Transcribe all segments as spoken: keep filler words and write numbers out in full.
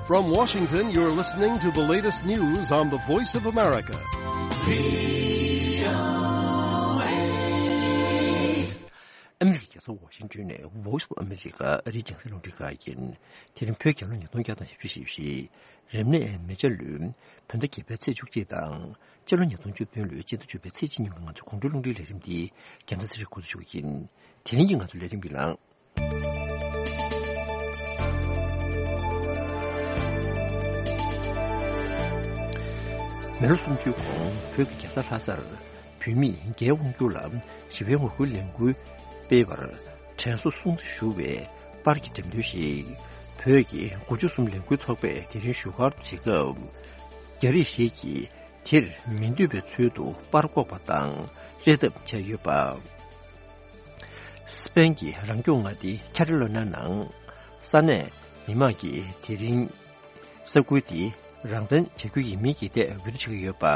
From Washington, you're listening to the latest news on the Voice of America. ཨ་མི་རི་ཀའི་རྒྱལ་ས་ཝ་ཤིང་ཏོན་ནས་Voice of America ཨ་རིའི་རྒྱང་སྲིང་རླུང་འཕྲིན་ཁང་ཡིན། དེ་རིང་བོད་རྒྱལ་ལོ་ཉིས་སྟོང་བརྒྱ་དང་བཞི་བཅུ་ཞེ་བཞི། རབ་གནས་མེ་བྱ་ལོའི་བོད་ཟླ་བརྒྱད་པའི་ཚེས་བཅུ་གཅིག་དང་། སྤྱི་ལོ་ཉིས་སྟོང་བཅུ་བདུན་ལོའི་སྤྱི་ཟླ་བཅུ་པའི་ཚེས་གཅིག་ཉིན་གྱི་ང་ཚོའི་དགོང་དྲོའི་རླུང་འཕྲིན་ལས་རིམ་འདི་རྒྱལ་མཚན་ཚེ་རིང་འགོ་འཛུགས་ཞུ་གི་ཡིན། དེ་རིང་གི་ང་ཚོའི་ལས་རིམ་གྱི་ནང་། མི་ལོ་སུམ་ཅུའི་གོང་བོད་ཀྱི་རྒྱལ་ས་ལྷ་སར་བོད་མིས་རྒྱའི་དབང་བསྒྱུར་ལ་ཞི་བའི་ངོ་རྒོལ་ལས་འགུལ་སྤེལ་བར་དྲན་གསོ་སྲུང་བརྩི་ཞུ་བའི་པར་གྱི་འགྲེམས་སྟོན་ཞིག་བོད་ཀྱི་དགུ་བཅུ་གསུམ་ལས་འགུལ་ཚོགས་པས་དེ་རིང་བཞུགས་སྒར་དུ་བྱེད་སྐབས། རྒྱ་རིགས་ཤིག་གིས་དེར་མི་འདུས་པའི་ཚུལ་དུ་པར་འགོག་པ་དང་རེ་ལྟོས་བྱས་ཡོད་པ། སི་པེན་གྱི་རང་སྐྱོང་མངའ་སྡེ་ཁ་ཏ་ལོ་ཉ་ནང་ས་གནས་མི་མང་གིས་དེ་རིང་ས་ཁུལ་དེ་རང་བཙན་བྱ་རྒྱུ་ཡིན་མིན་གྱི་ཐད་འོས་བསྡུ་བྱེད་ཀྱི་ཡོད་པ།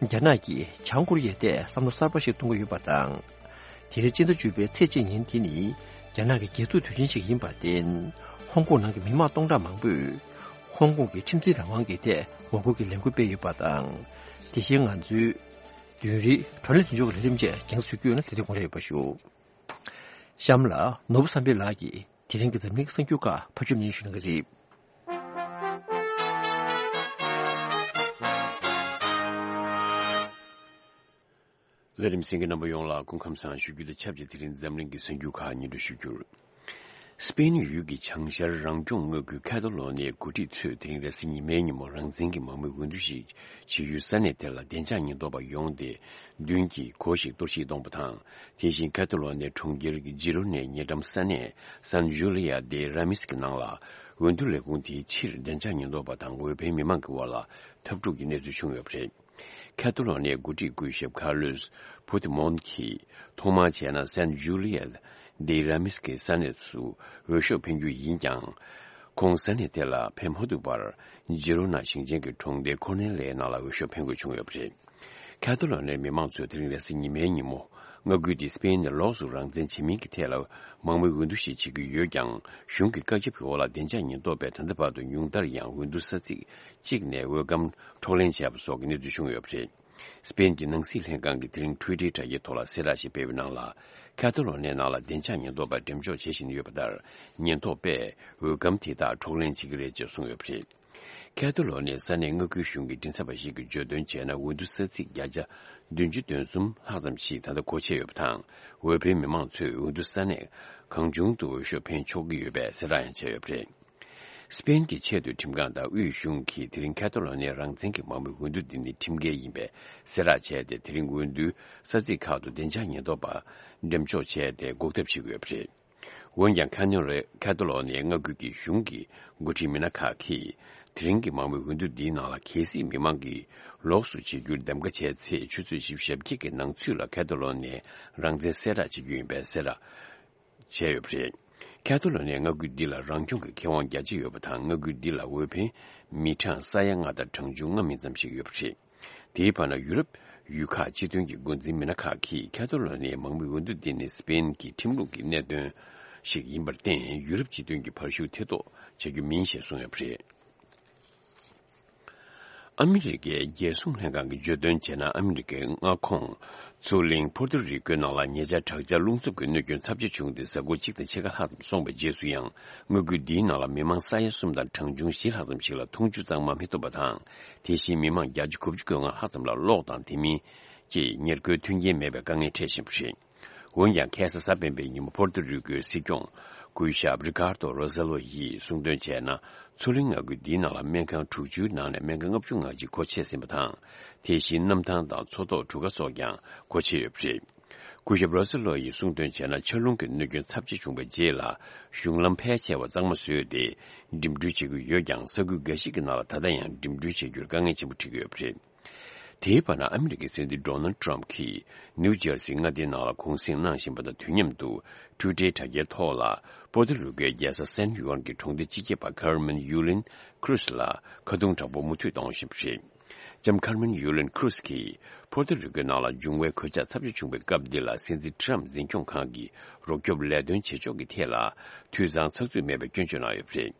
རྒྱ་ནག་གིས་བྱང་ཀོ་རི་ཡའི་ཐད་བསམ་བློ་གསར་པ་ཞིག་གཏོང་གི་ཡོད་པ་དང་། དེ་རིང་སྤྱི་ཟླ་བཅུ་པའི་ཚེས་གཅིག་ཉིན་དེ་ནི་རྒྱ་ནག་གི་རྒྱལ་ཐུག་དུས་ཆེན་ཞིག་ཡིན་པར་བརྟེན། ཧོང་ཀོང་ནང་གི་མི་མང་སྟོང་ཕྲག་མང་པོས་ཧོང་ཀོང་གི་ཁྲིམས་འཛིན་རང་དབང་གི་ཐད་ངོ་རྒོལ་གྱི་ལས་འགུལ་སྤེལ་ཡོད་པ་དང་། དེ་བཞིན་ང་ཚོའི་བདུན་རེའི་བགྲོ་གླེང་མདུན་ལྕོག་གི་ལས་རིམ་བཅས་རྒྱང་སྲིང་ཞུ་རྒྱུ་ཡོད་ན་དེ་དུས་དགོངས་འཇགས་ཡོད་པ་ཞུ། གཤམ་ལ་ནོར་བུ་བསམ་འཕེལ་ལགས་ཀྱིས་དེ་རིང་གི་འཛམ་གླིང་གི་གསར་འགྱུར་ཁག་ཕབ་སྒྱུར་སྙན་ཞུ་གནང་གི་རེད། ལས་རིམ་གསན་མཁན་རྣམ་པ་ཡོངས་ལ་སྐུ་ཁམས་བཟང་ཞུ་རྒྱུ་དང་ཆབས་ཅིག་དེ་རིང་འཛམ་གླིང་གི་གསར་འགྱུར་ཁག་སྙན་སྒྲོན་ཞུ་རྒྱུར། སི་པེན་ཡུལ་གྱི་བྱང་ཤར་རང་སྐྱོང་མངའ་ཁུལ་ཁ་ཏ་ལོ་ནིའི་འགོ་ཁྲིད་ཚོས་དེ་རིང་རེས་གཟའ་ཉི་མའི་ཉིན་མོ་རང་བཙན་གྱི་མང་མོས་འོས་བསྡུ་ཞིག་བྱེད་ཡུལ་ས་གནས་དེ་ལ་བདེ་འཇགས་ཉེན་རྟོག་པ་ཡོང་སྟེ་མདུན་གྱི་སྒོ་ཞིག་གཏོར་བཤིག་གཏོང་བ་དང་། དེ་བཞིན་ཁ་ཏ་ལོ་ནིའི་གྲོང་ཁྱེར་ཇི་རོ་ནའི་ཉེ་འགྲམ་ས་གནས་སན་ཇུ་ལི་ཡ་དེ་ར་མིས་ཀྱི་ནང་ལ་འོས་བསྡུ་ལས་ཁུངས་དེའི་ཕྱིར་བདེ་འཇགས་ཉེན་རྟོག་པ་དང་འོས་འཕེན་མི་མང་གི་དབར་ལ་འཐབ་འཁྲུག་གི་གནས་ཚུལ་བྱུང་ཡོད་པ་རེད། ཁ་ཏ་ལོ་ནིའི་འགོ་ཁྲིད་སྐུ་ཞབས་ཁར་ལོས་ཕུ་ཏི་མོན་གྱིས་ཐོག་མར་བྱས་ན་སན་ཇུ་ལི་ཡ་དེ་ར་མིས་ཀྱི་ས་གནས་སུ་འོས་ཤོག་འཕེན་རྒྱུ་ཡིན་ཀྱང་། ཁོང་ས་གནས་དེ་ལ་ཕེབས་མ་ཐུབ་པར་ཇི་རོ་ན་ཞིང་ཆེན་གྱི་གྲོང་སྡེ་ཁོ་ནེ་ལའི་ནང་ལ་འོས་ཤོག་འཕེན་དགོས་བྱུང་ཡོད་པ་རེད། ཁ་ཏ་ལོ་ནིའི་མི་མང་ཚོས་དེ་རིང་རེས་གཟའ་ཉི་མའི་ཉིན་མོ་མངའ་ཁུལ་དེ་སི་པེན་ནས་ལོགས་སུ་རང་བཙན་བྱེད་མིན་གྱི་ཐད་ལ་མང་མོས་འོས་བསྡུ་ཞིག་བྱེད་ཀྱི་ཡོད་ཀྱང་། གཞུང་གི་བཀའ་ཁྱབ་ཀྱི་འོག་ལ་བདེ་འཇགས་ཉེན་རྟོག་པས་ད་ལྟ་བར་དུ་ཉུང་མཐར་ཡང་འོས་བསྡུ་ས་ཚིགས་གཅིག་ནས་འོས་སྒམ་འཕྲོག་ལེན་བྱས་པ་སོགས་ཀྱི་གནས་ཚུལ་བྱུང་ཡོད་པ་རེད། སི་པེན་གྱི་ནང་སྲིད་ལྷན་ཁང་གིས་དེ་རིང་ཊུའི་ཊར་དྲ་རྒྱའི་ཐོག་ལ་གསལ་བསྒྲགས་ཤིག་སྤེལ་བའི་ནང་ལ། ཁ་ཏ་ལོ་ནིའི་ནང་ལ་བདེ་འཇགས་ཉེན་རྟོག་པ་འགྲེམས་འཇོག་བྱེད་བཞིན་ཡོད་པ་ལྟར། ཉེན་རྟོག་པས་འོས་སྒམ་དེ་དག་འཕྲོག་ལེན་བྱེད་ཀྱི་རེད་ཅེས་གསུངས་ཡོད་པ་རེད། ཁ་ཏ་ལོ་ནིའི་ས་གནས་མངའ་ཁུལ་གཞུང་གི་མགྲིན་ཚབ་པ་ཞིག་གིས་བརྗོད་དོན་བྱས་ན། འོས་བསྡུ་ས་ཚིགས་བརྒྱ་ཆ་བདུན་ཅུ་དོན་གསུམ་ལྷག་ཙམ་ཞིག་ད་ལྟ་སྒོ་ཕྱེ་ཡོད་པ་དང་། འོས་འཕེན་མི་མང་ཚོས་འོས་བསྡུ་ས་གནས་གང་བྱུང་དུ་འོས་ཤོག་འཕེན་ཆོག་གི་ཡོད་པའི་གསལ་བསྒྲགས་ཡང་བྱས་ཡོད་པ་རེད། སི་པེན་གྱི་ཆེས་མཐོའི་ཁྲིམས་ཁང་དང་དབུས་གཞུང་གིས་དེ་རིང་ཁ་ཏ་ལོ་ནིའི་རང་བཙན་གྱི་མང་མོས་འོས་བསྡུ་འདི་ནི་ཁྲིམས་འགལ་ཡིན་པའི་གསལ་བསྒྲགས་བྱས་ཏེ། དེ་རིང་འོས་བསྡུའི་ས་ཚིགས་ཁག་ཏུ་བདེ་འཇགས་ཉེན་རྟོག་པ་འགྲེམས་འཇོག་བྱས་ཏེ་འགོག་ཐབས་བྱེད་ཀྱི་ཡོད་པ་རེད། འོན་ཀྱང་། ཁ་ནོ་རེ་ཁ་ཏ་ལོ་ནིའི་མངའ་ཁུལ་གྱི་གཞུང་གི་འགོ་ཁྲིད་མི་སྣ་ཁག་གིས། དེ་རིང་གི་མང་མོས་འོས་བསྡུ་འདིའི་ནང་ལ་གལ་སྲིད་མི་མང་གིས་ལོགས་སུ་བྱེད་རྒྱུར་གདམ་ག་བྱས་ཚེ། ཆུ་ཚོད་བཞི་བཅུ་ཞེ་བརྒྱད་ཀྱི་ནང་ཚུད་ལ་ཁ་ཏ་ལོ་ནིའི་རང་བཙན་གསལ་བསྒྲགས་བྱེད་རྒྱུ་ཡིན་པའི་གསལ་བསྒྲགས་བྱས་ཡོད་པ་རེད། ཁ་ཏ་ལོ་ནིའི་མངའ་ཁུལ་འདི་ལ་རང་སྐྱོང་གི་ཁེ་དབང་རྒྱ་ཆེ་ཡོད་པ་དང་། མངའ་ཁུལ་འདི་ལ་འོས་འཕེན་མི་གྲངས་ས་ཡ་ལྔ་དང་གྲངས་ཆུང་ལྔ་མིན་ཙམ་ཞིག་ཡོད་པ་རེད། དེའི་བར་ན། ཡུ་རོབ་ཡུལ་ཁག་སྤྱི་མཐུན་གྱི་འགོ་འཛིན་མི་སྣ་ཁག་གིས་ཁ་ཏ་ལོ་ནིའི་མང་མོས་འོས་བསྡུ་འདི་ནི་སི་པེན་གྱི་ཁྲིམས་ལུགས་ཀྱི་གནད་དོན་ཞིག་ཡིན་པར་བརྟེན། ཡུ་རོབ་སྤྱི་མཐུན་གྱི་བར་ཞུགས་ཐེ་གཏོགས་བྱ་རྒྱུ་མིན་ཞེས་གསུངས་ཡོད་པ་རེད། ཨ་མི་རི་ཀའི་རྒྱལ་སྲུང་ལྷན་ཁང་གིས་བརྗོད་དོན་བྱས་ན། ཨ་མི་རི་ཀའི་མངའ་ཁོངས་མཚོ་གླིང་ཕོར་ཏོ་རི་ཀོའི་ནང་ལ་ཉེ་ཆར་དྲག་ཆར་རླུང་འཚུབ་ཀྱི་གནོད་སྐྱོན་ཚབས་ཆེ་བྱུང་སྟེ། གཟའ་འཁོར་གཅིག་དང་ཕྱེད་ཀ་ལྷག་ཙམ་སོང་བའི་རྗེས་སུ་ཡང་། མངའ་ཁུལ་འདིའི་ནང་ལ་མི་མང་ས་ཡ་གསུམ་དང་གྲངས་ཆུང་བཞི་ལྷག་ཙམ་ཞིག་ལ་འཐུང་ཆུ་གཙང་མ་མི་ཐོབ་པ་དང་། དེ་བཞིན་མི་མང་བརྒྱ་ཆ་དགུ་བཅུ་གོ་ལྔ་ལྷག་ཙམ་ལ་གློག་དང་དེ་མིན་གྱི་ཉེར་མཁོའི་མཐུན་རྐྱེན་མེད་པའི་དཀའ་ངལ་འཕྲད་བཞིན་པ་རེད། འོན་ཀྱང་། ཁ་སང་གཟའ་སྤེན་པའི་ཉིན་མོ་ཕོར་ཏོ་རི་ཀོའི་སྲིད་སྐྱོང་སྐུ་ཞབས་རི་ཀར་ཏོ་རོ་ཟེ་ལོ་ཡིས་གསུངས་དོན་བྱས་ན། མཚོ་གླིང་མངའ་ཁུལ་འདིའི་ནང་ལ་སྨན་ཁང་དྲུག་ཅུའི་ནང་ནས་སྨན་ཁང་ལྔ་བཅུ་ང་གཅིག་སྒོ་ཕྱེ་ཟིན་པ་དང་། དེ་བཞིན་གནམ་ཐང་དང་མཚོ་ཐོག་གྲུ་ཁ་སོགས་ཀྱང་སྒོ་ཕྱེ་ཡོད་པ་རེད། སྐུ་ཞབས་རོ་སི་ལོ་ཡིས་གསུངས་དོན་བྱས་ན། ཆར་རླུང་གི་གནོད་སྐྱོན་ཚབས་ཆེ་བྱུང་བའི་རྗེས་ལ། གཞུང་ལམ་ཕལ་ཆེ་བ་གཙང་མ་བཟོས་ཏེ་འགྲིམ་འགྲུལ་བྱེད་ཀྱི་ཡོད་ཀྱང་། ས་ཁུལ་འགའ་ཞིག་གི་ནང་ལ་ད་ལྟ་ཡང་འགྲིམ་འགྲུལ་བྱེད་རྒྱུར་དཀའ་ངལ་ཆེན་པོ་འཕྲད་ཀྱི་ཡོད་པ་རེད། དེའི་བར་ན། ཨ་མི་རི་ཀའི་སྲིད་འཛིན་ཌོ་ནལ་ཊམ་གྱིས་ནིའུ་ཇར་སི་མངའ་སྡེའི་ནང་ལ་གུང་གསེང་གནང་བཞིན་པ་དང་། དུས་མཉམ་དུ་ཊུའི་ཊར་དྲ་རྒྱའི་ཐོག་ལ། པོ་ཏོ་རི་ཀོའི་རྒྱལ་ས་སན་ཡུའན་གྱི་གྲོང་སྡེ་སྤྱི་ཁྱབ་པ་ཁར་མན་ཡུ་ལིན་ཁུ་རུ་སི་ལ་ཁ་རྡུང་དྲག་པོ་མུ་མཐུད་གཏོང་བཞིན་པ་རེད། ལྕམ་ཁར་མན་ཡུ་ལིན་ཁུ་རུ་སི་གིས་པོ་ཏོ་རི་ཀོའི་ནང་ལ་འབྱུང་བའི་གོད་ཆག་ཚབས་ཆེ་བྱུང་བའི་སྐབས་འདི་ལ། སྲིད་འཛིན་ཊམ་འཛིན་སྐྱོང་ཁང་གི་རོགས་སྐྱོབ་ལས་དོན་བྱེད་ཕྱོགས་ཀྱི་ཐད་ལ་འཐུས་ཚང་ཚགས་ཚུད་མེད་པའི་སྐྱོན་བརྗོད་གནང་ཡོད་པ་རེད།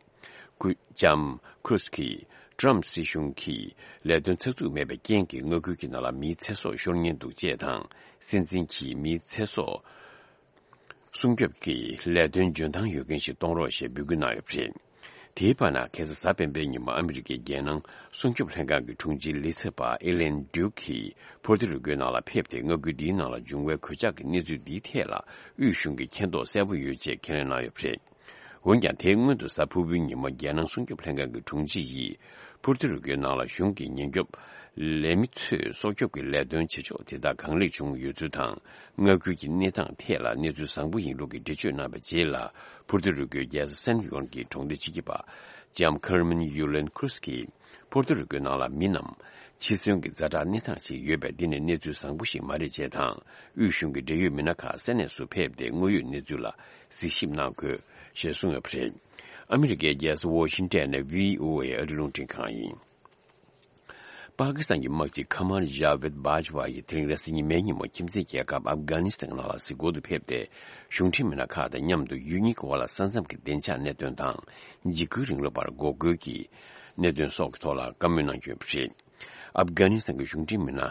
ཀུ་ལྕམ་ཁུ་རུས་ཀྱིས་ཀྲམ་སྲིད་གཞུང་གིས་ལས་དོན་ཚགས་ཚུད་མེད་པའི་རྐྱེན་གྱིས་མངའ་ཁུལ་གྱི་ནང་ལ་མིའི་ཚེ་སྲོག་ཤོར་ཉེན་འདུག་ཅེས་དང་། སྲིད་འཛིན་གྱིས་མིའི་ཚེ་སྲོག་སྲུང་སྐྱོབ་ཀྱི་ལས་དོན་འཇོན་ཐང་ཡོད་མཁན་ཞིག་གཏོང་རོགས་ཞེས་འབོད་སྐུལ་གནང་ཡོད་པ་རེད། དེའི་བར་ན་ཁ་སང་གཟའ་སྤེན་པའི་ཉིན་མོ་ཨ་མི་རི་ཀའི་རྒྱལ་ནང་སྲུང་སྐྱོབ་ལྷན་ཁང་གི་དྲུང་ཆེའི་ལི་ཚབ་པ་ཨེ་ལན་ཌིའུ་ཀིས་ཕུར་ཏུ་རུ་ཀོའི་ནང་ལ་ཕེབས་ཏེ། མངའ་ཁུལ་འདིའི་ནང་ལ་འབྱུང་བའི་གོད་ཆག་གི་གནས་ཚུལ་འདིའི་ཐད་ལ་དབུས་གཞུང་གིས་མཁྱེན་རྟོགས་གསལ་པོ་ཡོད་ཅེས་ཁས་ལེན་གནང་ཡོད་པ་རེད། འོན་ཀྱང་། དེའི་སྔོན་དུ་གཟའ་ཕུར་བུའི་ཉིན་མོ་རྒྱལ་ནང་སྲུང་སྐྱོབ་ལྷན་ཁང་གི་དྲུང་ཆེ་ཡིས་ཕུར་ཏུ་རུ་ཀོའི་ནང་ལ་གཞུང་གི་ཉེན་སྐྱོབ་ལས་མི་ཚོས་སྲོག་སྐྱོབ་ཀྱི་ལས་དོན་བྱེད་ཕྱོགས་དེ་དག་གང་ལེགས་བྱུང་ཡོད་ཚུལ་དང་། མངའ་ཁུལ་གྱི་གནས་སྟངས་ཐད་ལ་གནས་ཚུལ་བཟང་པོ་ཡིན་ལུགས་ཀྱི་འགྲེལ་བརྗོད་གནང་བའི་རྗེས་ལ། ཕུར་ཏུ་རུ་ཀོའི་རྒྱལ་ས་སན་ཧྥི་ཡོན་གྱི་གྲོང་སྡེ་ཆེ་ཁག་པ་ལྕམ་ཁར་མན་ཡུ་ལན་ཁུ་རུས་ཀྱིས། ཕུར་ཏུ་རུ་ཀོའི་ནང་ལ་མི་རྣམས་འཆི་གསོན་གྱི་ཛ་དྲག་གནས་སྟངས་ཤིག་ཡོད་པས། འདི་ནི་གནས་ཚུལ་བཟང་པོ་ཞིག་མ་རེད་ཅེས་དང་། དབུས་གཞུང་གི་འབྲེལ་ཡོད་མི་སྣ་ཁག་ས་གནས་སུ་ཕེབས་ཏེ། དངོས་ཡོད་གནས་ཚུལ་ལ་གཟིགས་ཞིབ་གནང་དགོས་ཞེས་གསུངས་ཡོད་པ་རེད། ཨ་མི་རི་ཀའི་རྒྱལ་ས་ཝོ་ཤིང་ཏན་ནས་བྷི་ཨོ་ཨེ་ཨ་རིའི་རླུང་འཕྲིན་ཁང་ཡིན། པ་ཀི་སི་ཐན་གྱི་དམག་སྤྱི་ཁ་མར་ཇཱ་ཝེད་བྷ་ཇ་ཝ་ཡིས་དེ་རིང་རེས་གཟའ་ཉི་མའི་ཉིན་མོ་ཁྱིམ་མཚེས་རྒྱལ་ཁབ་ཨབ་གྷ་ནི་སི་ཐན་ནང་ལ་གཟིགས་སྐོར་དུ་ཕེབས་ཏེ། གཞུང་འབྲེལ་མི་སྣ་ཁག་དང་མཉམ་དུ་ཡུལ་གཉིས་ཀྱི་དབར་ལ་ས་མཚམས་ཀྱི་བདེ་འཇགས་གནད་དོན་དང་། འཇིགས་སྐུལ་རིང་ལུགས་པར་འགོག་རྒོལ་གྱི་གནད་དོན་སོགས་ཀྱི་ཐོག་ལ་བཀའ་མོལ་གནང་རྒྱུ་ཡོད་པ་རེད། ཨབ་གྷ་ནི་སི་ཐན་གྱི་གཞུང་འབྲེལ་མི་སྣ་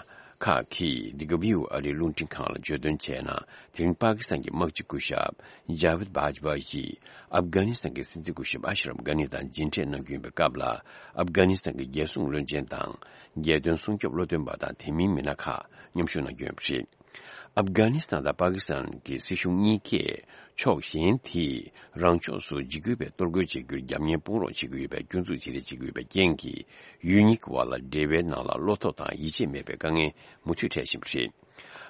ཁག་གིས་འདི་ག་བྷི་ཨོ་ཨེ་ཨ་རིའི་རླུང་འཕྲིན་ཁང་ལ་བརྗོད་དོན་བྱས་ན། དེ་རིང་པ་ཀི་སི་ཐན་གྱི་དམག་སྤྱི་སྐུ་ཞབས་ཇཱ་ཝེད་བྷ་ཇ་ཝ་ཡིས་ཨབ་གྷ་ནི་སི་ཐན་གྱི་སྲིད་འཛིན་སྐུ་ཞབས་ཨ་ཤ་རབ་གྷ་ནི་དང་མཇལ་འཕྲད་གནང་རྒྱུ་ཡིན་པའི་སྐབས་ལ། ཨབ་གྷ་ནི་སི་ཐན་གྱི་རྒྱལ་སྲུང་བློན་ཆེན་དང་། རྒྱལ་དོན་སྲུང་སྐྱོབ་བློ་འདོན་པ་དང་། དེ་མིན་མི་སྣ་ཁག་མཉམ་ཞུགས་གནང་རྒྱུ་ཡོད་པ་རེད། ཨབ་གྷ་ནི་སི་ཐན་དང་པ་ཀི་སི་ཐན་གྱི་སྲིད་གཞུང་གཉིས་ཀས་ཕྱོགས་གཞན་དེས་རང་ཕྱོགས་སུ་འཇིགས་སྐུལ་བའི་གཏོར་རྒོལ་བྱེད་རྒྱུར་རྒྱབ་གཉེར་སྤོང་རོགས་བྱེད་ཀྱི་ཡོད་པའི་སྐྱོན་འཛུགས་བྱེད་རེས་བྱེད་ཀྱི་ཡོད་པའི་རྐྱེན་གྱིས། ཡུལ་གཉིས་ཀྱི་དབར་ལ་འབྲེལ་བའི་ནང་ལ་བློ་ཐོག་དང་ཡིད་ཆེས་མེད་པའི་དཀའ་ངལ་མུ་མཐུད་འཕྲད་བཞིན་པ་རེད།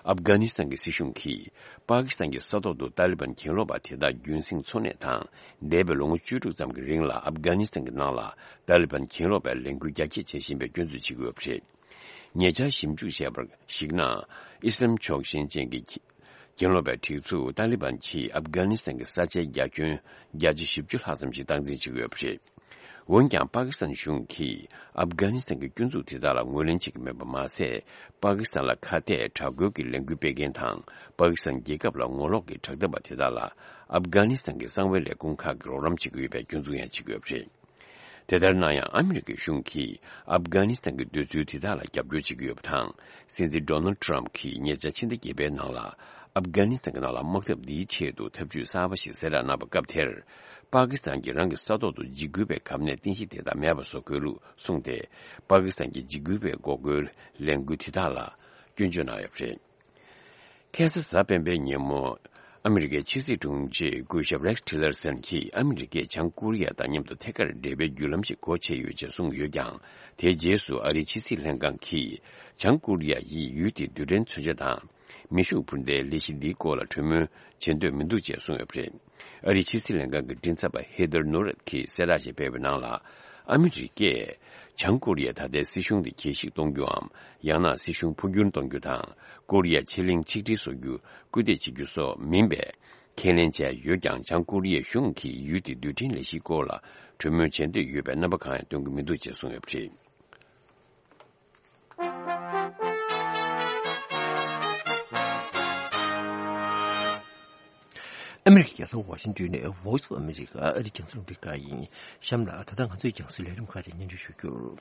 ཨབ་གྷ་ནི་སི་ཐན་གྱི་སྲིད་གཞུང་གིས་པ་ཀི་སི་ཐན་གྱི་ས་ཐོག་ཏུ་ཏཱ་ལི་བན་གྱེན་ལོག་པ་དེ་དག་རྒྱུན་སྲིང་འཚོ་གནས་དང་། འདས་པའི་ལོ་ངོ་བཅུ་དྲུག་ཙམ་གྱི་རིང་ལ་ཨབ་གྷ་ནི་སི་ཐན་གྱི་ནང་ལ་ཏཱ་ལི་བན་གྱེན་ལོག་པའི་ལས་འགུལ་རྒྱ་སྐྱེད་བྱེད་བཞིན་པའི་སྐྱོན་འཛུགས་བྱེད་ཀྱི་ཡོད་པ་རེད། ཉེ་ཆར་ཞིབ་འཇུག་བྱས་པར་གཞིགས་ན། ཨི་སི་ལམ་ཕྱོགས་ཞེན་ཅན་གྱི་གྱེན་ལོག་པའི་སྒྲིག་འཛུགས་ཏཱ་ལི་བན་གྱིས་ཨབ་གྷ་ནི་སི་ཐན་གྱི་ས་ཆའི་རྒྱ་ཁྱོན་བརྒྱ་ཆ་བཞི་བཅུ་ལྷག་ཙམ་ཞིག་སྟངས་འཛིན་བྱེད་ཀྱི་ཡོད་པ་རེད། འོན་ཀྱང་། པ་ཀི་སི་ཐན་གཞུང་གིས་ཨབ་གྷ་ནི་སི་ཐན་གྱི་སྐྱོན་འཛུགས་དེ་དག་ལ་ངོས་ལེན་བྱེད་ཀྱི་མེད་པ་མ་ཟད། པ་ཀི་སི་ཐན་ལ་ཁ་གཏད་དྲག་རྒོལ་གྱི་ལས་འགུལ་སྤེལ་མཁན་དང་། པ་ཀི་སི་ཐན་རྒྱལ་ཁབ་ལ་ངོ་ལོག་གི་དྲག་འཐབ་པ་དེ་དག་ལ་ཨབ་གྷ་ནི་སི་ཐན་གྱི་གསང་བའི་ལས་ཁུངས་ཁག་གིས་རོགས་རམ་བྱེད་ཀྱི་ཡོད་པའི་སྐྱོན་འཛུགས་ཡང་བྱེད་ཀྱི་ཡོད་པ་རེད། དེ་ལྟར་ན་ཡང་། ཨ་མི་རི་ཀའི་གཞུང་གིས་ཨབ་གྷ་ནི་སི་ཐན་གྱི་འདོད་ཚུལ་དེ་དག་ལ་རྒྱབ་སྐྱོར་བྱེད་ཀྱི་ཡོད་པ་དང་། སྲིད་འཛིན་ཌོ་ནལ་ཌི་ཊརམ་ཕི་གྱིས་ཉེ་ཆར་ཕྱི་ཟླ་བརྒྱད་པའི་ནང་ལ། ཨབ་གྷ་ནི་སི་ཐན་གྱི་ནང་ལ་དམག་འཐབ་འདིའི་ཆེད་དུ་ཐབས་ཇུས་གསར་པ་ཞིག་གསལ་བསྒྲགས་གནང་བའི་སྐབས་དེར། པ་ཀི་སི་ཐན་གྱིས་རང་གི་ས་ཐོག་ཏུ་འཇིགས་སྐུལ་བའི་གབ་ནད་རྟེན་གཞི་དེ་དག་མེད་པ་བཟོ་དགོས་ལུགས་གསུངས་ཏེ། པ་ཀི་སི་ཐན་གྱི་འཇིགས་སྐུལ་བའི་འགོག་རྒོལ་ལས་འགུལ་དེ་དག་ལ་སྐྱོན་བརྗོད་གནང་ཡོད་པ་རེད། ཁ་སང་གཟའ་སྤེན་པའི་ཉིན་མོ། ཨ་མི་རི་ཀའི་ཕྱི་སྲིད་དྲུང་ཆེ་སྐུ་ཞབས་རེགས་ཊི་ལར་སན་གྱིས་ཨ་མི་རི་ཀས་བྱང་ཀོ་རི་ཡ་དང་མཉམ་དུ་ཐད་ཀར་འབྲེལ་བའི་བརྒྱུད་ལམ་ཞིག་སྒོ་ཕྱེ་ཡོད་ཅེས་གསུངས་ཡོད་ཀྱང་། དེའི་རྗེས་སུ་ཨ་རིའི་ཕྱི་སྲིད་ལྷན་ཁང་གིས་བྱང་ཀོ་རི་ཡ་ཡིས་ཡུལ་དེའི་རྡུལ་ཕྲན་མཚོན་ཆ་དང་མེ་ཤུགས་འཕུར་མདའི་ལས་གཞི་འདིའི་སྐོར་ལ་གྲོས་མོལ་བྱེད་འདོད་མི་འདུག་ཅེས་གསུངས་ཡོད་པ་རེད། ཨ་རིའི་ཕྱི་སྲིད་ལྷན་ཁང་གི་མགྲིན་ཚབ་པ་ཧེ་དར་ནོ་རེད་ཀྱིས་གསལ་བསྒྲགས་ཤིག་སྤེལ་བའི་ནང་ལ། ཨ་མི་རི་ཀས་བྱང་ཀོ་རི་ཡའི་ད་ལྟའི་སྲིད་གཞུང་དེ་གྱེས་ཤིག་གཏོང་རྒྱུའམ། ཡང་ན་སྲིད་གཞུང་འཕོ་འགྱུར་གཏོང་རྒྱུ་དང་། ཀོ་རི་ཡ་ཕྱེད་གླིང་ཆིག་སྒྲིལ་བཟོ་རྒྱུ་སྐུལ་འདེད་བྱེད་རྒྱུ་སོགས་མིན་པའི་ཁས་ལེན་བྱས་ཡོད་ཀྱང་། བྱང་ཀོ་རི་ཡའི་གཞུང་གིས་ཡུལ་དེའི་རྡུལ་ཕྲན་ལས་གཞིའི་སྐོར་ལ་གྲོས་མོལ་བྱེད་འདོད་ཡོད་པའི་རྣམ་པ་གང་ཡང་སྟོན་གྱི་མི་འདུག་ཅེས་གསུངས་ཡོད་པ་རེད། ཨ་མི་རི་ཀའི་རྒྱལ་ས་ཝ་ཤིང་ཏོན་ནས་Voice of America ཨ་རིའི་རྒྱང་སྲིང་རླུང་འཕྲིན་ཁང་ཡིན། གཤམ་ལ་ད་ལྟ་ང་ཚོའི་རྒྱང་སྲིང་ལས་རིམ་ཁག་ཅིག་སྙན་སྒྲོན་ཞུ་རྒྱུར།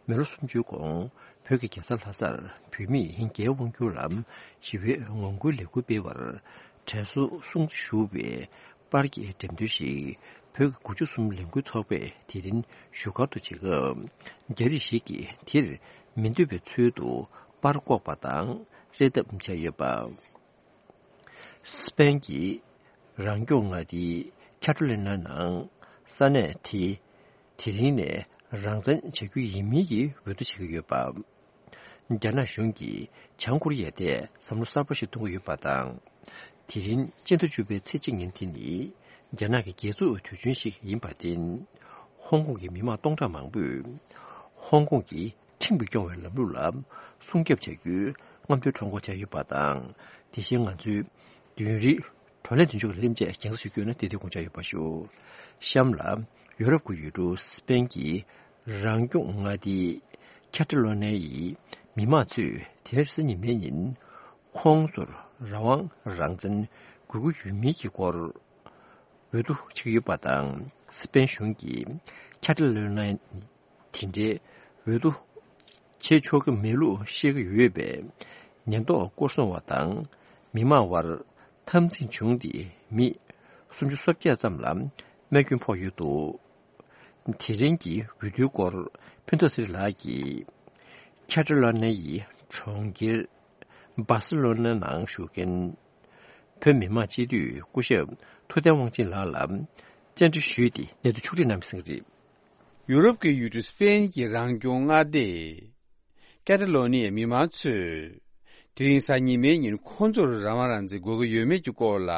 མི་ལོ་སུམ་ཅུའི་གོང་བོད་ཀྱི་རྒྱལ་ས་ལྷ་སར་བོད་མིས་རྒྱའི་དབང་སྒྱུར་ལ་ཞི་བའི་ངོ་རྒོལ་ལས་འགུལ་སྤེལ་བར་དྲན་གསོ་སྲུང་བརྩི་ཞུ་བའི་པར་གྱི་འགྲེམས་སྟོན་ཞིག་བོད་ཀྱི་དགུ་བཅུ་གསུམ་ལས་འགུལ་ཚོགས་པས་དེ་རིང་བཞུགས་སྒར་དུ་བྱེད་སྐབས། རྒྱ་རིགས་ཤིག་གིས་དེར་མི་འདོད་པའི་ཚུལ་དུ་པར་བཀོག་པ་དང་རེ་ལྟོས་བྱས་ཡོད་པ། སི་པན་གྱི་རང་སྐྱོང་མངའ་སྡེའི་ཁ་ཏ་ལོ་ནི་ཡ་ནང་ས་གནས་དེ་དེ་རིང་ནས་རང་བཙན་བྱ་རྒྱུ་ཡིན་མིན་གྱི་འོས་བསྡུ་བྱེད་ཀྱི་ཡོད་པ། རྒྱ་ནག་གཞུང་གིས་བྱང་ཀོ་རི་ཡའི་ཐད་བསམ་བློ་གསར་པ་ཞིག་གཏོང་གི་ཡོད་པ་དང་། དེ་རིང་སྤྱི་ཟླ་བཅུ་པའི་ཚེས་གཅིག་ཉིན་དེ་ནི་རྒྱ་ནག་གི་རྒྱལ་འཛུགས་དུས་ཆེན་ཞིག་ཡིན་པར་བརྟེན། ཧོང་ཀོང་གི་མི་མང་སྟོང་ཕྲག་མང་པོས་ཧོང་ཀོང་གི་ཁྲིམས་ཀྱིས་སྐྱོང་བའི་ལམ་ལུགས་ལ་སྲུང་སྐྱོབ་བྱ་རྒྱུའི་རྔམ་སྟོན་ཁྲོམ་སྐོར་བྱས་ཡོད་པ་དང་། དེ་བཞིན་ང་ཚོའི་བདུན་རེའི་བགྲོ་གླེང་མདུན་ལྕོག་གི་ལས་རིམ་བཅས་རྒྱང་སྲིང་ཞུ་རྒྱུ་ཡིན་ན་དེ་དུས་དགོངས་འཇགས་ཡོད་པ་ཞུ། གཤམ་ལ་ཡོ་རོབ་ཀྱི་ཡུལ་གྲུ་སི་པན་གྱི་རང་སྐྱོང་མངའ་སྡེའི་ཁ་ཏ་ལོ་ནི་ཡའི་མི་མང་ཚོས་དེ་རིང་རེས་གཟའ་ཉི་མའི་ཉིན་ཁོང་ཚོར་རང་དབང་རང་བཙན་དགོས་ཀྱི་ཡོད་མིན་གྱི་སྐོར། འོས་བསྡུ་བྱེད་ཀྱི་ཡོད་པ་དང་། སི་པེན་གཞུང་གིས་ཁ་ཏ་ལོ་ནི་ཡ་དེ་འདྲའི་འོས་བསྡུ་བྱེད་ཆོག་གི་མེད་ལུགས་བཤད་ཀྱི་ཡོད་པས། ཉེན་རྟོག་སྐོར་སྲུང་བ་དང་མི་མང་བར་འཐབ་འཛིང་བྱུང་སྟེ། མི་སུམ་ཅུ་སོ་བརྒྱད་ཙམ་ལ་རྨས་སྐྱོན་ཕོག་ཡོད་འདུག་དེ་རིང་གི་འོས་བསྡུའི་སྐོར་ཕུན་ཚོགས་ཚེ་རིང་ལགས་ཀྱིས་ཁ་ཏ་ལོ་ནི་ཡའི་གྲོང་ཁྱེར་སྦར་སེ་ལོ་ནི་ཡ་ནང་བཞུགས་མཁན་བོད་མི་མང་སྤྱི་འཐུས་སྐུ་ཞབས་ཐུབ་བསྟན་དབང་ཆེན་ལགས་ལ་བཅར་འདྲི་ཞུས་ཏེ། གནས་ཚུལ་ཕྱོགས་སྒྲིག་གནང་མི་ཟིན་རེད། ཡུ་རོབ་ཀྱི་ཡུལ་གྲུ་སི་པེན་གྱི་རང་སྐྱོང་མངའ་སྡེ་ཀེ་ཏ་ལོ་ནི་ཡའི་མི་མང་ཚོས་དེ་རིང་གཟའ་ཉི་མའི་ཉིན་ཁོང་ཚོར་རང་དབང་རང་བཙན་དགོས་ཀྱི་ཡོད་མེད་ཀྱི་སྐོར་ལ་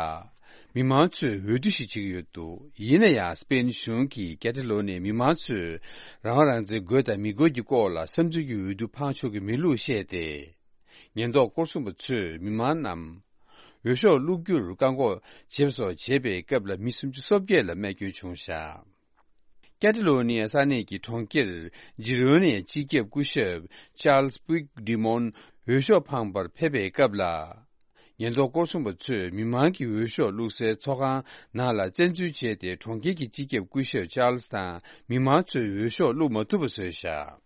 མི་མང་ཚོས་འོས་བསྡུ་ཞིག་བྱེད་ཀྱི་ཡོད་འདུག་ཡིན་ན་ཡང་སི་པེན་གཞུང་གིས་ཀེ་ཏ་ལོ་ནི་ཡའི་མི་མང་ཚོས་རང་དབང་རང་བཙན་དགོས་དང་མི་དགོས་ཀྱི་སྐོར་ལ་བསམ་ཚུལ་གྱི་འོས་བསྡུ་འཕངས་ཆོག་གི་མེད་ལུགས་བཤད་དེ། ཉེན་རྟོག་སྐོར་སྲུང་པ་ཚོས་མི་མང་རྣམས་འོས་ཤོག་བླུག་རྒྱུར་བཀག་འགོག་བྱས་པ་སོགས་བྱས་པའི་སྐབས་ལ་མི་སུམ་ཅུ་སོ་བརྒྱད་ལ་རྨས་སྐྱོན་བྱུང་བཞག་ཀེ་ཏ་ལོ་ནི་ཡ་ས་གནས་ཀྱི་གྲོང་ཁྱེར་ཇི་རོ་ནའི་སྤྱི་ཁྱབ་སྐུ་ཞབས་ཅཱལ་སི་པུག་ཌི་མོན་འོས་ཤོག་འཕངས་པར་ཕེབས་པའི་སྐབས་ལ། ཉེན་རྟོག་སྐོར་སྲུང་པ་ཚོས་མི་མང་གི་འོས་ཤོག་བླུག་སའི་ཚོགས་ཁང་ནང་ལ་བཙན་འཛུལ་བྱས་ཏེ། གྲོང་ཁྱེར་གྱི་སྤྱི་ཁྱབ་སྐུ་ཞབས་ཅཱལ་སི་དང་མི་མང་ཚོས་འོས་ཤོག་བླུག་མ་ཐུབ་པ་བཟོས་བཞག་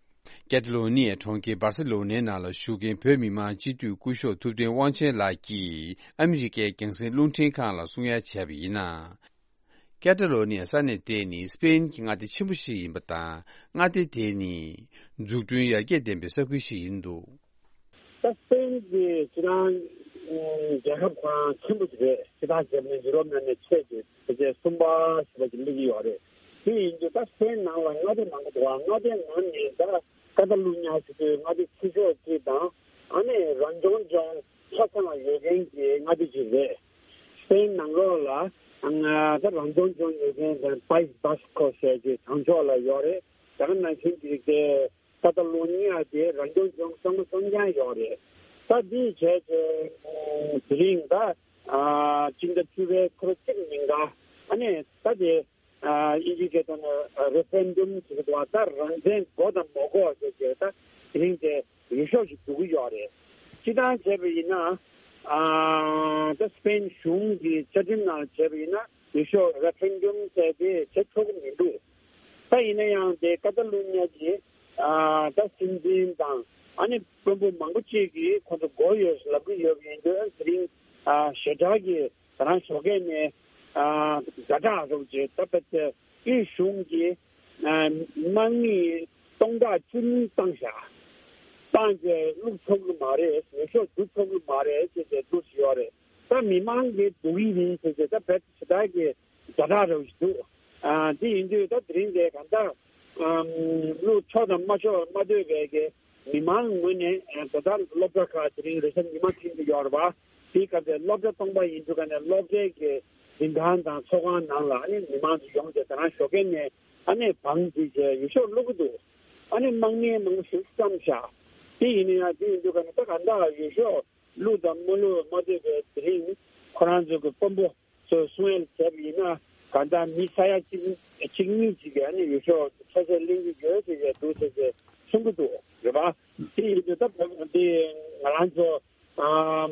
ཀེ་ཏ་ལོ་ནི་ཡའི་གྲོང་ཁྱེར་སྦར་སེ་ལོ་ནའི་ནང་ལ་བཞུགས་མཁན་བོད་མི་མང་སྤྱི་འཐུས་སྐུ་ཞབས་ཐུབ་བསྟན་དབང་ཆེན་ལགས་ཀྱིས་ཨ་མི་རི་ཀའི་རྒྱང་སྲིང་རླུང་འཕྲིན་ཁང་ལ་གསུང་ཡ་བྱས་པ་ཡིན་ན། ཀེ་ཏ་ལོ་ནི་ཡ་ས་གནས་དེ་ནི་སི་པེན་གྱི་མངའ་སྡེ་ཆེན་པོ་ཞིག་ཡིན་པ་དང་། མངའ་སྡེ་དེ་ནི་འཛུགས་སྐྲུན་ཡར་རྒྱས་ལྡན་པའི་ས་ཁུལ་ཞིག་ཡིན་འདུག་ད་སི་པེན་གྱི་སྤྱི་བཏང་ཨ་རྒྱལ་ཁབ་ཁོ་རང་ཆེན་པོ་ཞིག་རེད། སྤྱི་བཏང་བྱས་ན་ཡུ་རོབ་ནང་ནས་ཆེས་ཆེ་བྱས་གསུམ་པ་ཞེས་པ་ཞིག་སླེབས་ཀྱི་ཡོད་རེད། དེ་ཡིན་དུས་ད་སི་པེན་ནང་ལ་མངའ་སྡེ་མང་པོ་འདུག་མངའ་སྡེ་ནང་ནས་ད་ཀ་ཏ་ལུ་ཉ་ཞེས་པའི་མངའ་སྡེ་ཆེ་ཤོས་གཅིག་དང་། ཨ་ནི་རང་སྐྱོང་ལྗོངས་ཆ་ཚང་ཡོད་མཁན་གྱི་མངའ་སྡེ་ཅིག་རེད། སི་པེན་ནང་ལོགས་ལ་ཨ་ད་རང་སྐྱོང་ལྗོངས་ཡོད་མཁན་དང་པཱ་ཡིས་བྷ་སི་ཀོ་ཟེར་གྱི་བྱང་ཕྱོགས་ལ་ཡོད་རེད། ད་ག་ནང་བཞིན་གྱི་དེ་ཀ་ཏ་ལུ་ཉི་ཡ་དེ་རང་སྐྱོང་ལྗོངས་གཙང་མ་གཙང་རྐྱང་ཡོད་རེད། ད་འདི་བྱས་ཚེ་དེ་རིང་ད་ཨ་སྤྱི་ཟླ་བཅུ་པའི་ཚེས་གཅིག་ཉིན་ཀ་ཨ་ནི་ད་དེ་ཨ་དབྱིན་ཇིའི་སྐད་ཐོག་ནས་རེ་ཕེ་རེན་ཌམ་ཟེར་གྱི་འདུག་ད་རང་བཙན་དགོས་དང་མ་དགོས་ཟེར་གྱི་ད་དེ་རིང་དེ་འོས་ཤོག་ཞིག་བསྡུ་གི་ཡོད་རེད། སྤྱིར་བཏང་བྱས་པ་ཡིན་ན་ཨ་ད་སི་པེན་གཞུང་གི་བཅའ་ཁྲིམས་ནང་བྱས་པ་ཡིན་ན་འོས་ཤོག་རེ་ཕེ་རེན་ཌམ་ཟེར་དེ་བྱེད་ཆོག་གི་མི་འདུག་ད་ཡིན་ན་ཡང་དེ་ཀ་ཏ་ལུ་ཉ་གི་ཨ་ད་སྲིད་འཛིན་དང་ཨ་ནི་དཔོན་པོ་མང་པོ་ཅིག་གིས་ཁོ་ཚོ་དགོས་ཡོད་ལབ་ཀྱི་ཡོད་པ་ཡིན་དུས། དེ་རིང་ཨ་ཞེ་དྲག་གི་ད་རང་ཞོགས་ཀས་ནས་ཨ་ཛ་དྲག་རོགས་བྱས། ད་ཕལ་ཆེར་དབུས་གཞུང་གིས་ཨ་དམག་མི་སྟོང་ཕྲག་བཅུ་གཉིས་བཏང་བཞག་བཏང་རྗེས་བླུག་ཆོག་གི་མ་རེད། འོས་ཤོག་བསྡུ་ཆོག་གི་མ་རེད་ཅེས་བྱས་བསྡུ་བཞག་ཡོད་རེད། ད་མི་མང་གིས་བསྡུ་གི་ཡིན་ཟེར་བྱས་ད་བེད་ཞེ་དྲག་གི་ཛ་དྲག་རོགས་ཞིག་འདུག་ཨ་དེ་ཡིན་དུས་ད་དེ་རིང་དེ་གང་ལྟར་ཨམ་བླུག་ཆོག་དང་མ་ཆོག་མ་ལྟོས་པའི་གི་མི་མང་ངོས་ནས་ཨ་ད་ལྟ་སློབ་གྲྭ་ཁག་དེ་རིང་རེས་གཟའ་ཉི་མ་ཐེངས་ཀྱི་ཡོད་རེད་པ། དེའི་སྐབས་དེ་སློབ་གྲྭ་སྟོང་པ་ཡིན་དུས་ཀ་ནས་སློབ་གྲྭའི་གི་འཛིན་ཁང་དང་ཚོགས་ཁང་ནང་ལ་ཨ་ནི་མི་མང་ཚོ་ཡོང་སྟེ་ད་རང་ཞོགས་ཀས་ནས་ཨ་ནི་བང་བརྩིས་བྱས་འོས་ཤོག་བླུག་གི་འདུག་ཨ་ནི་དམག་མི་མང་པོ་ཞིག་བཀྲམ་བཞག་དེ་ཡིན་ན་ཡང་དེ་ཡིན་དུས་ཀ་ནས་ད་ག་འདྲ་འོས་ཤོག་བླུག་དང་མ་བླུག་མ་ལྟོས་པའི་དེ་རིང་ཁོ་རང་ཚོ་གི་དཔོན་པོ་ཚོས་གསུང་ཡ་བྱས་པ་ཡིན་ན་གང་ལྟར་མི་ས་ཡ་གཅིག་གཅིག་གཉིས་ཅིག་གིས་ཨ་ནི་འོས་ཤོག་ཚོ་ཚོ་ལེན་གྱི་ཡོད་ཅེས་འདུག་ཟེར་ཏེ་གསུང་གི་འདུག་རེད་པ། དེ་ཡིན་དུས་ད་བོད་འདི་ང་རང་ཚོ་ཨམ་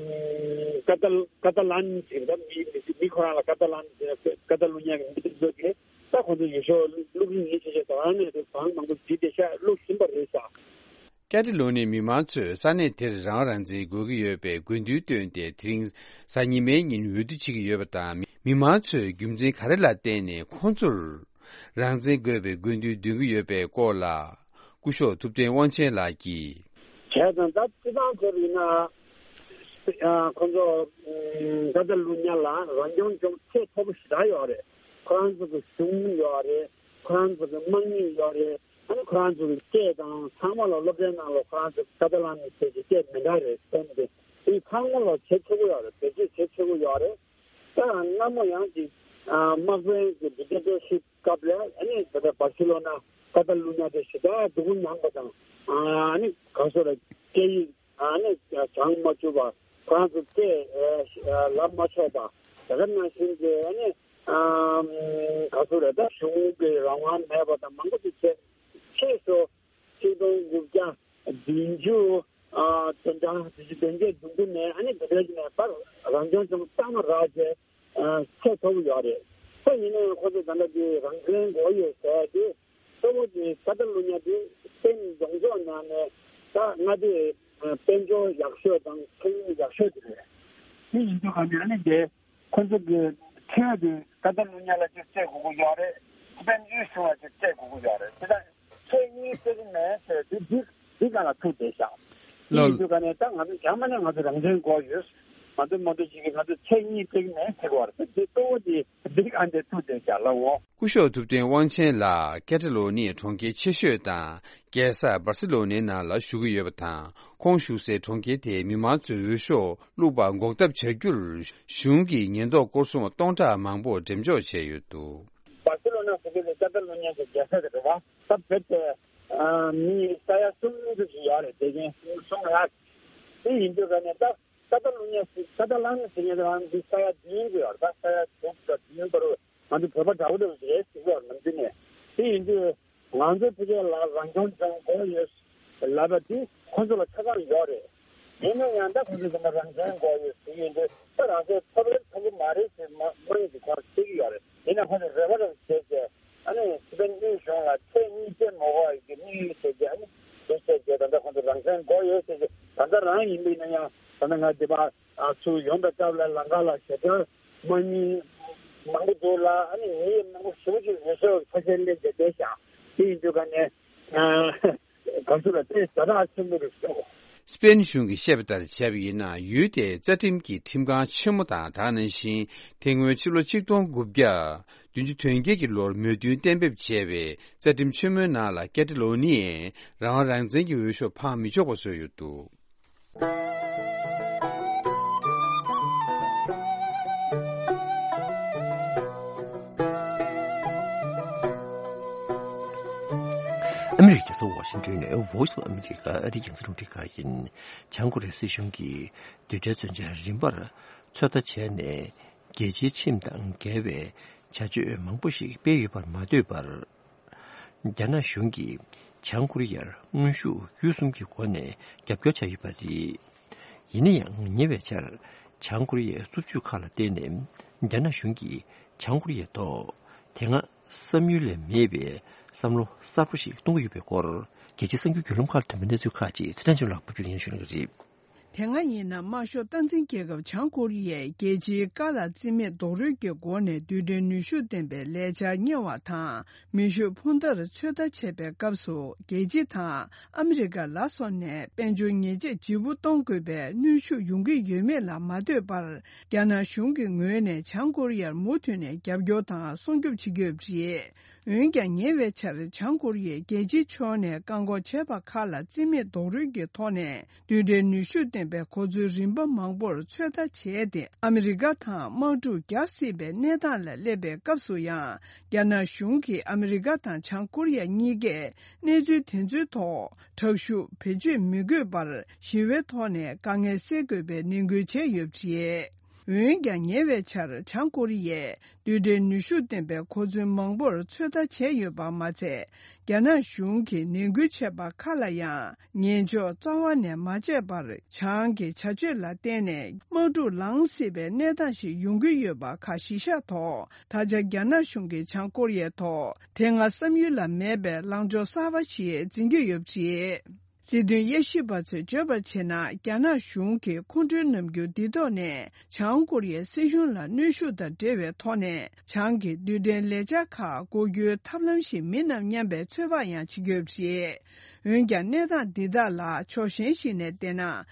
ཀ་ཏ་ཀ་ཏ་ལན་ཟེར་ད་མི་མི་མི་ཁོ་རང་ལ་ཀ་ཏ་ལན་ཟེར་ཀ་ཏ་ལུ་ཉ་གི་མི་དེ་ཚོ་གིས་ད་ཁོང་ཚོ་འོས་ཤོག་བླུག་གི་ཡིན་ཟེར་བྱས་ད་ཨ་ནི་དེ་བང་མང་པོ་བརྒྱུད་དེ་ཤག་བླུག་བཞིན་པ་རེད་ཤག་ཀ་ཏ་ལོ་ནིའི་མི་མང་ཚོས་ས་གནས་དེར་རང་དབང་རང་བཙན་དགོས་ཀྱི་ཡོད་པའི་དགོས་འདུན་བཏོན་ཏེ། དེ་རིང་གཟའ་ཉི་མའི་ཉིན་འོས་བསྡུ་བྱེད་ཀྱི་ཡོད་པ་དང་། མི་མང་ཚོས་རྒྱུ་མཚན་ག་རེ་ལ་བརྟེན་ནས་ཁོང་ཚོར་རང་བཙན་དགོས་པའི་དགོས་འདུན་འདོན་གྱི་ཡོད་པའི་སྐོར་ལ། སྐུ་ཞབས་ཐུབ་བསྟན་དབང་ཆེན་ལགས་ཀྱིས། བྱས་ཙང་ད་སྤྱི་བཏང་བྱས་པ་ཡིན་ན། ཁོང་ཚོ་ཀ་ཏ་ལུ་ཉ་ལ་རང་སྐྱོང་ལྗོངས་ཚད་མཐོ་པོ་ཞེ་དྲག་ཡོད་རེད། ཁོ་རང་ཚོ་གི་གཞུང་ཡོད་རེད། ཁོ་རང་ཚོ་གི་དམག་མི་ཡོད་རེད། ཨ་ནི་ཁོ་རང་ཚོ་གི་སྐད་དང་ཚང་མ་ལ་སློབ་གྲྭའི་ནང་ལ་ཁོ་རང་ཚོ་ཀ་ཏ་ལན་ནི་ཟེར་གྱི་སྐད་མི་འདྲ་རེད་བསྟན་ཏེ། དེ་ཚང་མ་ལ་བྱེད་ཆོག་གི་ཡོད་རེད། བེད་སྤྱོད་བྱེད་ཆོག་གི་ཡོད་རེད། ད་སྔ་མོ་ཡང་ཅིག་དམག་དཔོན་གྱི་ཌིག་ཊེ་ཊར་ཤིབ་སྐབས་ལ་ཨ་ནི་ད་ལྟ་སྦར་སི་ལོ་ན་ཀ་ཏ་ལུ་ཉ་དེ་ཞེ་དྲག་སྡུག་པོ་མྱངས་པ་དང་། ཨ་ནི་ག་སོ་ར་སྐད་ཡིག་ཨ་ནི་སྦྱང་མ་བཅུག་པ། ཁོ་རང་ཚོ་སྐད་ལབ་མ་ཆོག་པ། དེ་ག་ནང་བཞིན་གྱི་ཨ་ནི་ག་སོ་ར་ད་གཞུང་གི་རང་དབང་མེད་པ་དང་མང་པོ་ཅིག་བྱས། ཕྱིས་སུ་ཆིག་སྟོང་དགུ་བརྒྱ་བདུན་ཅུ་དོན་གྲངས་བདུན་ཅུ་དོན་བརྒྱད་བདུན་ཅུ་ནས་ཨ་ནི་དེ་འདྲའི་ནས་ད་རང་སྐྱོང་ལྗོངས་གཙང་མ་རག་བྱས་ཚད་མཐོ་པོ་ཡོད་རེད། ཁོ་ཡིན་ན་ཡང་ཁོ་ཚོ་ད་ལྟ་དེ་རང་བཙན་དགོས་ཡོད་ཟེར་ཏེ། གཙོ་བོ་དེ་ཀ་ཏ་ལུ་ཉ་དེ་སྤེན་ཡོངས་རྫོགས་ནང་ནས་ད་མངའ་སྡེ་དཔལ་འབྱོར་ཡག་ཤོས་དང་ཁེ་དབང་ཡག་ཤོས་དེ་རེད། དེ་ཡིན་དུས་ག་ནས་ཨ་ནི་དེ་ཁོ་ཚོ་གི་ཁྲལ་དེ་ཀ་ཏ་ལུ་ཉ་ལ་ཅིག་སྤྲད་དགོས་ཀྱི་ཡོད་རེད། སྤེན་ཡོངས་གཞུང་ལ་ཅིག་སྤྲད་དགོས་ཀྱི་ཡོད་རེད། དེ་ད་ཁྲལ་གཉིས་སྤྲད་ཀྱི་མེད་ཟེར་དུས་འདི་འདི་ག་ལ་ཐུག་བསྡད་ཤག་དེ་ལོ། ཡིན་དུས་ག་ནས་ད་ང་ཚོ་རྒྱ་མ་ནས་ང་ཚོ་རང་བཙན་དགོས་ཡོད། ང་ཚོ་མང་པོ་ཞིག་གིས་ང་ཚོ་ཚེ་གཉིས་ཚེ་གཉིས་ཚེ་བར་དེ་གཙོ་བོ་དེ་འགྲིག་ཨ་འདྲ་ཐུག་དེ་བཞག་ལ་འོ། སྐུ་ཞབས་ཐུབ་བསྟན་དབང་ཆེན་ལགས་ཀེ་ཏ་ལོ་ནི་ཡའི་གྲོང་ཁྱེར་ཆེ་ཤོས་དང་རྒྱལ་ས་སྦར་སི་ལོ་ནའི་ནང་ལ་བཞུགས་ཀྱི་ཡོད་པ་དང་། ཁོང་བཞུགས་སའི་གྲོང་ཁྱེར་དེའི་མི་མང་ཚོའི་འོས་ཤོག་བླུགས་པ་འགོག་ཐབས་བྱ་རྒྱུར་གཞུང་གིས་ཉེན་རྟོག་སྐོར་སྲུང་བ་སྟོང་ཕྲག་མང་པོ་འགྲེམས་འཇོག་བྱས་ཡོད་འདུག་སྦར་སི་ལོ་ན་ཟེར་དུས་ཀ་ཏ་ལོ་ཉ་གི་རྒྱལ་ས་དེ་རེད་བ། ད་བོད་དེ་མི་ས་ཡ་གསུམ་ཙམ་ཞིག་ཡོད་རེད། དེ་རྐྱེན་གསུམ་ལ་དེ་ཡིན་དུས་ག་ནས་ད། ཀ་ཏ་ལུ་ཉ་ཟེར། ཀ་ཏ་ལ་ནི་ཟེར་མཁན་དེ་རང་འདི་ས་ཡ་བདུན་ཙམ་ཡོད་རེད། ད་ས་ཡ་དྲུག་དང་བདུན་བར་དུ་ང་ཚོ་བོད་པ་འདྲ་བོ་འདྲ་བོ་ཞིག་རེད་ཟེར་གྱི་ཡོད་རེད་ནམ་རྒྱུན་ནས། དེ་ཡིན་དུས་ང་ཚོ་ཕ་གི་ལ་རང་སྐྱོང་ལྗོངས་དགོས་ཡོད་ལབ་པ་དེ་ཁོ་ཚོ་ལ་ཆ་ཚང་ཡོད་རེད། ཡིན་ན་ཡང་ད་ཁོ་ཚོ་ཚང་མ་རང་བཙན་དགོས་ཡོད་ཟེར་གྱི་ཡོད་དུས་ད་རང་བཙན་ཐོབ་རེད་ཐོབ་ཀྱི་མ་རེད་ཟེར་མ་དངོས་ཀྱི་ཁོང་བཤད་ཀྱི་ཡོད་རེད། ཡིན་ན་ཁོ་ཚོ་རེ་བ་རེ་བ་བྱས་ཏེ། ཨ་ནི་སི་པན་དབུས་གཞུང་ལ་ཚེ་གཉིས་ཚེ་མ་དགོས་ཀྱི་དམིགས་ཡུལ་བྱས་ཏེ། ཨ་ནི་དེ་བྱས་ཏེ་ད་ལྟ་ཁོང་ཚོ་རང་བཙན་དགོས་ཡོད་ཟེར་ཏེ། ད་ལྟ་རང་ཡིན་པ་ཡིན་ན་ཡང་ད་ལྟ་ང་འདི་པ་ཨ་ཚུར་ཡོང་པའི་སྐབས་ལ་ལམ་ཁ་ལ་ཞེ་དྲག་དམག་མི་མང་པོ་འདུག་ལ། ཨ་ནི་མི་མང་པོ་ཞེ་པོ་ཅིག་འོས་ཤོག་ཕལ་ཆེར་སླེབས་བསྡད་བསྡད་ཤག་དེ་ཡིན་དུས་ག་ནས་ཨ་ག་ཚོད་ལ་དེ་ཛ་དྲག་ཆེན་པོ་རེད་ཤག་སི་པེན་གཞུང་གིས་བཤད་པ་ལྟར་བྱས་པ་ཡིན་ན། ཡུལ་དེའི་རྩ་ཁྲིམས་ཀྱི་ཁྲིམས་ཁང་ཆེན་མོ་དང་། དེ་ནང་བཞིན་དེ་སྔོན་ཕྱི་ལོ་ཆིག་སྟོང་དགུ་བརྒྱ་བདུན་ཅུ་དོན་བརྒྱད་ཀྱི་ལོར་མོས་མཐུན་གཏན་འབེབས་བྱས་པའི་རྩ་ཁྲིམས་ཆེན་མོའི་ནང་ལ་ཀེ་ཏ་ལོ་ནི་ཡའི་རང་དབང་རང་བཙན་གྱི་འོས་ཤོག་འཕང་མི་ཆོག་པ་བཟོས་ཡོད་འདུག་ཨ་མི་རི་ཀའི་རྒྱལ་ས་ཝ་ཤིང་ཏོན་ནས་Voice of America ཨ་རིའི་རྒྱང་སྲིང་རླུང་འཕྲིན་ཁང་ཡིན། བྱང་ཀོ་རི་ཡའི་སྲིད་གཞུང་གིས་རྡུལ་ཕྲན་མཚོན་ཆ་རིམ་པར་ཚོད་ལྟ་བྱས་ནས། རྒྱལ་སྤྱིའི་ཁྲིམས་དང་འགལ་བའི་བྱ་སྤྱོད་མང་པོ་ཞིག་སྤེལ་ཡོད་པར་མ་ལྟོས་པར། རྒྱ་ནག་གཞུང་གིས་བྱང་ཀོ་རི་ཡར་དངོས་ཤུགས་བརྒྱུད་གསུམ་གྱི་སྒོ་ནས་རྒྱབ་སྐྱོར་བྱས་ཡོད་པ་རེད། ཡིན་ན་ཡང་ཉེ་བའི་ཆར་བྱང་ཀོ་རི་ཡའི་རྩུབ་སྤྱོད་ཁག་ལ་བརྟེན་ནས་རྒྱ་ནག་གཞུང་གིས་བྱང་ཀོ་རི་ཡའི་ཐོག་དེ་སྔ་བསམ་ཡུལ་ལས་མེད་པའི་བསམ་བློ་གསར་པ་ཞིག་གཏོང་གི་ཡོད་པའི་སྐོར། རྒྱལ་སྤྱིའི་གསར་འགྱུར་བརྒྱུད་ལམ་ཁག་ལ་ཐོན་པའི་གནས་ཚུལ་ཁག་ཅིག་ཚེ་བརྟན་ཆོས་ལགས་ཕབ་སྒྱུར་ཡིན་ཞུ་གནང་གི་རེད། དེ་སྔ་ཡིན་ན་དམར་ཤོག་སྟངས་འཛིན་རྒྱལ་ཁབ་བྱང་ཀོ་རི་ཡས་རྒྱལ་སྤྱིའི་བཀའ་ལ་རྩིས་མེད་རྡོག་རོལ་གྱི་སྒོ་ནས་རྡུལ་ཕྲན་ནུས་ཤུགས་ལྡན་པའི་ལས་འཆར་གཉེར་བ་དང་། མེ་ཤུགས་འཕུར་མདའ་ཚོད་ལྟ་བྱེད་པའི་སྐབས་སུ། རྒྱལ་སྤྱི་དང་ཨ་མི་རི་ཀ་ལ་སོགས་ནས་དཔལ་འབྱོར་ཉེས་ཆད་ལྗིད་པོ་གཏོང་དགོས་པའི་གནོན་ཤུགས་ཡོང་གི་ཡོད་མེད་ལ་མ་ལྟོས་པར། རྒྱ་ནག་གཞུང་གི་ངོས་ནས་བྱང་ཀོ་རི་ཡར་མུ་མཐུད་ནས་རྒྱབ་སྐྱོར་དང་སྲུང་སྐྱོབ་བྱེད་ཀྱི་ཡོད་པ་རེད། འོན་ཀྱང་ཉེ་བའི་ཆར་བྱང་ཀོ་རི་ཡས་རྒྱལ་སྤྱིའི་ཕྱོགས་ནས་བཀག་འགོག་བྱས་པ་ཁག་ལ་རྩིས་མེད་རྡོག་རོལ་གྱི་ཐོག་ནས། རྡུལ་ཕྲན་ནུས་ཤུགས་ལྡན་པའི་གོ་མཚོན་རིམ་པ་མང་པོར་ཚོད་ལྟ་བྱས་ཏེ། ཨ་མི་རི་ཀ་དང་དམག་འཁྲུག་རྒྱག་སྲིད་པའི་གནས་སྟངས་ལ་སླེབས་པའི་སྐབས་སུ་ཡང་། རྒྱ་ནག་གཞུང་གིས་ཨ་མི་རི་ཀ་དང་བྱང་ཀོ་རི་ཡ་གཉིས་ཀས་གནས་ཚུལ་དེ་ཚོའི་ཐོག་དྲག་ཤུགས་བེད་སྤྱོད་མི་དགོས་པར། ཞི་བའི་ཐོག་ནས་དཀའ་ངལ་སེལ་དགོས་པའི་ནན་སྐུལ་བྱས་ཡོད་པ་རེད། འོན་ཀྱང་ཉེ་བའི་ཆར་བྱང་ཀོ་རི་ཡས་རྡུལ་ཕྲན་ནུས་ཤུགས་ལྡན་པའི་གོ་མཚོན་མང་པོར་ཚོད་ལྟ་བྱས་ཡོད་པ་མ་ཚད། རྒྱ་ནག་གཞུང་གིས་ནན་སྐུལ་བྱས་པ་ཁག་ལ་ཡང་ཉན་འཇོག་རྩ་བ་ནས་མ་བྱས་པར། བྱང་གི་བྱ་སྤྱོད་ལ་བརྟེན་ནས་དམག་འཁྲུག་ལངས་སྲིད་པའི་གནས་སྟངས་ཤིག་ཡོང་གི་ཡོད་པ་ཁག་གཞི་བཞག་ཐོག་ད་ཆ་རྒྱ་ནག་གཞུང་གིས་བྱང་ཀོ་རི་ཡའི་ཐོག་དེ་སྔ་བསམ་ཡུལ་ལ་མེད་པའི་ལངས་ཕྱོགས་གསར་པ་ཞིག་འཛིན་གྱི་ཡོད་པ་རེད། སྲིད་དོན་དབྱེ་ཞིབ་པ་ཚོས་བརྗོད་པར་བྱས་ན། རྒྱ་ནག་གཞུང་གི་ཁོང་ཁྲོའི་རྣམ་འགྱུར་འདི་ཐོག་ནས། བྱང་ཀོ་རི་ཡའི་སྲིད་གཞུང་ལ་གནོན་ཤུགས་དང་འབྲེལ་བའི་ཐོག་ནས། བྱང་གི་རྡུལ་ཕྲན་ལས་འཆར་ཁག་འགོག་རྒྱུའི་ཐབས་ལམ་ཞིག་མིན་ནམ་སྙམ་པའི་ཚོད་དཔག་ཡང་བྱེད་ཀྱི་ཡོད་པ་རེད། འོན་ཀྱང་། གནས་སྟངས་འདི་དག་ལ་ཕྱོགས་གཞན་ཞིག་ནས་བལྟས་ན།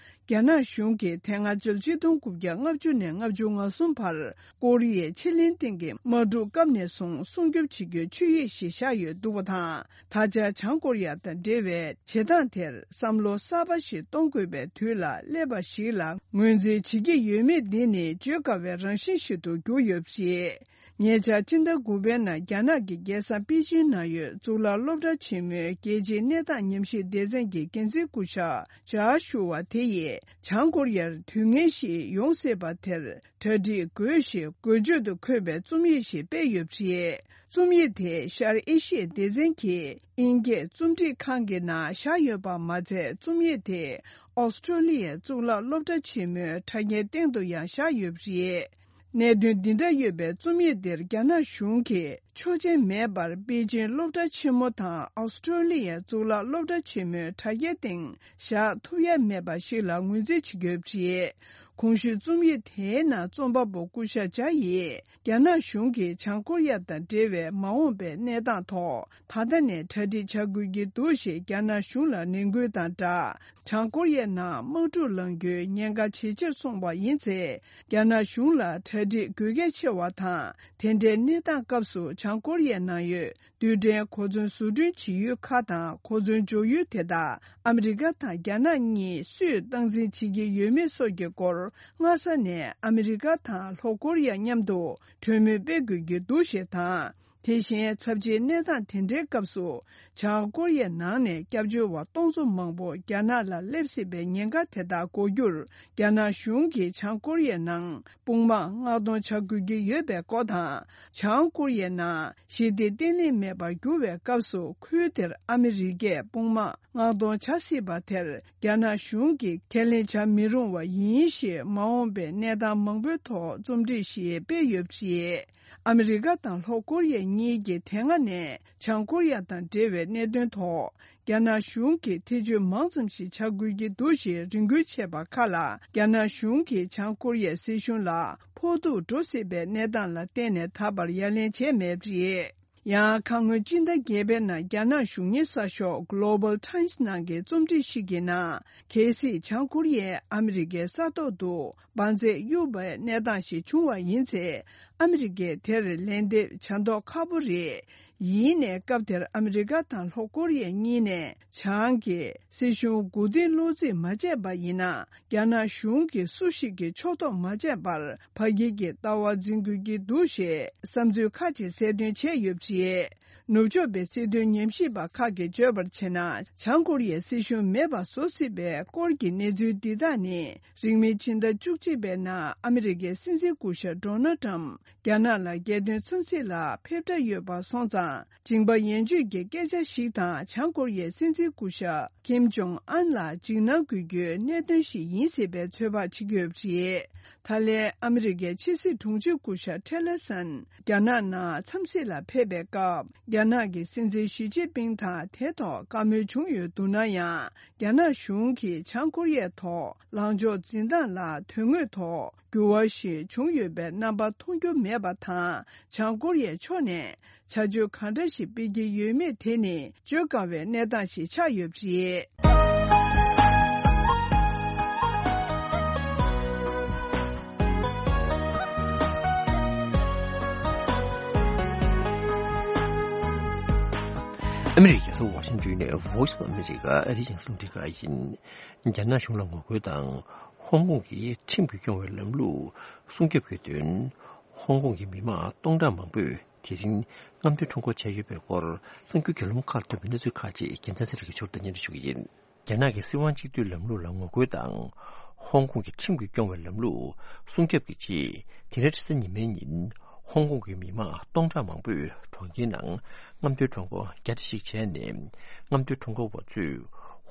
རྒྱ་ནག་གཞུང་གིས་དེ་སྔ་ཕྱི་ལོ་ཆིག་སྟོང་དགུ་བརྒྱ་ལྔ་བཅུ་ནས་ལྔ་བཅུ་ང་གསུམ་བར། ཀོ་རི་ཡའི་ཕྱེད་གླིང་སྟེང་གི་དམག་འཁྲུག་སྐབས་ནས་བཟུང་སྲུང་སྐྱོབ་བྱེད་རྒྱུའི་ཆོད་ཡིག་ཞིག་བཞག་ཡོད་འདུག་པ་དང་། ད་ཆ་བྱང་ཀོ་རི་ཡ་དང་འབྲེལ་བའི་བྱེད་སྟངས་དེར་བསམ་བློ་གསར་པ་ཞིག་གཏོང་དགོས་པའི་དུས་ལ་སླེབས་པ་ཞིག་ལ་ངོས་འཛིན་བྱེད་ཀྱི་ཡོད་མེད་འདི་ནི་བརྗོད་དཀའ་བའི་རང་བཞིན་ཞིག་ཏུ་གྱུར་ཡོད་པ་རེད། ཉེ་ཆར་སྤྱི་ཟླ་དགུ་པའི་ནང་རྒྱ་ནག་གི་རྒྱལ་ས་པེ་ཅིན་ནང་ཡོད་གཙུག་ལག་སློབ་གྲྭ་ཆེན་མོའི་རྒྱལ་སྤྱིའི་གནས་སྟངས་ཉམས་ཞིབ་སྡེ་ཚན་གྱི་འགན་འཛིན་སྐུ་ཞབས་ཇཱ་ཤུ་ཝ་དེ་ཡིས། བྱང་ཀོ་རི་ཡར་དུས་ངན་ཞིག་ཡོང་སྲིད་པ་དེར། གྲ་སྒྲིག་དགོས་ཞེས་འགོ་བརྗོད་དུ་འཁོད་པའི་རྩོམ་ཡིག་ཞིག་སྤེལ་ཡོད་པ་རེད། རྩོམ་ཡིག་དེ་ཤར་ཨེ་ཤི་ཡའི་སྡེ་ཚན་གྱི་དབྱིན་སྐད་རྩོམ་སྒྲིག་ཁང་གི་ནང་བཞག་ཡོད་པ་མ་ཚད། རྩོམ་ཡིག་དེ་ཨོ་སི་ཀྲོ་ལི་ཡའི་གཙུག་ལག་སློབ་གྲྭ་ཆེན་མོའི་དྲ་རྒྱའི་སྟེང་དུ་ཡང་བཞག་ཡོད་པ་རེད། གནད་དོན་འདི་འདྲ་ཡོད་པའི་རྩོམ་ཡིག་འདིར་རྒྱ་ནག་གཞུང་གིས་ཆོག་མཆན་མེད་པར་པེ་ཅིང་སློབ་གྲྭ་ཆེན་མོ་དང་ཨོ་སི་ཀྲོ་ལི་ཡའི་གཙུག་ལག་སློབ་གྲྭ་ཆེན་མོའི་དྲ་རྒྱའི་སྟེང་བཞག་ཐུབ་ཡ་མེད་པ་ཞིག་ལ་ངོས་འཛིན་བྱེད་ཀྱི་ཡོད་པ་རེད། གོང་ཞུས་རྩོམ་ཡིག་དེའི་ནང་རྩོམ་པ་པོ་སྐུ་ཞབས་ཇཱ་ཡིས། རྒྱ་ནག་གཞུང་གིས་བྱང་ཀོ་རི་ཡ་དང་འབྲེལ་བའི་མ་འོངས་པའི་གནས་སྟངས་ཐོག་ད་ལྟ་ནས་གྲ་སྒྲིག་བྱ་དགོས་ཀྱི་འདུག་ཞེས་རྒྱ་ནག་གཞུང་ལ་ནན་སྐུལ་དང་སྦྲགས། བྱང་ཀོ་རི་ཡའི་ནང་དམག་འཁྲུག་ལངས་རྒྱུའི་ཉེན་ཁ་ཇེ་ཆེར་སོང་བ་ཡིན་ཚེ། རྒྱ་ནག་གཞུང་ལ་གྲ་སྒྲིག་དགོས་གལ་ཆེ་བ་དང་། དེ་འདྲའི་གནས་སྟངས་སྐབས་སུ་བྱང་ཀོ་རི་ཡའི་ནང་ཡོད་རྡུལ་ཕྲན་གོ་མཚོན་བཟོ་སྐྲུན་བྱེད་ཡུལ་ཁག་དང་གོ་མཚོན་འཇོག་ཡུལ་དེ་དག་ཨ་མི་རི་ཀ་དང་རྒྱ་ནག་གཉིས་སུས་སྟངས་འཛིན་བྱེད་ཀྱི་ཡོད་མེད་སོགས་ཀྱི་སྐོར། སྔ་ས་ནས་ཨ་མི་རི་ཀ་དང་ལྷོ་ཀོ་རི་ཡ་མཉམ་དུ་གྲོས་མོལ་སྤེལ་དགོས་ཀྱི་འདུག་ཞེས་དང་། དེ་བཞིན་ཚབས་ཆེའི་གནས་སྟངས་དེ་འདྲའི་སྐབས་སུ། བྱང་ཀོ་རི་ཡའི་ནང་ནས་སྐྱབས་བཅོལ་བ་སྟོང་ཚོ་མང་པོ་རྒྱ་ནག་ལ་སླེབས་སྲིད་པའི་ཉེན་ཁ་དེ་དག་འགོག་རྒྱུར། རྒྱ་ནག་གཞུང་གིས་བྱང་ཀོ་རི་ཡའི་ནང་དཔུང་དམག་མངགས་གཏོང་བྱ་དགོས་ཀྱི་ཡོད་པའི་སྐོར་དང་། བྱང་ཀོ་རི་ཡའི་ནང་ཞི་བདེ་བརྟན་ལྷིང་མེད་པར་འགྱུར་བའི་སྐབས་སུ། ཁུལ་དེར་ཨ་མི་རི་ཀས་དཔུང་དམག་མངགས་གཏོང་བྱ་སྲིད་པ་དེར། རྒྱ་ནག་གཞུང་གིས་ཁས་ལེན་བྱ་མི་རུང་བ་ཡིན་ཞེས། མ་འོངས་པའི་གནས་སྟངས་མང་པོའི་ཐོག་རྩོམ་སྒྲིག་ཞིག་སྤེལ་ཡོད་པ་རེད། ཨ་མི་རི་ཀ་དང་ལྷོ་ཀོ་རི་ཡ་གཉིས་ཀྱིས་དེ་སྔ་ནས་བྱང་ཀོ་རི་ཡ་དང་འབྲེལ་བའི་གནད་དོན་ཐོག་རྒྱ་ནག་གཞུང་གིས་ཐེ་བྱུས་མང་ཙམ་ཞིག་བྱ་དགོས་ཀྱི་འདུག་ཞེས་རེ་སྐུལ་བྱས་པ་ཁག་ལ། རྒྱ་ནག་གཞུང་གིས་བྱང་ཀོ་རི་ཡའི་སྲིད་གཞུང་ལ་ཕོག་ཐུག་འགྲོ་སྲིད་པའི་གནས་སྟངས་ལ་བརྟེན་ནས་ད་བར་ཡ་ལན་བྱས་མེད་པ་རེད། ཡང་ཁ་སྔོན་སྤྱི་ཟླ་བརྒྱད་པའི་ནང་རྒྱ་ནག་གཞུང་གཉེར་གསར་ཤོག་Global Times ནང་གི་རྩོམ་སྒྲིག་ཞིག་གི་ནང་། གལ་སྲིད་བྱང་ཀོ་རི་ཡས་ཨ་མི་རི་ཀའི་ས་ཐོག་ཏུ་འབར་རྫས་གཡུགས་པའི་གནས་སྟངས་ཤིག་བྱུང་བ་ཡིན་ཚེ། ཨ་མི་རི་ཀས་དེར་ལན་འདེབས་བྱ་མདོག་ཁ་པོ་རེད། ཡིན་ནའི་སྐབས་དེར་ཨ་མི་རི་ཀ་དང་ལྷོ་ཀོ་རི་ཡ་གཉིས་ནས་བྱང་གི་སྲིད་གཞུང་མགོ་རྟིང་སློག་རྩིས་མ་བྱས་པ་ཡིན་ན། རྒྱ་ནག་གཞུང་གིས་སུ་ཞིག་གི་ཕྱོགས་གཏོགས་མ་བྱས་པར། ཕ་གིར་གྱི་ལྟ་བ་འཛིན་དགོས་ཀྱི་འདུག་ཞེས་བསམ་ཚུལ་ཁ་ཅིག་གསལ་སྟོན་བྱས་ཡོད་པ་རེད། ནུབ་ཕྱོགས་པའི་སྲིད་དོན་ཉམས་ཞིབ་པ་ཁག་གིས་བརྗོད་པར་བྱས་ན། བྱང་ཀོ་རི་ཡའི་སྲིད་གཞུང་མེད་པ་བཟོ་སྲིད་པའི་སྐོར་གྱི་གནས་ཚུལ་འདི་དག་ནི། རིང་མིན་ཕྱི་ཟླ་བཅུ་གཅིག་པའི་ནང་ཨ་མི་རི་ཀའི་སྲིད་འཛིན་སྐུ་ཞབས་ཌོ་ནལ་ཊམ་རྒྱ་ནག་ལ་རྒྱལ་དོན་འཚམས་གཟིགས་ལ་ཕེབས་འདྲ་ཡོད་པ་སོང་ཙང་། མཇིང་པ་ཡན་ཆོད་ཀྱི་སྐད་ཆ་ཞིག་དང་། བྱང་ཀོ་རི་ཡའི་སྲིད་འཛིན་སྐུ་ཞབས་ཀིམ་ཇོང་ཨན་ལ་འཇིགས་སྣང་དགོས་རྒྱུའི་གནད་དོན་ཞིག་ཡིན་སྲིད་པའི་ཚོད་དཔག་བྱེད་ཀྱི་ཡོད་པ་རེད། ད་ལན་ཨ་མི་རི་ཀའི་ཕྱི་སྲིད་དྲུང་ཆེ་སྐུ་ཞབས་ཊེ་ལར་སན་རྒྱ་ནག་ནང་འཚམས་གཟིགས་ལ་ཕེབས་པའི་སྐབས། རྒྱ་ནག་གི་སྲིད་འཛིན་ཞི་ཅིན་ཕིང་དང་དེ་ཐོག་བཀའ་མོལ་བྱུང་ཡོད་འདུག་ན་ཡང་། རྒྱ་ནག་གཞུང་གིས་བྱང་ཀོ་རི་ཡའི་ཐོག་ལངས་ཕྱོགས་འཛིན་སྟངས་ལ་དོན་དངོས་ཐོག་འགྱུར་བ་ཞིག་བྱུང་ཡོད་པའི་རྣམ་པ་མཐོང་རྒྱུ་མེད་པ་དང་། བྱང་ཀོ་རི་ཡའི་ཕྱོགས་ནས་བྱ་སྤྱོད་གང་འདྲ་ཞིག་སྤེལ་གྱི་ཡོད་མེད་དེ་ནི་བརྗོད་དཀའ་བའི་གནས་སྟངས་ཤིག་ཆགས་ཡོད་པ་རེད། ཨ་མི་རི་ཀའི་རྒྱལ་ས་ཝ་ཤིང་ཏོན་ནས་Voice of America ཨ་རིའི་རྒྱང་སྲིང་རླུང་འཕྲིན་ཁང་ཡིན། རྒྱ་ནག་གཞུང་ལ་ངོ་རྒོལ་དང་། ཧོང་ཀོང་གི་ཁྲིམས་ཀྱིས་སྐྱོང་བའི་ལམ་ལུགས་སྲུང་སྐྱོབ་ཀྱི་དོན། ཧོང་ཀོང་གི་མི་མང་སྟོང་ཕྲག་མང་པོས་དེ་རིང་རྔམ་སྟོན་ཁྲོམ་སྐོར་བྱས་ཡོད་པའི་སྐོར་གསར་འགྱུར་བརྒྱུད་ལམ་ཁག་ཐོན་པའི་གནས་ཚུལ་ཁག་ཅིག་རྒྱལ་མཚན་ཚེ་རིང་གིས་ཕྱོགས་བསྡུས་སྙན་སྒྲོན་ཞུ་གི་ཡིན། རྒྱ་ནག་གི་སྲིད་དབང་གཅིག་སྡུད་ལམ་ལུགས་ལ་ངོ་རྒོལ་དང་། ཧོང་ཀོང་གི་ཁྲིམས་ཀྱིས་སྐྱོང་བའི་ལམ་ལུགས་སྲུང་སྐྱོབ་ཀྱི་ཆེད། དེ་རིང་རེས་གཟའ་ཉི་མའི་ཉིན། ཧོང་ཀོང་གི་མི་མང་སྟོང་ཕྲག་མང་པོས་གྲོང་ཁྱེར་ནང་རྔམ་སྟོན་ཁྲོམ་སྐོར་རྒྱ་ཆེ་ཞིག་བྱས་ནས། རྔམ་སྟོན་ཁྲོམ་སྐོར་བ་ཚོས་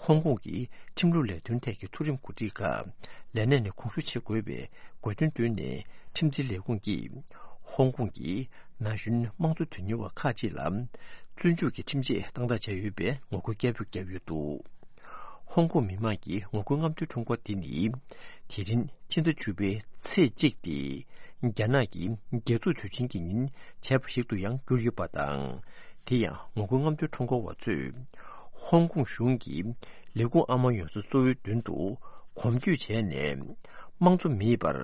ཧོང་ཀོང་གི་ཁྲིམས་ལུགས་ལས་དོན་ཐད་ཀྱི་མཐོ་རིམ་འགོ་ཁྲིད་ཁག་ལས་གནས་ནས་དགོངས་ཞུ་བྱེད་དགོས་པའི་དགོས་འདུན་བཏོན་ནས། ཁྲིམས་འཛིན་ལས་ཁུངས་ཀྱིས་ཧོང་ཀོང་གི་ན་གཞོན་དམངས་གཙོ་དོན་གཉེར་བ་ཁག་ཅིག་ལ་བཙོན་འཇུག་གི་ཁྲིམས་ཆད་བཏང་ཐབས་བྱས་ཡོད་པའི་ངོ་རྒོལ་སྐད་འབོད་བརྒྱབ་ཡོད་འདུག་ཧོང་ཀོང་མི་མང་གི་ངོ་རྒོལ་རྔམ་སྟོན་ཁྲོམ་སྐོར་འདི་ནི། དེ་རིང་ཕྱི་ཟླ་བཅུ་པའི་ཚེས་གཅིག་སྟེ། རྒྱ་ནག་གི་རྒྱལ་ཐོག་དུས་ཆེན་གྱི་ཉིན་བྱས་པ་ཞིག་ཏུ་ཡང་གྱུར་ཡོད་པ་དང་། དེ་ཡང་ངོ་རྒོལ་རྔམ་སྟོན་ཁྲོམ་སྐོར་བ་ཚོས། ཧོང་ཀོང་གཞུང་གི་ལས་ཁུངས་ཨ་མ་ཡོངས་སུ་གཙོ་བོའི་མདུན་དུ་གོམ་བགྲོད་བྱས་ནས། དམངས་གཙོ་མེད་པར།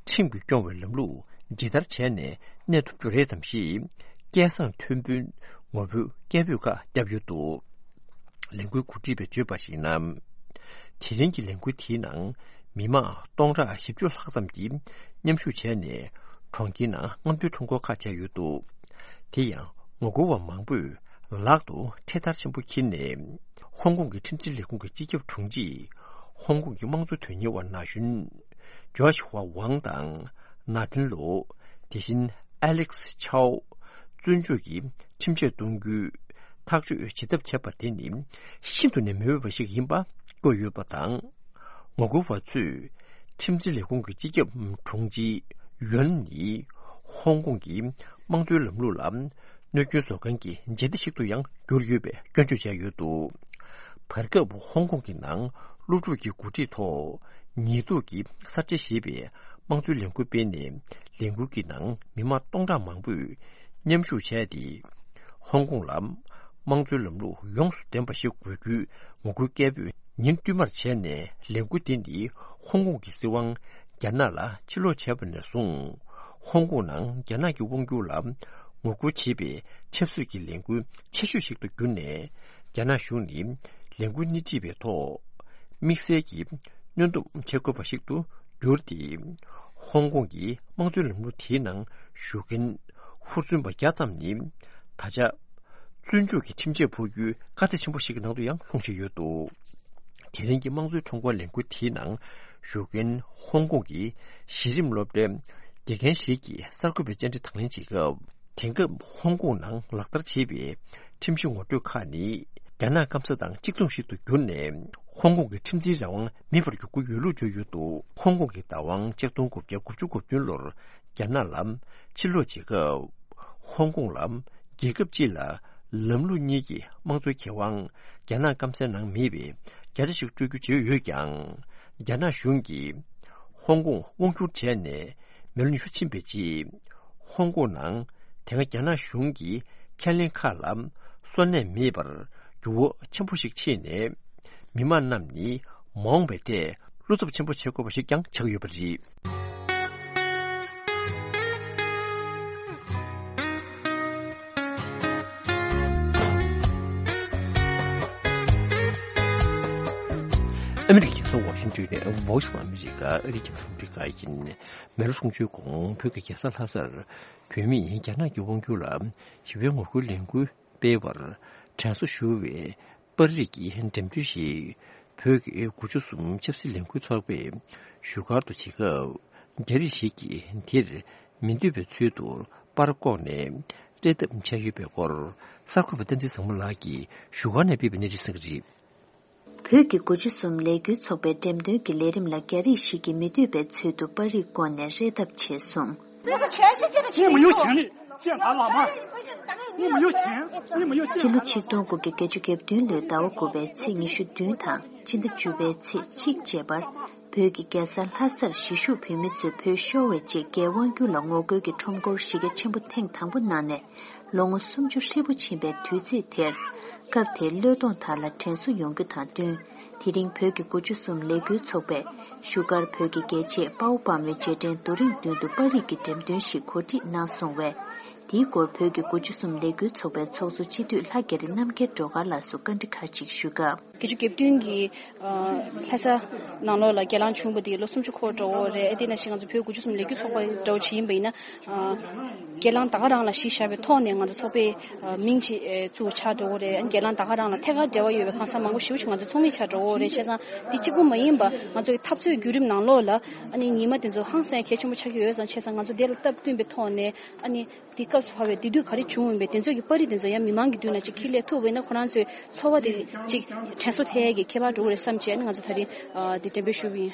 ཁྲིམས་ཀྱིས་སྐྱོང་བའི་ལམ་ལུགས་ཇི་ལྟར་བྱས་ནས་གནས་ཐུབ་རྒྱུ་རེད་དམ་ཞེས། སྐད་གསང་མཐོན་པོས་ངོ་རྒོལ་སྐད་འབོད་ཁག་བརྒྱབ་ཡོད་འདུག་ལས་འགུལ་གོ་སྒྲིག་པས་བརྗོད་པར་གཞིགས་ན། དེ་རིང་གི་ལས་འགུལ་དེའི་ནང་མི་མང་སྟོང་ཕྲག་བཞི་བཅུ་ལྷག་ཙམ་གྱིས་མཉམ་ཞུགས་བྱས་ནས་གྲོང་ཁྱེར་ནང་རྔམ་སྟོན་ཁྲོམ་སྐོར་ཁག་བྱས་ཡོད་འདུག་དེ་ཡང་ངོ་རྒོལ་བ་མང་པོས་ལག་ཏུ་འཕྲེད་དར་ཆེན་པོ་འཁྱེར་ནས། ཧོང་ཀོང་གི་ཁྲིམས་འཛིན་ལས་ཁུངས་ཀྱི་སྤྱི་ཁྱབ་དྲུང་ཆེ་ཧོང་ཀོང་གི་དམངས་གཙོ་དོན་གཉེར་བ་ན་གཞོན་ཇོརྗ་ཧྭ་ཝང་དང་ནཱ་ཐན་ལོ། དེ་བཞིན་ཨེ་ལེགས་ཆའོ། བཙོན་འཇུག་གི་ཁྲིམས་ཆད་གཏོང་རྒྱུའི་ཐག་གཅོད་བྱེད་ཐབས་བྱས་པ་དེ་ནི་ཤིན་ཏུ་ནས་མི་འོས་པ་ཞིག་ཡིན་པ་བཀོད་ཡོད་པ་དང་། ངོ་རྒོལ་བ་ཚོས་ཁྲིམས་འཛིན་ལས་ཁུངས་ཀྱི་སྤྱི་ཁྱབ་དྲུང་ཆེ་ ཡོན་ནི་ཧོང་ཀོང་གི་དམངས་གཙོའི་ལམ་ལུགས་ལ་གནོད་སྐྱོན་བཟོ་མཁན་གྱི་འཇིགས་སྣང་ཞིག་ཏུ་ཡང་གྱུར་ཡོད་པའི་སྐྱོན་བརྗོད་བྱས་ཡོད་འདུག་བར་སྐབས་ཧོང་ཀོང་གི་ནང་སློབ་ཕྲུག་གི་འགོ་ཁྲིད་ཐོག་ཉེས་འཛུགས་ཀྱི་གསར་བརྗེ་ཞེས་པའི་དམངས་གཙོའི་ལས་འགུལ་སྤེལ་ནས། ལས་འགུལ་གྱི་ནང་མི་མང་སྟོང་ཕྲག་མང་པོས་མཉམ་ཞུགས་བྱས་ཏེ། ཧོང་ཀོང་ལ་དམངས་གཙོའི་ལམ་ལུགས་ཡོངས་སུ་ལྡན་པ་ཞིག་དགོས་རྒྱུའི་ངོ་རྒོལ་སྐད་འབོད་ཉིན་བསྟུད་མར་བྱས་ནས། ལས་འགུལ་འདི་ནི་ཧོང་ཀོང་གི་སྲིད་དབང་རྒྱ་ནག་ལ་ཕྱིར་ལོག་བྱས་པ་ནས་བཟུང་། ཧོང་ཀོང་ནང་རྒྱ་ནག་གི་དབང་སྒྱུར་ལ་ངོ་རྒོལ་བྱེད་པའི་ཆབ་སྲིད་ཀྱི་ལས་འགུལ་ཆེ་ཤོས་ཤིག་ཏུ་གྱུར་ནས། རྒྱ་ནག་གཞུང་ནི་ལས་འགུལ་སྣེ་ཁྲིད་པའི་ཐོག་དམིགས་བསལ་གྱི་གནོན་སྡོམ་བྱེད་དགོས་པ་ཞིག་ཏུ་གྱུར་ཏེ། ཧོང་ཀོང་གི་དམངས་གཙོའི་ལམ་ལུགས་དེའི་ནང་ཞུགས་མཁན་ཧུར་བརྩོན་པ་བརྒྱ་ཙམ་ནི་ད་ཆ་བཙོན་འཇུག་གི་ཁྲིམས་ཆད་ཕོག་རྒྱུའི་དཀའ་ཚེགས་ཆེན་པོ་ཞིག་གི་ནང་དུ་ཡང་ལྷུང་བཞིན་ཡོད་འདུག་དེ་རིང་གི་དམངས་གཙོའི་ཁྲོམ་སྐོར་ལས་འགུལ་དེའི་ནང་ཞུགས་མཁན་ཧོང་ཀོང་གི་གཞི་རིམ་སློབ་གྲྭའི་དགེ་རྒན་ཞིག་གིས་གསར་འགོད་པའི་བཅར་འདྲི་དང་ལེན་བྱེད་སྐབས། དེང་སྐབས་ཧོང་ཀོང་ནང་ལག་བསྟར་བྱེད་པའི་ཁྲིམས་གཞི་ངོ་སྤྲོད་ཁག་ནི་རྒྱ་ནག་སྐམ་ས་དང་གཅིག་མཚུངས་ཤིག་ཏུ་གྱུར་ནས། ཧོང་ཀོང་གི་ཁྲིམས་འཛིན་རང་དབང་མེད་པར་འགྱུར་གྱི་ཡོད་ལུགས་བརྗོད་ཡོད་འདུག་ཧོང་ཀོང་གི་བདག་དབང་ཆིག་སྟོང་དགུ་བརྒྱ་དགུ་བཅུ་གོ་བདུན་ལོར་རྒྱ་ནག་ལ་ཕྱིར་ལོག་བྱེད་སྐབས། ཧོང་ཀོང་ལ་རྒྱལ་ཁབ་སྤྱི་ལ་ལམ་ལུགས་གཉིས་ཀྱི་དམངས་གཙོའི་ཁེ་དབང་རྒྱ་ནག་སྐམ་སའི་ནང་མེད་པའི་བརྒྱ་ཆ་ཞིག་སྤྲོད་རྒྱུ་བརྗོད་ཡོད་ཀྱང་། རྒྱ་ནག་གཞུང་གིས་ཧོང་ཀོང་དབང་བསྒྱུར་བྱས་ནས་མི་ལོ་ཉི་ཤུ་ཕྱིན་པའི་རྗེས། ཧོང་ཀོང་ནང་དེ་སྔ་རྒྱ་ནག་གཞུང་གི་ཁས་ལེན་ཁག་ལ་སོན་ལས་མེད་པར་འགྱུར་བ་ཆེན་པོ་ཞིག་ཕྱིན་ནས། མི་མང་རྣམས་ནི་མ་འོངས་པའི་ཐད་བློ་འཚབ་ཆེན་པོ་བྱེད་དགོས་པ་ཞིག་ཀྱང་ཆགས་ཡོད་པ་རེད། ཨ་མི་རི་ཀའི་རྒྱལ་ས་ཝ་ཤིང་ཏོན་ནས་Voice of America ཨ་རིའི་རྒྱང་སྲིང་རླུང་འཕྲིན་ཁང་ཡིན། མི་ལོ་སུམ་ཅུའི་གོང་བོད་ཀྱི་རྒྱལ་ས་ལྷ་སར་བོད་མིས་རྒྱ་ནག་གི་དབང་སྒྱུར་ལ་ཞི་བའི་ངོ་རྒོལ་ལས་འགུལ་སྤེལ་བར་དྲན་གསོ་ཞུ་བའི་པར་རིས་ཀྱི་འགྲེམས་སྟོན་ཞིག་བོད་ཀྱི་དགུ་བཅུ་གསུམ་ཆབ་སྲིད་ལས་འགུལ་ཚོགས་པས་བཞུགས་སྒར་དུ་བྱེད་སྐབས། རྒྱ་རིགས་ཤིག་གིས་དེར་མི་འདོད་པའི་ཚུལ་དུ་པར་བཀོག་ནས་སྤྲད་ཐབས་བྱས་ཡོད་པའི་སྐོར། གསར་འགོད་པ་བསྟན་འཛིན་བཟང་མོ་ལགས་ཀྱིས་བཞུགས་སྒར་ནས་སྤེལ་བའི་གནས་ཚུལ་གསན་གྱི་རེད། བོད་ཀྱི་དགུ་བཅུ་གསུམ་ལས་འགུལ་ཚོགས་པའི་འགྲེམས་སྟོན་གྱི་ལས་རིམ་ལ་རྒྱ་རིགས་ཤིག་གིས་མི་འདོད་པའི་ཚུལ་དུ་པར་རིས་བཀོག་ནས་སྤྲད་ཐབས་བྱས་སོང་། 这是全世界的情 你没有权利践踏老妈，你没有权，你没有健康。 སྤྱི་ལོ་ཆིག་སྟོང་དགུ་བརྒྱ་བརྒྱད་ཅུ་གྱ་བདུན་ལོའི་ཟླ་བ་དགུ་པའི་ཚེས་ཉི་ཤུ་བདུན་དང་སྤྱི་ཟླ་བཅུ་པའི་ཚེས་གཅིག་བཅས་པར། བོད་ཀྱི་རྒྱལ་ས་ལྷ་སར་གཞིས་བཞུགས་བོད་མི་ཚོས་བོད་ཤོར་བའི་རྗེས་རྒྱའི་དབང་སྒྱུར་ལ་ངོ་རྒོལ་གྱི་ཁྲོམ་སྐོར་གཞི་རྒྱ་ཆེན་པོ་ཐེངས་དང་པོ་གནང་ནས། ལོ་ངོ་སུམ་ཅུ་ཧྲིལ་པོ་ཕྱིན་པའི་དུས་ཚིགས་དེར། སྐབས་དེའི་བློས་གཏོང་དག་ལ་དྲན་གསོ་ཡོང་རྒྱུ་དང་བསྟུན། དེ་རིང་བོད་ཀྱི་དགུ་བཅུ་གསུམ་ལས་འགུལ་ཚོགས་པས་བཞུགས་སྒར་བོད་ཀྱི་རྒྱལ་གཅེས་དཔའ་བོ་དཔའ་མོའི་རྗེས་དྲན་རྡོ་རིང་མདུན་དུ་པར་རིས་ཀྱི་འགྲེམས་སྟོན་ཞིག་གོ་སྒྲིག་གནང་སོང་བས། དེའི་སྐོར་བོད་ཀྱི་དགུ་བཅུ་གསུམ་ལས་འགུལ་ཚོགས་པའི་ཚོགས་གཙོ་སྤྱི་འཐུས་ལྷ་རྒྱ་རི་རྣམ་རྒྱལ་སྒྲོལ་དཀར་ལགས་སུ་བཀའ་འདྲི་ཁག་ཅིག་ཞུས་སྐབས། བརྒྱད་ཅུ་གྱ་བདུན་གྱི་ལྷ་ས་ནང་ལོགས་ལ་སྒེར་ལངས་བྱུང་བ་དེ་ལོ་སུམ་ཅུ་འཁོར་འགྲོ་གི་རེད། དེ་ནང་བཞིན་ང་ཚོ་བོད་དགུ་བཅུ་གསུམ་ལས་འགུལ་ཚོགས་པ་འདྲ་བོ་ཅིག་ཡིན་པ་ཡིན་ན། སྒེར་ལངས་ད་ག་རང་ལ་གཞི་བཞག་པའི་ཐོག་ནས་ང་ཚོ་ཚོགས་པའི་མིང་ཅིག་བཙུགས་ཆགས་འགྲོ་གི་རེད། སྒེར་ལངས་ད་ག་རང་ལ་ཐད་ཀར་འབྲེལ་བ་ཡོད་པའི་གང་ཟག་མང་པོ་ཞེ་པོ་ཅིག་ང་ཚོ་ཚོགས་མི་ཆགས་འགྲོ་གི་རེད། བྱས་ཙང་འདི་གཅིག་པུ་མ་ཡིན་པ་ང་ཚོ་གི་འཐབ་རྩོད་བརྒྱུད་རིམ་ནང་ལོགས་ལ་ཨ་ནི་ཉི་མ་དེ་ཚོ་ཧང་སང་གལ་ཆེན་པོ་ཆགས་ཀྱི་ཡོད་ཙང་། བྱས་ཙང་ང་ཚོ་དེ་ལ་སྟབས་བསྟུན་པའི་ཐོག་ནས་ཨ་ནི། དེ་སྐབས་སུ་བབས་པའི་དེ་དུས་ག་རེ་བྱུང་ཡིན་པའི་དེ་ཚོ་གི་པར་རིས་དེ་ཚོ་ཡང་མི་མང་གི་མདུན་ལ་ཅིག་འཁྱེར་སླེབས་ཐུབ་པ་ཡིན་ན། ཁོ་རང་ཚོའི་ཚོར་བ་དེ་ཅིག་དྲན་གསོ་ཐེབས་ཡས་ཀྱི་ཁྱད་པར་འགྲོ་གི་རེད་བསམ་བྱས་ནས་ང་ཚོ་ད་རིང་ཨ་དེ་འགྲེམས་སྤེལ་ཞུས་པ་ཡིན།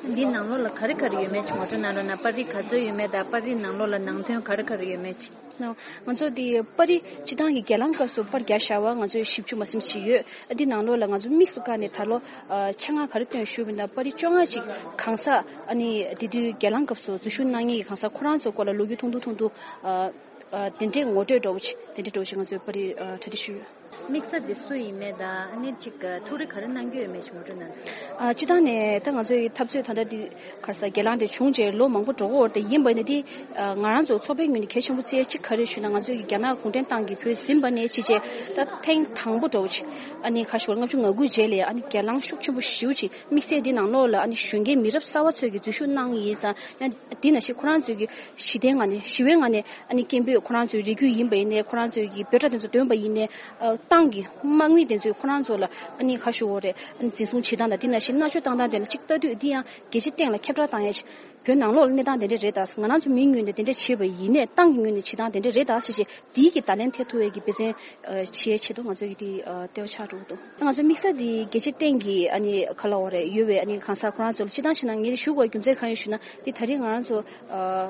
འདིའི་ནང་ལོགས་ལ་ག་རེ་ག་རེ་ཡོད་མེད་ཅིག་ང་ཚོ་ནང་ལོགས་ན་པར་རིས་ག་ཚོད་ཡོད་མེད་དང་། པར་རིས་ནང་ལོགས་ལ་ནང་དོན་ག་རེ་ག་རེ་ཡོད་མེད་ཅིག་ང་ཚོ་དེ་པར་རིས་སྤྱི་བཏང་གི་སྒེར་ལངས་སྐབས་སུ་པར་རྒྱག་བཞག་པ་ང་ཚོས་བཞི་བཅུ་མ་ཟིན་ཞིག་ཡོད། ཨ་འདི་ནང་ལོགས་ལ་ང་ཚོ་དམིགས་སུ་བཀར་ནས་ད་ལོ་ཨ་ཆ་ཚང་ག་རེ་བཏོན་ཞུས་པ་ཡིན་ན། པར་རིས་བཅོ་ལྔ་ཅིག་གང་ཟག་ཨ་ནི་དེ་དུས་སྒེར་ལངས་སྐབས་སུ་འཛུལ་ཞུགས་གནང་མཁན་གྱི་གང་ཟག་ཁོ་རང་ཚོའི་སྐོར་ལ་ལོ་རྒྱུས་ཐུང་ཐུང་ཐུང་ཐུང་ཨ་ཨ་དེ་འདྲས་ངོ་སྤྲོད་འདྲ་བོ་ཅིག་དེ་འདྲས་འདྲ་བོ་ཅིག་ང་ཚོས་པར་རིས་ཨ་གྲ་སྒྲིག་ཞུས་ཡོད། དམིགས་བསལ་དེ་སུ་ཡིན་མེད་དང་། ཨ་ནི་ཅིག་ཐུགས་རེ་ག་རེ་གནང་རྒྱུ་ཡོད་མེད་ཅིག་ངོ་སྤྲོད་གནང་དང་། ཨ་སྤྱི་བཏང་ནས་ད་ང་ཚོའི་འཐབ་རྩོད་ད་ལྟ་འདི་ག་རེ་ཟེར། སྒེར་ལངས་དེ་བྱུང་རྗེས་ལོ་མང་པོ་འགྲོ་གི་ཡོད་རེད། དེ་ཡིན་པ་ཡིན་ན་དེ་ཨ་ང་རང་ཚོ་ཚོགས་པའི་ངོས་ནས་གལ་ཆེན་པོ་བརྩི་ཡ་གཅིག་ག་རེ་ཞུས་ན། ང་ཚོའི་གི་རྒྱ་ནག་གུང་ཁྲན་ཏང་གིས་བོད་ཟིན་པ་ནས་ཕྱིན་རྗེས་ད་ཐེངས་དང་པོ་འདྲ་བོ་ཅིག་ཨ་ནི་ཁ་ཤོར་ལྔ་བཅུ་ང་དགུ་རྗེས་ལ་ཨ་ནི་སྒེར་ལངས་ཤུགས་ཆེན་པོ་ཞེ་པོ་ཅིག་དམིགས་བསལ་འདི་ནང་ལོགས་ལ་ཨ་ནི་གཞོན་སྐྱེས་མི་རབས་གསར་པ་ཚོས་ཀྱི་འཛུལ་ཞུགས་གནང་ཡིན་ཙང་། ཡང་འདི་ནང་བཞིན་ཁོ་རང་ཚོས་ཀྱི་ཞི་བདེའི་ངང་ནས་ཞི་བའི་ངང་ནས་ཨ་ནི་སྐད་འབོད་ཁོ་རང་ཚོའི་རེ་སྐུལ་ཡིན་པ་ཡིན་ནའི། ཁོ་རང་ཚོས་ཀྱི་འབོད་སྒྲ་དེ་ཚོ་འདོན་པ་ཡིན་ནའི། ཨ་ཏང་གི་དམག་མི་དེ་ཚོས་ཁོ་རང་ཚོ་ལ་ཨ་ནི་ཁ་ཤོར་བོ་རེད། ཨ་ནི་འཛིན་བཟུང་བྱེད་སྟངས་དང་། འདི་ནང་བཞིན་མནར་གཅོད་བཏང་སྟངས་དེ་ལ་གཅིག་ལྟ་དུས་འདི་ཡང་རྒྱལ་སྤྱིའི་སྟེང་ལ་ཁྱབ་བསྒྲགས་བཏང་ཡ་ཅིག་བོད་ནང་ལོགས་ལ་གནས་སྟངས་དེ་འདྲ་རེད་ད། ང་རང་ཚོ་མིའི་ངོས་ནས་དེ་འདྲ་བྱས་པ་ཡིན་ནའི་ཏང་གི་ངོས་ནས་བྱེད་སྟངས་དེ་འདྲ་རེད་ད་ཟེར་བྱས་དེའི་གི་བརྡ་ལན་ཐེབས་ཐུབ་པའི་གི་འབད་བརྩོན་བྱེད་ཆེད་དུ་ང་ཚོ་གི་དེ་ལྟེ་བ་ཆགས་འགྲོ་གི་འདུག་ང་ཚོ་དམིགས་བསལ་དེ་རྒྱལ་སྤྱིའི་སྟེང་གི་ཨ་ནི་ག་ལབ་དགོས་རེད། ཡོད་པའི་ཨ་ནི་གང་ཟག་ཁོ་རང་ཚོ་ལ་སྤྱིར་བཏང་བྱས་ན་ངས་ཞུ་དགོས་རྒྱུ་མཚན་གང་ཡིན་ཞུ་ན། དེ་ད་རེས་ང་རང་ཚོ་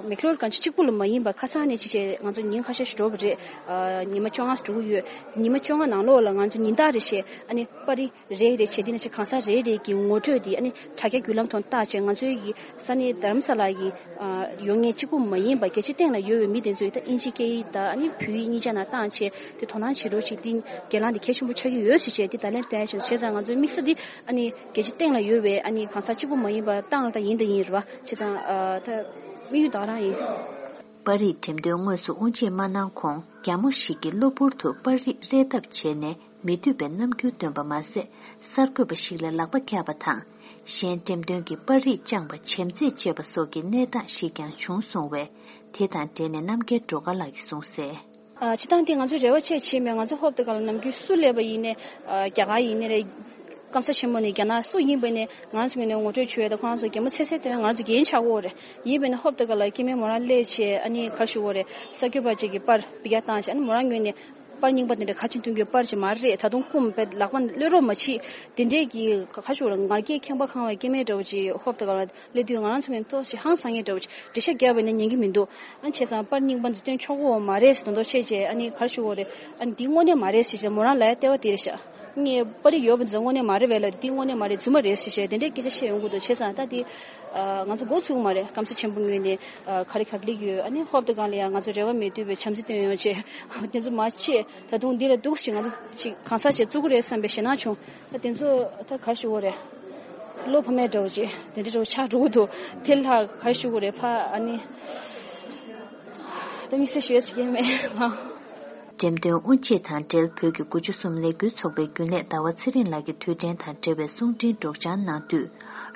མེག་ལོར་གང་ཅི་གཅིག་པུ་ལ་མ་ཡིན་པ་ཁ་སང་ནས་ཅི་བྱས་ང་ཚོ་ཉིན་ཁ་ཤས་ཤིག་འགྲོ་བ་རེད། ཉི་མ་བཅོ་ལྔ་འགྲོ་གི་ཡོད། ཉི་མ་བཅོ་ལྔ་ནང་ལོགས་ལ་ང་ཚོ་ཉིན་ལྟར་རེ་བཞིན་ཨ་ནི་པར་རིས་རེ་རེ་བྱས། དེ་ནས་ཅིག་གང་ཟག་རེ་རེ་གི་ངོ་སྤྲོད་དེ་ཨ་ནི་དྲ་རྒྱ་བརྒྱུད་ལམ་ཐོག་བཏགས་བྱས། ང་ཚོའི་གི་ས་གནས་དྷ་རམ་ས་ལ་གི་ཡོད་མཁན་གཅིག་པུ་མ་ཡིན་པ་རྒྱལ་སྤྱིའི་སྟེང་ལ་ཡོད་པའི་མི་དེ་ཚོས་ད་དབྱིན་ཇིའི་སྐད་ཡིག་དང་ཨ་ནི་བོད་ཡིག་གཉིས་ཆ་ནང་བཏང་བྱས་དེ་དོ་སྣང་བྱེད་རོགས་བྱེད། དེ་འགན་ལེན་དེ་གལ་ཆེན་པོ་ཆགས་ཀྱི་ཡོད་ཟེར་བྱས་དེ་བརྡ་ལན་སྟོན་བྱས། བྱས་ཙང་ང་ཚོའི་དམིགས་ས་དེ་ཨ་ནི་རྒྱལ་སྤྱིའི་སྟེང་ལ་ཡོད་པའི་ཨ་ནི་གང་ཟག་གཅིག་པུ་མ་ཡིན་པ་ཏང་ལ་ད་ཡིན་ད་ཡིན་རེད་བ། བྱས་ཙང་ད་དམིགས་ཡུལ་ད་ག་རང་ཡིན། པར་རིས་འགྲེམས་སྟོན་དངོས་སུ་དབུ་འབྱེད་མ་གནང་གོང་རྒྱ་མོ་ཞིག་གིས་གློ་བུར་དུ་པར་རིས་རེག་ཐབས་བྱས་ནས་མི་འདོད་པའི་རྣམ་འགྱུར་སྟོན་པ་མ་ཟད། གསར་འགོད་པ་ཞིག་ལ་ལག་པ་བཀྱགས་པ་དང་། གཞན་འགྲེམས་སྟོན་གྱི་པར་རིས་བཅངས་པ་བྱེམ་རྩེད་བཅས་པ་སོགས་ཀྱི་གནས་སྟངས་ཤིག་ཀྱང་བྱུང་སོང་བས། དེ་དང་འབྲེལ་ནས་རྣམ་རྒྱལ་སྒྲོལ་དཀར་ལགས་ཀྱིས་གསུངས་གསལ། ཨ་སྤྱིར་བཏང་དེ་ང་ཚོས་རེ་བ་བྱས་བྱས་མེད། ང་ཚོ་ཧོབ་ཏེ་ག་ལ་ནམ་རྒྱུན་སུ་སླེབས་པ་ཡིན་ནའི་ཨ་རྒྱ་གར་ཡིན་ནའི་རེད། སྐམ་ས་ཆེན་མོ་ནས་རྒྱ་ནག་སུ་ཡིན་པ་ནས་ང་ཚོ་ངོས་ནས་ངོ་སྤྲོད་བྱོས་དང་ཁོ་རང་ཚོ་གད་མོ་ཚེ་ཚེ་སྟོན། ང་ཚོ་འགན་ཆགས་ཀྱི་ཡོད་རེད། ཡིན་པ་ནས་ཧོབ་ཏེ་ག་ལ་སྐྱེ་དམན་མོ་རང་སླེབས་བྱས་ཨ་ནི་ག་རེ་ཞུ་དགོས་རེད། གསར་འགོད་པ་ཅིག་གིས་པར་ཕུད་རྒྱག་བཏང་བྱས། ཨ་ནི་མོ་རང་ངོས་ནས་པར་རྙིང་པ་དེ་འདྲ་ག་ཅིག་འཐུང་རྒྱུའི་པར་ཅིག་མ་རེད། ད་དུང་རྐུ་མ་པའི་ལག་པ་གློད་རོགས་མ་བྱེད། དེ་འདྲའི་གི་ག་རེ་ཞུ་དགོས་རེད། ངར་སྐད་ཁེངས་པ་ཁེངས་པའི་སྐྱེ་དམན་འདྲ་བོ་ཅིག་ཧོབ་ཏེ་ག་ལ་སླེབས་དུས་ང་རང་ཚོ་ངོས་ནས་ཏོག་ཙམ་ཧང་སང་མཁན་འདྲ་བོ་ཅིག་འགྲེལ་བཤད་རྒྱབ་པ་ཡིན་ན་ཉན་གྱི་མི་འདུག་ཨ་ནི་བྱས་ཙང་པར་རྙིང་པ་འདི་སྟོན་ཆོག་གི་མ་རེད་ཟེར་མདོག་མདོག་བྱས་བྱས། ཨ་ནི་ག་རེ་ཞུ་དགོས་རེད། ཨ་ནི་འདི་དངོས་གནས་མ་རེད་ཟེར་བྱས་མོ་རང་ལབ་ཡ་ལྟེ་བ་དེ་རེད་ཤག་ངས་པར་རིས་ཡོད་པ་འདི་ཚོ་དངོས་གནས་མ་རེད་པས་ལབ། འདི་དངོས་གནས་མ་རེད། རྫུན་མ་རེད་ཟེར་བྱས་དེ་འདྲའི་སྐད་ཆ་བཤད་ཡོང་གི་འདུག་བྱས་ཙང་ད་འདི་ང་ཚོ་འགོ་ཚུགས་མ་རེད། སྐམ་ས་ཆེན་པོ་ངོས་ནས་ག་རེ་ག་ལེགས་ཡོད། ཨ་ནི་ཧོབ་ཏེ་ག་ལ་ཡ་ང་ཚོ་རེ་བ་མེད་དུས་པའི་བྱམས་བརྩེ་སྟོན་ཡོང་བྱས་དེ་ཚོ་མ་བྱས། ད་དུང་འདི་ལ་འདུག་ཅིག་ང་ཚོ་ཅིག་གང་ཟག་ཅིག་བཙུགས་ཀྱི་རེད་བསམ་པའི་ཞེད་སྣང་བྱུང་། ད་དེ་ཚོ་ད་ག་རེ་ཞུ་དགོས་རེད། བློ་ཕམ་ཡ་འདྲ་བོ་ཅིག་དེ་འདྲ་འདྲ་བོ་ཆགས་འགྲོ་གི་འདུག་དེ་ལ་ག་རེ་ཞུ་དགོས་རེད། ཕ་ཨ་ནི་ད་དམིགས་བསལ་ཞུ་ཡ་ཅིག་ཡིན་མེད་ལ། འགྲེམས་སྟོན་དབུ་འབྱེད་དང་འབྲེལ་བོད་ཀྱི་དགུ་བཅུ་གསུམ་ལས་འགུལ་ཚོགས་པའི་རྒྱུན་ལས་ཟླ་བ་ཚེ་རིང་ལགས་ཀྱིས་དུས་དྲན་དང་འབྲེལ་བའི་གསུང་འཕྲིན་སྒྲོག་སྦྱང་གནང་དུས།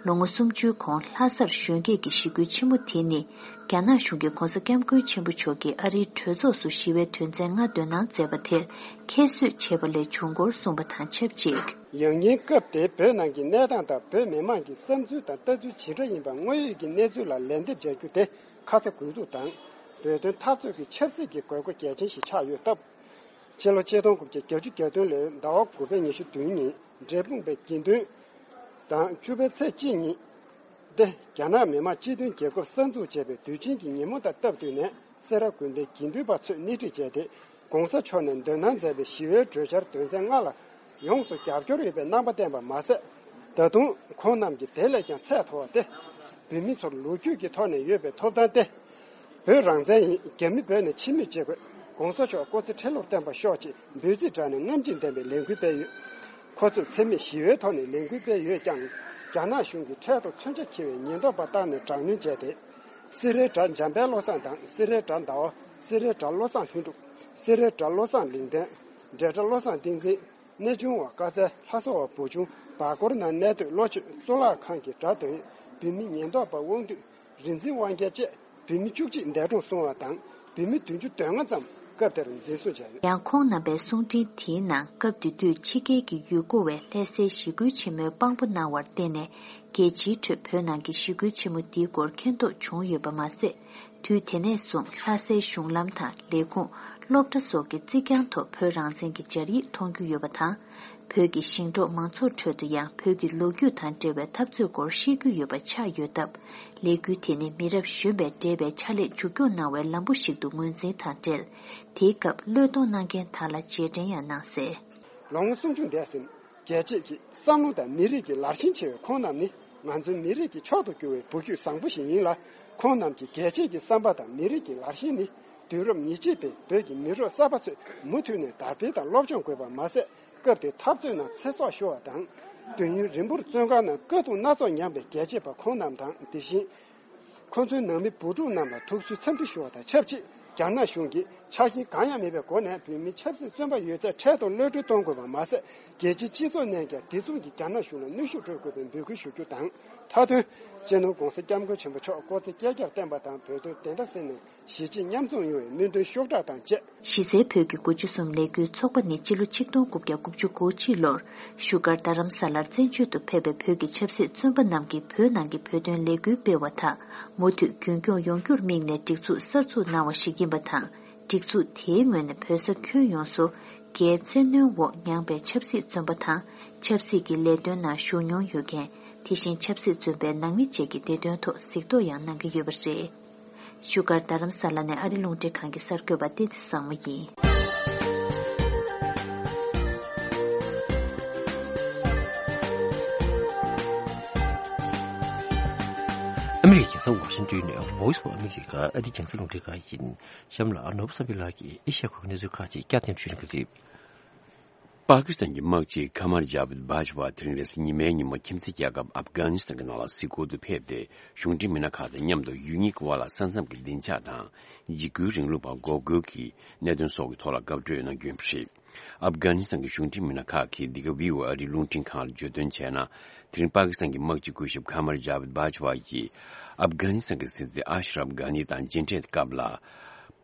ལོ་ངོ་སུམ་ཅུའི་གོང་ལྷ་སར་གཞོན་སྐྱེས་ཀྱི་ཞི་རྒོལ་ཆེན་མོ་དེ་ནི། རྒྱ་ནག་གཞུང་གིས་༧གོང་ས་༧སྐྱབས་མགོན་ཆེན་པོ་མཆོག་གིས་ཨ་རིའི་གྲོས་ཚོགས་སུ་ཞི་བའི་དོན་ཚན་ལྔ་འདོན་གནང་མཛད་པ་དེར་ཁྱད་གསོད་བྱས་པ་ལས་བྱུང་སྐོར་གསུངས་པ་དང་ཆབས་ཅིག་ཡང་སྙིང་སྐབས་དེའི་བོད་ནང་གི་གནས་སྟངས་དང་བོད་མི་མང་གི་བསམ་ཚུལ་དང་ལྟ་ཚུལ་ཇི་འདྲ་ཡིན་པ་དངོས་ཡོད་ཀྱི་གནས་ཚུལ་ལ་ལན་འདེབས་བྱ་རྒྱུ་དེ་ཁ་ཚ་དགོས་གཏུགས་དང་། བོད་དོན་འཐབ་རྩོད་ཀྱི་ཆབ་སྲིད་ཀྱི་དགོས་མཁོ་གལ་ཆེན་ཞིག་ཆགས་ཡོད་སྟབས། ཕྱི་ལོ་ཆིག་སྟོང་དགུ་བརྒྱ་བརྒྱད་ཅུ་གྱ་བདུན་ལོའི་ཟླ་བ་དགུ་པའི་ཉི་ཤུ་བདུན་ཉིན་འབྲས་སྤུངས་པའི་དགེ་འདུན་དང་བཅུ་པའི་ཚེས་གཅིག་ཉིན་ཏེ་རྒྱ་ནག་མི་དམངས་སྤྱི་མཐུན་རྒྱལ་ཁབ་གསར་འཛུགས་བྱས་པའི་དུས་ཆེན་གྱི་ཉིན་མོ་དང་སྟབས་བསྟུན་ནས་སེ་ར་དགོན་པའི་དགེ་འདུན་པ་ཚོས་སྣེ་ཁྲིད་བྱས་ཏེ་༧གོང་ས་མཆོག་ནས་འདོན་གནང་མཛད་པའི་ཞི་བའི་གྲོས་འཆར་དོན་ཚན་ལྔ་ལ་ཡོངས་སུ་རྒྱབ་སྐྱོར་ཡོད་པའི་རྣམ་པ་བསྟན་པ་མ་ཟད། ད་དུང་ཁོང་རྣམས་ཀྱིས་དེ་ལས་ཀྱང་ཚད་མཐོ་བ་སྟེ། བོད་མི་ཚོར་ལོ་རྒྱུས་ཀྱི་ཐོག་ནས་ཡོད་པའི་ཐོབ་ཐང་སྟེ། བོད་རང་བཙན་ཡིན། རྒྱ་མི་བོད་ནས་ཕྱིར་མི་བྱེད་དགོས། ༸གོང་ས་མཆོག་སྐུ་ཚེ་ཁྲི་ལོར་བརྟན་པར་ཤོག་ཅེས་འབོད་ཚིག་བསྒྲགས་ནས་རྔམ་བརྗིད་ལྡན་པའི་ལས་འགུལ་སྤེལ་ཡོད། ཁོ་ཚོས་འཚེ་མེད་ཞི་བའི་ཐོག་ནས་ལས་འགུལ་སྤེལ་ཡོད་ཀྱང་། རྒྱ་ནག་གཞུང་གིས་འཕྲལ་དུ་མཚོན་ཆ་འཁྱེར་བའི་ཉེན་རྟོག་པ་བཏང་ནས་དྲག་གནོན་བྱས་ཏེ། སེ་རའི་དགྲ་འཇམ་དཔལ་བློ་བཟང་དང་སེ་རའི་དགྲ་ཟླ་བ། སེ་རའི་དགྲ་བློ་བཟང་ལྷུན་གྲུབ། སེ་རའི་དགྲ་བློ་བཟང་ལིང་ཏན། འབྲས་དགྲ་བློ་བཟང་བསྟན་འཛིན། གནས་ཆུང་བ་དཀར་རྩེ་ལྷ་ས་བ་བུ་ཆུང་བར་སྐོར་ནང་གནས་སྡོད་བློ་ཆོས་གཙུག་ལག་ཁང་གི་དགྲ་འདོན་བོད་མི་ཉེན་རྟོག་པ་དབང་འདུས་རིག་འཛིན་དབང་རྒྱལ་བཅས་བོད་མི་བཅུ་གཅིག་འདས་གྲོངས་སོང་བ་དང་བོད་མི་བདུན་ཅུ་དོན་ལྔ་ཙམ་སྐབས་དེར་འཛིན་བཟུང་བྱས་ཡོད། ཡང་ཁོང་རྣམ་པའི་གསུང་འཕྲིན་དེའི་ནང་སྐབས་དེ་དུས་ཕྱི་རྒྱལ་གྱི་ཡུལ་སྐོར་བས་ལྷ་སའི་ཞི་རྒོལ་ཆེན་མོའི་དཔང་པོ་གནང་བར་བརྟེན་ནས་རྒྱལ་སྤྱིའི་ཁྲོད་བོད་ནང་གི་ཞི་རྒོལ་ཆེན་མོ་འདིའི་སྐོར་མཁྱེན་རྟོགས་བྱུང་ཡོད་པ་མ་ཟད། དུས་དེ་ནས་བཟུང་ལྷ་སའི་གཞུང་ལམ་དང་ལས་ཁུངས། སློབ་གྲྭ་སོགས་ཀྱི་རྩིག་གྱང་ཐོག་བོད་རང་བཙན་གྱི་སྦྱར་ཡིག་མཐོང་རྒྱུ་ཡོད་པ་དང་། བོད་ཀྱི་ཞིང་འབྲོག་མང་ཚོགས་ཁྲོད་དུ་ཡང་བོད་ཀྱི་ལོ་རྒྱུས་དང་འབྲེལ་བའི་འཐབ་རྩོད་སྐོར་ཤེས་རྒྱུ་ཡོད་པ་ཆགས་ཡོད་སྟབས། ལས་འགུལ་དེ་ནི་མི་རབས་གཞོན་པས་འབྲེལ་བའི་ཕྱག་ལས་མཇུག་སྐྱོང་གནང་བའི་ལམ་བུ་ཞིག་ཏུ་ངོས་འཛིན་དང་འབྲེལ། དེའི་སྐབས་བློས་གཏོང་གནང་མཁན་དག་ལ་རྗེས་དྲན་ཡང་གནང་གསལ། ལོ་ངོ་སུམ་ཅུ་འདས་ཟིན། རྒྱལ་སྤྱིའི་བསམ་བློ་དང་མི་རིགས་ཀྱི་ལར་ཞེན་ཆེ་བའི་ཁོང་རྣམས་ནི་ང་ཚོའི་མི་རིགས་ཀྱི་མཆོག་ཏུ་གྱུར་བའི་བུ་རྒྱུད་བཟང་པོ་ཞིག་ཡིན་ལ། ཁོང་རྣམས་ཀྱི་རྒྱལ་གཅེས་ཀྱི་བསམ་པ་དང་མི་རིགས་ཀྱི་ལར་ཞེན་ནི་དུས་རབས་ཉེར་གཅིག་པའི་བོད་ཀྱི་མི་རབས་གསར་པ་ཚོས་མུ་མཐུད་ནས་དར་སྤེལ་དང་སློབ་སྦྱོང་དགོས་པ་མ་ཟད། སྐབས་དེའི་འཐབ་རྩོད་ནང་ཚེ་སྲོག་ཤོར་བ་དང་། དུས་ཡུན་རིང་པོར་བཙོན་ཁང་ནང་དཀའ་སྡུག་སྣ་ཚོགས་མྱངས་པའི་རྒྱལ་གཅེས་པ་ཁོང་རྣམས་དང་། དེ་བཞིན། ཁོ་ཚོའི་ནང་མི་བུ་ཕྲུག་རྣམས་ལ་ཐུགས་གསོའི་འཚམས་འདྲི་ཞུ་བ་དང་ཆབས་ཅིག་རྒྱ་ནག་གཞུང་གིས་ཆགས་ཞེན་གང་ཡང་མེད་པའི་སྒོ་ནས་བོད་མིའི་ཆབ་སྲིད་བཙོན་པ་ཡོད་ཚད་འཕྲལ་དུ་གློད་གྲོལ་གཏོང་དགོས་པ་མ་ཟད། རྒྱལ་སྤྱིའི་སྤྱི་ཚོགས་ནས་ཀྱང་དེ་མཚུངས་ཀྱི་རྒྱ་ནག་གཞུང་ལ་གནོན་ཤུགས་སྤྲོད་དགོས་པའི་འབོད་སྐུལ་ཞུ་རྒྱུ་དང་། མཐའ་དོན། སྤྱི་ནོར་༧གོང་ས་༧སྐྱབས་མགོན་ཆེན་པོ་མཆོག་སྐུ་ཚེ་བསྐལ་བརྒྱར་བརྟན་པ་དང་། བོད་དོན་བདེན་མཐའ་གསལ་ནས་གཞིས་བྱེས་མཉམ་འཛོམས་ཡོང་བའི་སྨོན་འདུན་ཤུགས་དྲག་དང་བཅས། གཞི་རྩའི་བོད་ཀྱི་དགུ་བཅུ་གསུམ་ལས་འགུལ་ཚོགས་པ་ནི་སྤྱི་ལོ་ཆིག་སྟོང་དགུ་བརྒྱ་དགུ་བཅུ་གོ་གཅིག་ལོར་བཞུགས་སྒར་རྡ་རམ་ས་ལར་བཙན་བྱོལ་དུ་ཕེབས་པའི་བོད་ཀྱི་ཆབ་སྲིད་བཙོན་པ་རྣམས་ཀྱིས་བོད་ནང་གི་བོད་དོན་ལས་འགུལ་སྤེལ་བ་དག་མུ་མཐུད་རྒྱུན་སྐྱོང་ཡོང་རྒྱུར་དམིགས་ནས་སྒྲིག་འཛུགས་གསར་འཛུགས་གནང་བ་ཞིག་ཡིན་པ་དང་། སྒྲིག་འཛུགས་དེའི་ངོས་ནས་བོད་ས་ཁྱོན་ཡོངས་སུ་རྒྱའི་བཙན་གནོན་འོག་མྱངས་པའི་ཆབ་སྲིད་བཙོན་པ་དང་། ཆབ་སྲིད་ཀྱི་ལས་དོན་ནང་ཞུགས་མྱོང་ཡོད་མཁན། དེ་བཞིན་ཆབ་སྲིད་བཙོན་པའི་ནང་མི་བཅས་ཀྱི་བདེ་དོན་ཐོག་གཟིགས་རྟོག་ཡང་གནང་གི་ཡོད་པ་རེད། བཞུགས་སྒར་རྡ་རམ་ས་ལ་ནས་ཨ་རི་རླུང་འཕྲིན་ཁང་གི་གསར་འགོད་པ་བསྟན་འཛིན་བཟང་མོ་ཡིན། ཨ་མི་རི་ཀའི་རྒྱལ་ས་ཝ་ཤིང་ཏོན་ནས་Voice of America ཨ་རིའི་རྒྱང་སྲིང་རླུང་འཕྲིན་ཁང་ཡིན། གཤམ་ལ་ནོར་བུ་བསམ་འཕེལ་ལགས་ཀྱིས་ཨེ་ཤ་ཡ་ཁུལ་གྱི་གནས་ཚུལ་ཁག་ཅིག་བསྐྱར་ཟློས་ཞུ་གནང་གི་རེད། པ་ཀི་སི་ཐན་གྱི་དམག་སྤྱི་ཁ་མར་ཇཱ་བིད་བྷ་ཇ་ཝ་དེ་རིང་རེས་གཟའ་ཉི་མའི་ཉིན་མོ་ཁྱིམ་མཚེས་རྒྱལ་ཁབ་ཨབ་གྷ་ནི་སི་ཐན་གྱི་ནང་ལ་གཟིགས་སྐོར་དུ་ཕེབས་ཏེ། གཞུང་འབྲེལ་མི་སྣ་ཁག་དང་མཉམ་དུ་ཡུལ་གཉིས་ཀྱི་དབར་ལ་ས་མཚམས་ཀྱི་སྡིངས་ཆ་དང་། འཇིགས་སྐུལ་རིང་ལུགས་པ་འགོག་རྒོལ་གྱི་གནད་དོན་སོགས་ཀྱི་ཐོག་ལ་བཀའ་གྲོས་གནང་རྒྱུ་ཡིན་པ་རེད། ཨབ་གྷ་ནི་སི་ཐན་གྱི་གཞུང་འབྲེལ་མི་སྣ་ཁག་གིས་འདི་ག་བྷི་ཨོ་ཨེ་ཨ་རིའི་རླུང་འཕྲིན་ཁང་ལ་བརྗོད་དོན་བྱས་ན། དེ་རིང་པ་ཀི་སི་ཐན་གྱི་དམག་སྤྱི་སྐུ་ཞབས་ཁ་མར་ཇཱ་བིད་བྷ་ཇ་ཝ་ཡིས་ཨབ་གྷ་ནི་སི་ཐན་གྱི་སྲིད་འཛིན་ཨ་ཤ་རབ་གྷ་ནི་དང་མཇལ་འཕྲད་སྐབས་ལ།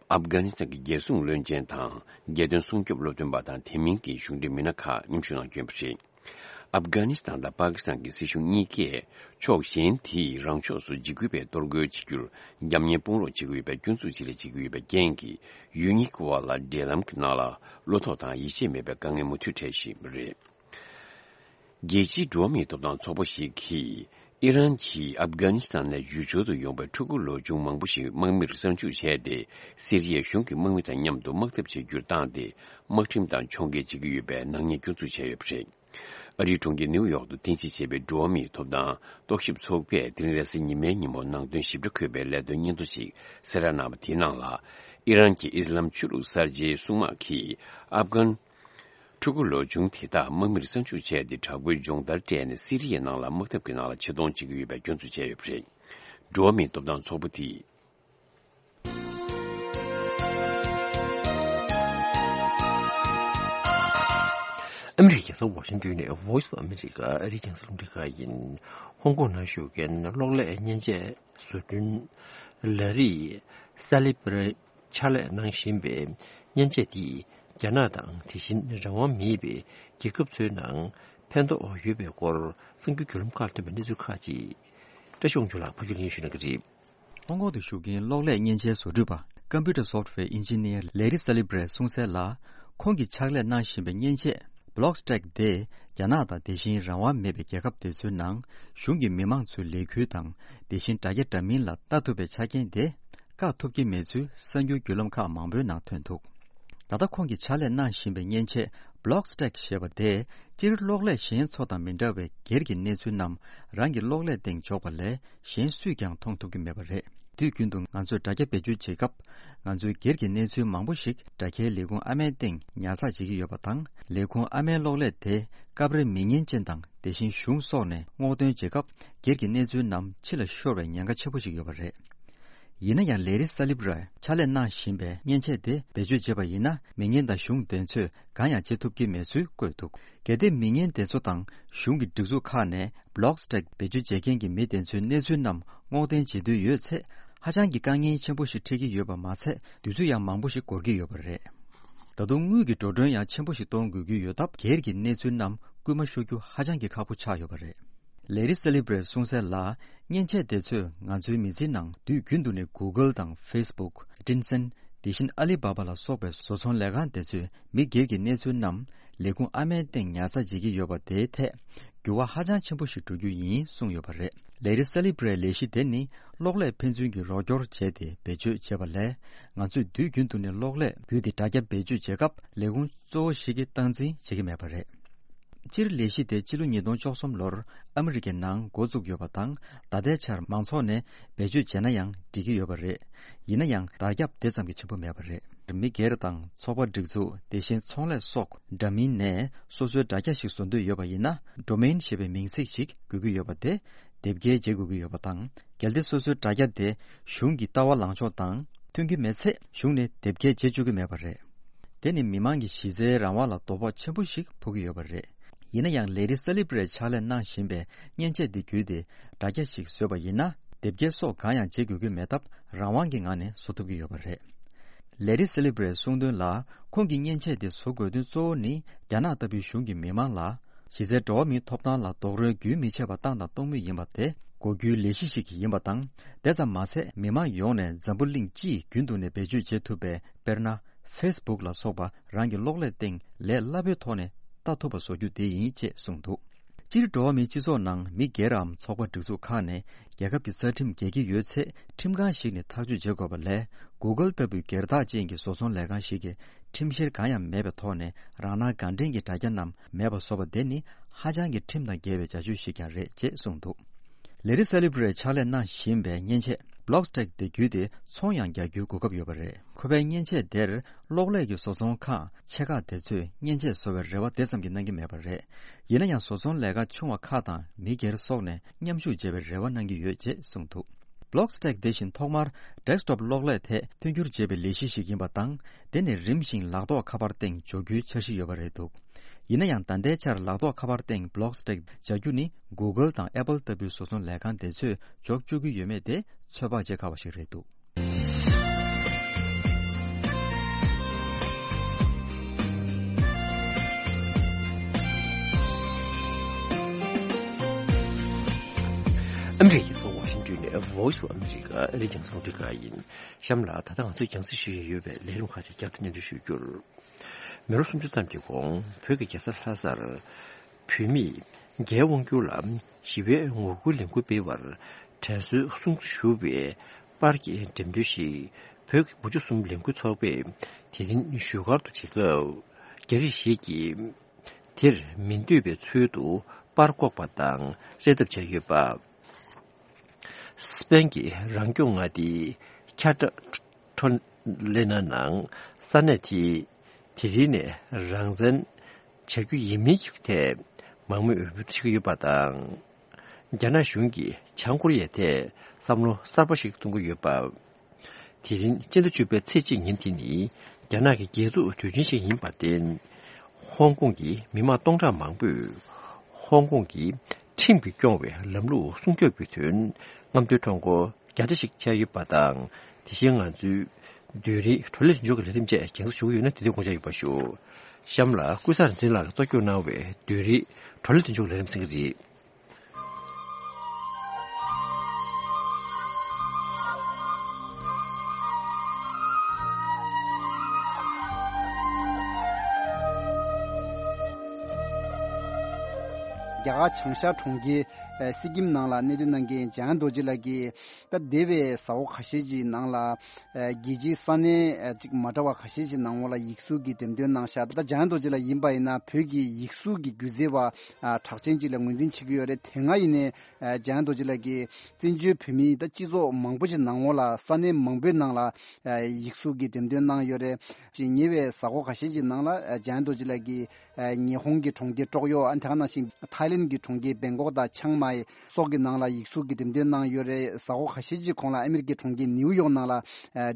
ཨབ་གྷ་ནི་སི་ཐན་གྱི་རྒྱལ་སྲུང་བློན་ཆེན་དང་། རྒྱལ་དོན་སྲུང་སྐྱོབ་སློབ་སྟོན་པ་དང་དེ་མིན་གྱི་གཞུང་འབྲེལ་མི་སྣ་ཁག་མཉམ་ཞུགས་གནང་རྒྱུ་ཡིན་པ་རེད། ཨབ་གྷ་ནི་སི་ཐན་དང་པ་ཀི་སི་ཐན་གྱི་སྲིད་གཞུང་གཉིས་ཀས་ཕྱོགས་གཞན་དེས་རང་ཕྱོགས་སུ་འཇིགས་སྐུལ་བས་གཏོར་རྒོལ་བྱེད་རྒྱུར་རྒྱབ་གཉེར་དཔུང་རོགས་བྱེད་ཀྱི་ཡོད་པའི་སྐྱོན་འཛུགས་བྱེད་ལས་བྱེད་ཀྱི་ཡོད་པའི་རྐྱེན་གྱིས། ཡུལ་གཉིས་ཀྱི་དབར་ལ་འབྲེལ་ལམ་གྱི་ནང་ལ་བློ་ཐོག་དང་ཡིད་ཆེས་མེད་པའི་དཀའ་ངལ་མུ་མཐུད་འཕྲད་བཞིན་ཡོད་པ་རེད། རྒྱལ་སྤྱིའི་འགྲོ་བ་མིའི་ཐོབ་ཐང་ཚོགས་པ་ཞིག་གིས། ཨི་རན་གྱིས་ཨབ་གྷ་ནི་སི་ཐན་ནས་ཡུལ་སྦྱོར་དུ་ཡོང་པའི་ཕྲུ་གུ་ལོ་ཆུང་མང་པོ་ཞིག་དམག་མིར་གསང་འཇུག་བྱས་ཏེ། སི་རི་ཡའི་གཞུང་གི་དམག་མི་དང་མཉམ་དུ་དམག་འཐབ་བྱེད་རྒྱུར་བཏང་སྟེ། དམག་ཁྲིམས་དང་ཕྱོགས་འགལ་བྱེད་ཀྱི་ཡོད་པའི་ནག་ཉེས་སྐྱོན་འཛུགས་བྱས་ཡོད་པ་རེད། ཨ་རིའི་གྲོང་ཁྱེར་ནིའུ་ཡོག་ཏུ་རྟེན་གཞི་བྱས་པའི་འགྲོ་བ་མིའི་ཐོབ་ཐང་རྟོག་ཞིབ་ཚོགས་པས་དེ་རིང་རེས་གཟའ་ཉི་མའི་ཉིན་མོ་ནང་དོན་ཞིབ་ཕྲ་འཁོད་པའི་ལས་དོན་སྙན་ཐོ་ཞིག་གསལ་བསྒྲགས་གནང་བ་དེའི་ནང་ལ། ཨི་རན་གྱི་ཨི་སི་ལམ་ཆོས་ལུགས་གསར་བརྗེའི་སྲུང་དམག་གིས་ཨབ་གྷན་ཕྲུ་གུ་ལོ་ཆུང་དེ་དག་དམག་མིར་གསང་འཇུག་བྱས་ཏེ། དྲག་པོའི་སྦྱོང་བརྡར་སྤྲད་ནས་སི་རི་ཡའི་ནང་ལ་དམག་འཐབ་ཀྱི་ནང་ལ་ཆེད་གཏོང་བྱེད་ཀྱི་ཡོད་པའི་སྐྱོན་འཛུགས་བྱས་ཡོད་པ་རེད། འགྲོ་བ་མིའི་ཐོབ་ཐང་ཚོགས་པ་དེས། ཨ་མི་རི་ཀའི་རྒྱལ་ས་ཝ་ཤིང་ཏོན་ནས་Voice of America ཨ་རིའི་རྒྱང་སྲིང་རླུང་འཕྲིན་ཁང་ཡིན། ཧོང་ཀོང་ནང་བཞུགས་མཁན་གློག་ཀླད་མཉེན་ཆས་བཟོ་སྐྲུན་ལ་རི་སཱ་ལི་བྷི་རེ་ཕྱག་ལས་གནང་བཞིན་པའི་མཉེན་ཆས་དེས་རྒྱ་ནག་དང་དེ་བཞིན་རང་དབང་མེད་པའི་རྒྱལ་ཁབ་ཚོའི་ནང་ཕན་ཐོགས་ཡོད་པའི་སྐོར་གསར་འགྱུར་བརྒྱུད་ལམ་ཁག་ཐོན་པའི་གནས་ཚུལ་ཁག་ཅིག་བཀྲ་ཤིས་དབང་ཕྱུག་ལགས་ཕབ་སྒྱུར་ལེན་ཞུ་གནང་གི་རེད། ཧོང་ཀོང་དུ་བཞུགས་མཁན་གློག་ཀླད་མཉེན་ཆས་བཟོ་སྐྲུན་པ་Computer Software Engineer ལེ་རི་སཱ་ལི་བྷི་རེ་གསུངས་གསལ་ལ། ཁོང་གིས་ཕྱག་ལས་གནང་བཞིན་པའི་མཉེན་ཆས་Blockstack དེ་རྒྱ་ནག་དང་དེ་བཞིན་རང་དབང་མེད་པའི་རྒྱལ་ཁབ་དེ་ཚོའི་ནང་གཞུང་གི་མི་མང་ཚོའི་ལས་འགུལ་དང་དེ་བཞིན་དྲ་རྒྱ་འདྲ་མིན་ལ་ལྟ་ཐུབ་པའི་ཆ་རྐྱེན་དེ་བཀག་ཐུབ་ཀྱི་མེད་ཚུལ་གསར་འགྱུར་བརྒྱུད་ལམ་ཁག་མང་པོའི་ནང་ཐོན་འདུག་ད་ལྟ་ཁོང་གིས་ཕྱག་ལས་གནང་བཞིན་པའི་མཉེན་ཆས་Blockstack ཞེས་པ་དེས་སྤྱིར་གློག་ཀླད་གཞན་ཚོ་དང་མི་འདྲ་བའི་སྒེར་གྱི་གནས་ཚུལ་རྣམས་རང་གི་གློག་ཀླད་སྟེང་འཇོག་པ་ལས་གཞན་སུས་ཀྱང་མཐོང་ཐུབ་ཀྱི་མེད་པ་རེད། དུས་རྒྱུན་དུ་ང་ཚོས་དྲ་རྒྱ་བེད་སྤྱོད་བྱེད་སྐབས། ང་ཚོའི་སྒེར་གྱི་གནས་ཚུལ་མང་པོ་ཞིག་དྲ་རྒྱའི་ལས་ཁུངས་ཨ་མའི་སྟེང་ཉར་ཚགས་བྱེད་ཀྱི་ཡོད་པ་དང་། ལས་ཁུངས་ཨ་མའི་གློག་ཀླད་དེ་སྐབས་རེ་མི་སྙན་ཅན་དང་དེ་བཞིན་གཞུང་སོགས་ནས་སྔོག་འདོན་བྱེད་སྐབས། སྒེར་གྱི་གནས་ཚུལ་རྣམས་ཕྱི་ལ་ཤོར་བའི་ཉེན་ཁ་ཆེན་པོ་ཞིག་ཡོད་པ་རེད། ཡིན་ན་ཡང་ལེ་རི་སཱ་ལི་བྷི་ར་ཕྱག་ལས་གནང་བཞིན་པའི་མཉེན་ཆས་དེ་བེད་སྤྱོད་བྱས་པ་ཡིན་ན། མི་སྙན་དང་གཞུང་དེ་ཚོས་གང་ཡང་བྱེད་ཐུབ་ཀྱི་མེད་ཚུལ་བཀོད་འདུག་གལ་ཏེ་མི་སྙན་དེ་ཚོ་དང་གཞུང་གི་སྒྲིག་འཛུགས་ཁག་ནས་Blockstack བེད་སྤྱོད་བྱེད་མཁན་གྱི་མི་དེ་ཚོའི་གནས་ཚུལ་རྣམས་སྔོག་འདོན་བྱེད་འདོད་ཡོད་ཚེ། ཧ་ཅང་གི་དཀའ་ངལ་ཆེན་པོ་ཞིག་འཕྲད་ཀྱི་ཡོད་པ་མ་ཚད། དུས་ཚོད་ཡང་མང་པོ་ཞིག་འགོར་གྱི་ཡོད་པ་རེད། ད་དུང་དངུལ་གྱི་འགྲོ་གྲོན་ཡང་ཆེན་པོ་ཞིག་གཏོང་དགོས་ཀྱི་ཡོད་སྟབས། སྒེར་གྱི་གནས་ཚུལ་རྣམས་སྐུལ་མ་ཤོར་རྒྱུ་ཧ་ཅང་གི་ཁག་པོ་ཆགས་ཡོད་པ་རེད། ལེ་རི་སཱ་ལི་བྷི་རའི་གསུངས་གསལ་ལ། མཉེན་ཆས་དེ་ཚོས་ང་ཚོའི་མི་ཚེའི་ནང་དུས་རྒྱུན་དུ་ནས་Google དང་Facebook། Tencent། དེ་བཞིན་ཨ་ལི་བྷ་བྷ་ལ་སོགས་པའི་བཟོ་ཚོང་ལས་ཁང་དེ་ཚོས་མི་སྒེར་གྱི་གནས་ཚུལ་རྣམས་ལས་ཁུངས་ཨ་མའི་སྟེང་ཉར་ཚགས་བྱེད་ཀྱི་ཡོད་པ་དེའི་ཐད་འགྱུར་བ་ཧ་ཅང་ཆེན་པོ་ཞིག་འགྲོ་རྒྱུ་ཡིན་གསུངས་ཡོད་པ་རེད། ལེ་རི་སཱ་ལི་བྷི་རའི་ལས་གཞི་དེ་ནི་གློག་ཀླད་ཕན་ཚུན་གྱི་རོགས་སྐྱོར་བྱས་ཏེ་བེད་སྤྱོད་བྱེད་པ་ལས། ང་ཚོས་དུས་རྒྱུན་དུ་ནས་གློག་ཀླད་བརྒྱུད་དེ་དྲ་རྒྱ་བེད་སྤྱོད་བྱེད་སྐབས་ལས་ཁུངས་གཙོ་བོ་ཞིག་གིས་སྟངས་འཛིན་བྱེད་ཀྱི་མེད་པ་རེད། སྤྱིར་ལས་གཞི་དེ་ཕྱི་ལོ་ཉིས་སྟོང་བཅུ་གསུམ་ལོར་ཨ་མི་རི་ཀའི་ནང་འགོ་བཙུགས་ཡོད་པ་དང་། ད་ལྟའི་ཆར་མང་ཚོགས་ནས་བེད་སྤྱོད་བྱས་ན་ཡང་འགྲིག་གི་ཡོད་པ་རེད། ཡིན་ན་ཡང་དར་ཁྱབ་དེ་ཙམ་གྱིས་ཆེན་པོ་མེད་པ་རེད། མི་སྒེར་དང་ཚོགས་པ་སྒྲིག་འཛུགས། དེ་བཞིན་ཚོང་ལས་སོགས་འདྲ་མིན་ནས་སོ་སོའི་དྲ་རྒྱ་ཞིག་བཟོ་འདོད་ཡོད་པ་ཡིན་ན། Domain ཞེས་པའི་མིང་ཚིག་ཞིག་དགོས་ཀྱི་ཡོད་པ་དེ་དེབ་སྐྱེལ་བྱེད་དགོས་ཀྱི་ཡོད་པ་དང་། གལ་ཏེ་སོ་སོའི་དྲ་རྒྱ་དེ་གཞུང་གི་ལྟ་བ་ལངས་ཕྱོགས་དང་མཐུན་གྱི་མེད་ཚེ། གཞུང་ནས་དེབ་སྐྱེལ་བྱེད་བཅུག་གི་མེད་པ་རེད། དེ་ནི་མི་མང་གི་གཞི་རྩའི་རང་དབང་ལ་དོ་ཕོག་ཆེན་པོ་ཞིག་ཕོག་གི་ཡོད་པ་རེད། ཡིན་ན་ཡང་ལེ་ཌི་སེ་ལི་བྷི་རེ་ཊི་ཕྱག་ལས་གནང་བཞིན་པའི་མཉེན་ཆས་འདི་བརྒྱུད་དེ་དྲ་རྒྱ་ཞིག་བཟོས་པ་ཡིན་ན། དེབ་སྐྱེལ་སོགས་གང་ཡང་བྱེད་དགོས་ཀྱི་མེད་སྟབས་རང་དབང་གི་ངང་ནས་བཟོ་ཐུབ་ཀྱི་ཡོད་པ་རེད། ལེ་ཌི་སེ་ལི་བྷི་རེ་ཊི་གསུངས་དོན་ལ། ཁོང་གིས་མཉེན་ཆས་དེ་བཟོ་དགོས་དོན་གཙོ་བོ་ནི་རྒྱ་ནག་ལྟ་བུའི་གཞུང་གིས་མི་མང་ལ་གཞི་རྩའི་འགྲོ་བ་མིའི་ཐོབ་ཐང་ལ་རྡོག་རོལ་རྒྱུན་མི་ཆད་པར་བཏང་དང་གཏོང་མུས་ཡིན་པ་དེ་གོ་རྒྱུའི་ལས་གཞི་ཞིག་ཡིན་པ་དང་། དེ་ཙམ་མ་ཟད་མི་མང་ཡོངས་ནས་འཛམ་བུ་གླིང་སྤྱིའི་རྒྱུན་དུ་ནས་བེད་སྤྱོད་བྱེད་ཐུབ་པའི། དཔེར་ན། ཧྥེ་སི་བུག་ལ་སོགས་པ་རང་གི་གློག་ཀླད་སྟེང་ལས་སླ་པོའི་ཐོག་ནས་ལྟ་ཐུབ་པ་བཟོ་རྒྱུ་དེ་ཡིན་ཅེས་གསུངས་འདུག་སྤྱིར་འགྲོ་བ་མིའི་སྤྱི་ཚོགས་ནང་མི་སྒེར་འམ་ཚོགས་པ་སྒྲིག་འཛུགས་ཁག་ནས་རྒྱལ་ཁབ་ཀྱི་རྩ་ཁྲིམས་འགལ་གྱི་ཡོད་ཚེ་ཁྲིམས་ཁང་ཞིག་ནས་ཐག་གཅོད་བྱེད་དགོས་པ་ལས། Google་ལྟ་བུའི་སྒེར་བདག་ཅན་གྱི་བཟོ་ཚོང་ལས་ཁང་ཞིག་གིས་ཁྲིམས་བཤེར་གང་ཡང་མེད་པའི་ཐོག་ནས་རང་སྣང་དགའ་འདྲེན་གྱི་དྲ་རྒྱ་རྣམས་མེད་པ་བཟོ་བ་དེ་ནི་ཧ་ཅང་གི་ཁྲིམས་དང་འགལ་བའི་བྱ་སྤྱོད་ཞིག་ཀྱང་རེད་ཅེས་གསུངས་འདུག་ལེ་ཌི་སེ་ལི་བྷི་རེ་ཊི་ཕྱག་ལས་གནང་བཞིན་པའི་མཉེན་ཆས་Blockstack་དེ་བརྒྱུད་དེ་ཚོང་ཡང་རྒྱག་རྒྱུའི་གོ་སྐབས་ཡོད་པ་རེད། ཁོ་པའི་མཉེན་ཆས་དེར་གློག་ཀླད་ཀྱི་བཟོ་ཚོང་ཁང་ཆེ་ཁག་དེ་ཚོས་མཉེན་ཆས་བཟོ་བའི་རེ་བ་དེ་ཙམ་གྱིས་གནང་གི་མེད་པ་རེད། ཡིན་ན་ཡང་བཟོ་ཚོང་ལས་ཀ་ཆུང་བ་ཁག་དང་མི་སྒེར་སོགས་ནས་མཉམ་ཞུགས་བྱེད་པའི་རེ་བ་གནང་གི་ཡོད་ཅེས་གསུངས་འདུག Blockstack་དེ་བཞིན་ཐོག་མར་desktop་གློག་ཀླད་ཐད་མཐུན་འགྱུར་བྱེད་པའི་ལས་གཞི་ཞིག་ཡིན་པ་དང་། དེ་ནས་རིམ་བཞིན་ལག་ཐོགས་ཁ་པར་སྟེང་འཇོག་རྒྱུའི་འཆར་གཞི་ཡོད་པ་རེད་འདུག་ཡིན་ན་ཡང་ད་ལྟའི་ཆར་ལག་ཐོགས་ཁ་པར་སྟེང་Blockstack་སྦྱར་རྒྱུ་ནི་Google་དང་Apple་ལྟ་བུའི་བཟོ་ཚོང་ལས་ཁང་དེ་ཚོས་འཇོག་བཅུག་གི་ཡོད་མེད་དེ་ཚོད་དཔག་བྱེད་དཀའ་བ་ཞིག་རེད་འདུག་ཨ་མི་རི་ཀའི་རྒྱལ་ས་ཝ་ཤིང་ཏོན་ནས་Voice of America་ཨ་རིའི་རྒྱང་སྲིང་རླུང་འཕྲིན་ཁང་ཡིན། གཤམ་ལ་ད་ལྟ་ང་ཚོས་རྒྱང་སྲིང་ཞུ་ཡས་ཡོད་པའི་ལས་རིམ་ཁག་ཅིག་བསྐྱར་དུ་སྙན་སྒྲོན་ཞུ་རྒྱུར། མི་ལོ་སུམ་ཅུ་ཙམ་གྱི་གོང་བོད་ཀྱི་རྒྱལ་ས་ལྷ་སར་བོད་མིས་རྒྱའི་དབང་བསྒྱུར་ལ་ཞི་བའི་ངོ་རྒོལ་ལས་འགུལ་སྤེལ་བར་དྲན་གསོའི་གསུང་ཞུ་བའི་པར་གྱི་འགྲེམས་སྟོན་ཞིག་བོད་ཀྱི་བུ་བཅུ་གསུམ་ལས་འགུལ་ཚོགས་པས་དེ་རིང་བཞུགས་སྒར་དུ་བྱེད་སྐབས། རྒྱ་རིགས་ཤིག་གིས་དེར་མི་འདོད་པའི་ཚུལ་དུ་པར་བཀོག་པ་དང་རེ་ཐབས་བྱས་ཡོད་པ། སི་པན་གྱི་རང་སྐྱོང་མངའ་སྡེའི་ཁྱ་ཏྲ་ཁྲོ་ལེ་ན་ནང་ས་གནས་དེས་དེ་རིང་ནས་རང་བཙན་བྱ་རྒྱུ་ཡིན་མིན་གྱི་ཐད་མང་མོས་འོས་བསྡུ་བྱེད་ཀྱི་ཡོད་པ་དང་། རྒྱ་ནག་གཞུང་གིས་བྱང་ཀོ་རི་ཡའི་ཐད་བསམ་བློ་གསར་པ་ཞིག་གཏོང་གི་ཡོད་པ། དེ་རིང་སྤྱི་ཟླ་བཅུ་པའི་ཚེས་གཅིག་ཉིན་དེ་ནི་རྒྱ་ནག་གི་རྒྱལ་གཙུག་དུས་ཆེན་ཞིག་ཡིན་པར་བརྟེན། ཧོང་ཀོང་གི་མི་མང་སྟོང་ཕྲག་མང་པོས་ཧོང་ཀོང་གི་ཁྲིམས་ཀྱིས་སྐྱོང་བའི་ལམ་ལུགས་སྲུང་སྐྱོབ་ཀྱི་དོན་རྔམ་སྟོན་ཁྲོམ་སྐོར་བརྒྱ་ཆ་ཞིག་བྱས་ཡོད་པ་དང་། དེ་བཞིན་ང་ཚོའི་བདུན་རེའི་བགྲོ་གླེང་མདུན་ཅོག་གི་ལས་རིམ་བཅས་རྒྱང་སྲིང་ཞུ་གི་ཡོད་ན་དེ་དུས་དགོངས་འཇགས་ཡོད་པ་ཞུ། གཤམ་ལ་ཀུན་བཟང་རིག་འཛིན་ལགས་ཀྱིས་གཙོ་སྐྱོང་གནང་བའི་བདུན་རེའི་བགྲོ་གླེང་མདུན་ཅོག་གི་ལས་རིམ་གསན་གྱི་རེད། རྒྱ་གར་བྱང་ཤར་གྲོང་ཁྱེར་ཨ་སི་ཀིམ་ནང་ལ་གནས་སྡོད་གནང་མཁན་འཇམ་དབྱངས་རྡོ་རྗེ་ལགས་ཀྱིས། ད་འདས་པའི་གཟའ་འཁོར་ཁ་ཤས་ཀྱི་ནང་ལ་ཨ་རྒྱལ་སྤྱིའི་ས་གནས་ཨ་ཅིག་མ་འདྲ་བ་ཁ་ཤས་ཀྱི་ནང་ལོགས་ལ་ཡིག་གཟུགས་ཀྱི་འགྲེམས་སྟོན་གནང་ཤག་ད་འཇམ་དབྱངས་རྡོ་རྗེ་ལགས་ཡིན་པ་ཡིན་ན་བོད་ཀྱི་ཡིག་གཟུགས་ཀྱི་སྒྱུ་རྩལ་བ་ཨ་གྲགས་ཅན་ཅིག་ལ་ངོས་འཛིན་བྱེད་ཀྱི་ཡོད་རེད། དེ་སྔ་ཡིན་ནའི་ཨ་འཇམ་དབྱངས་རྡོ་རྗེ་ལགས་ཀྱིས་བཙན་བྱོལ་བོད་མིའི་ད་སྤྱི་ཚོགས་མང་པོ་ཞིག་ནང་ལོགས་ལ་ས་གནས་མང་པོའི་ནང་ལ་ཨ་ཡིག་གཟུགས་ཀྱི་འགྲེམས་སྟོན་གནང་ཡོད་རེད། ཅིག་ཉེ་བའི་གཟའ་འཁོར་ཁ་ཤས་ཀྱི་ནང་ལ་ཨ་འཇམ་དབྱངས་རྡོ་རྗེ་ལགས་ཀྱིས། ཨ་ཉི་ཧོང་གི་གྲོང་ཁྱེར་ཀྲོག་ཡོ། ཨ་དེ་ག་ནང་བཞིན་ཐའི་ལེན་གྱི་གྲོང་ཁྱེར་བེང་ཀོག་དང་ཆང་མའེ་སོགས་ཀྱི་ནང་ལ་ཡིག་གཟུགས་ཀྱི་འགྲེམས་སྟོན་གནང་ཡོད་རེད། གཟའ་འཁོར་ཁ་ཤས་ཀྱི་གོང་ལ་ཨ་མི་རི་ཀའི་གྲོང་ཁྱེར་ནིའུ་ཡོག་ནང་ལ་ཨ་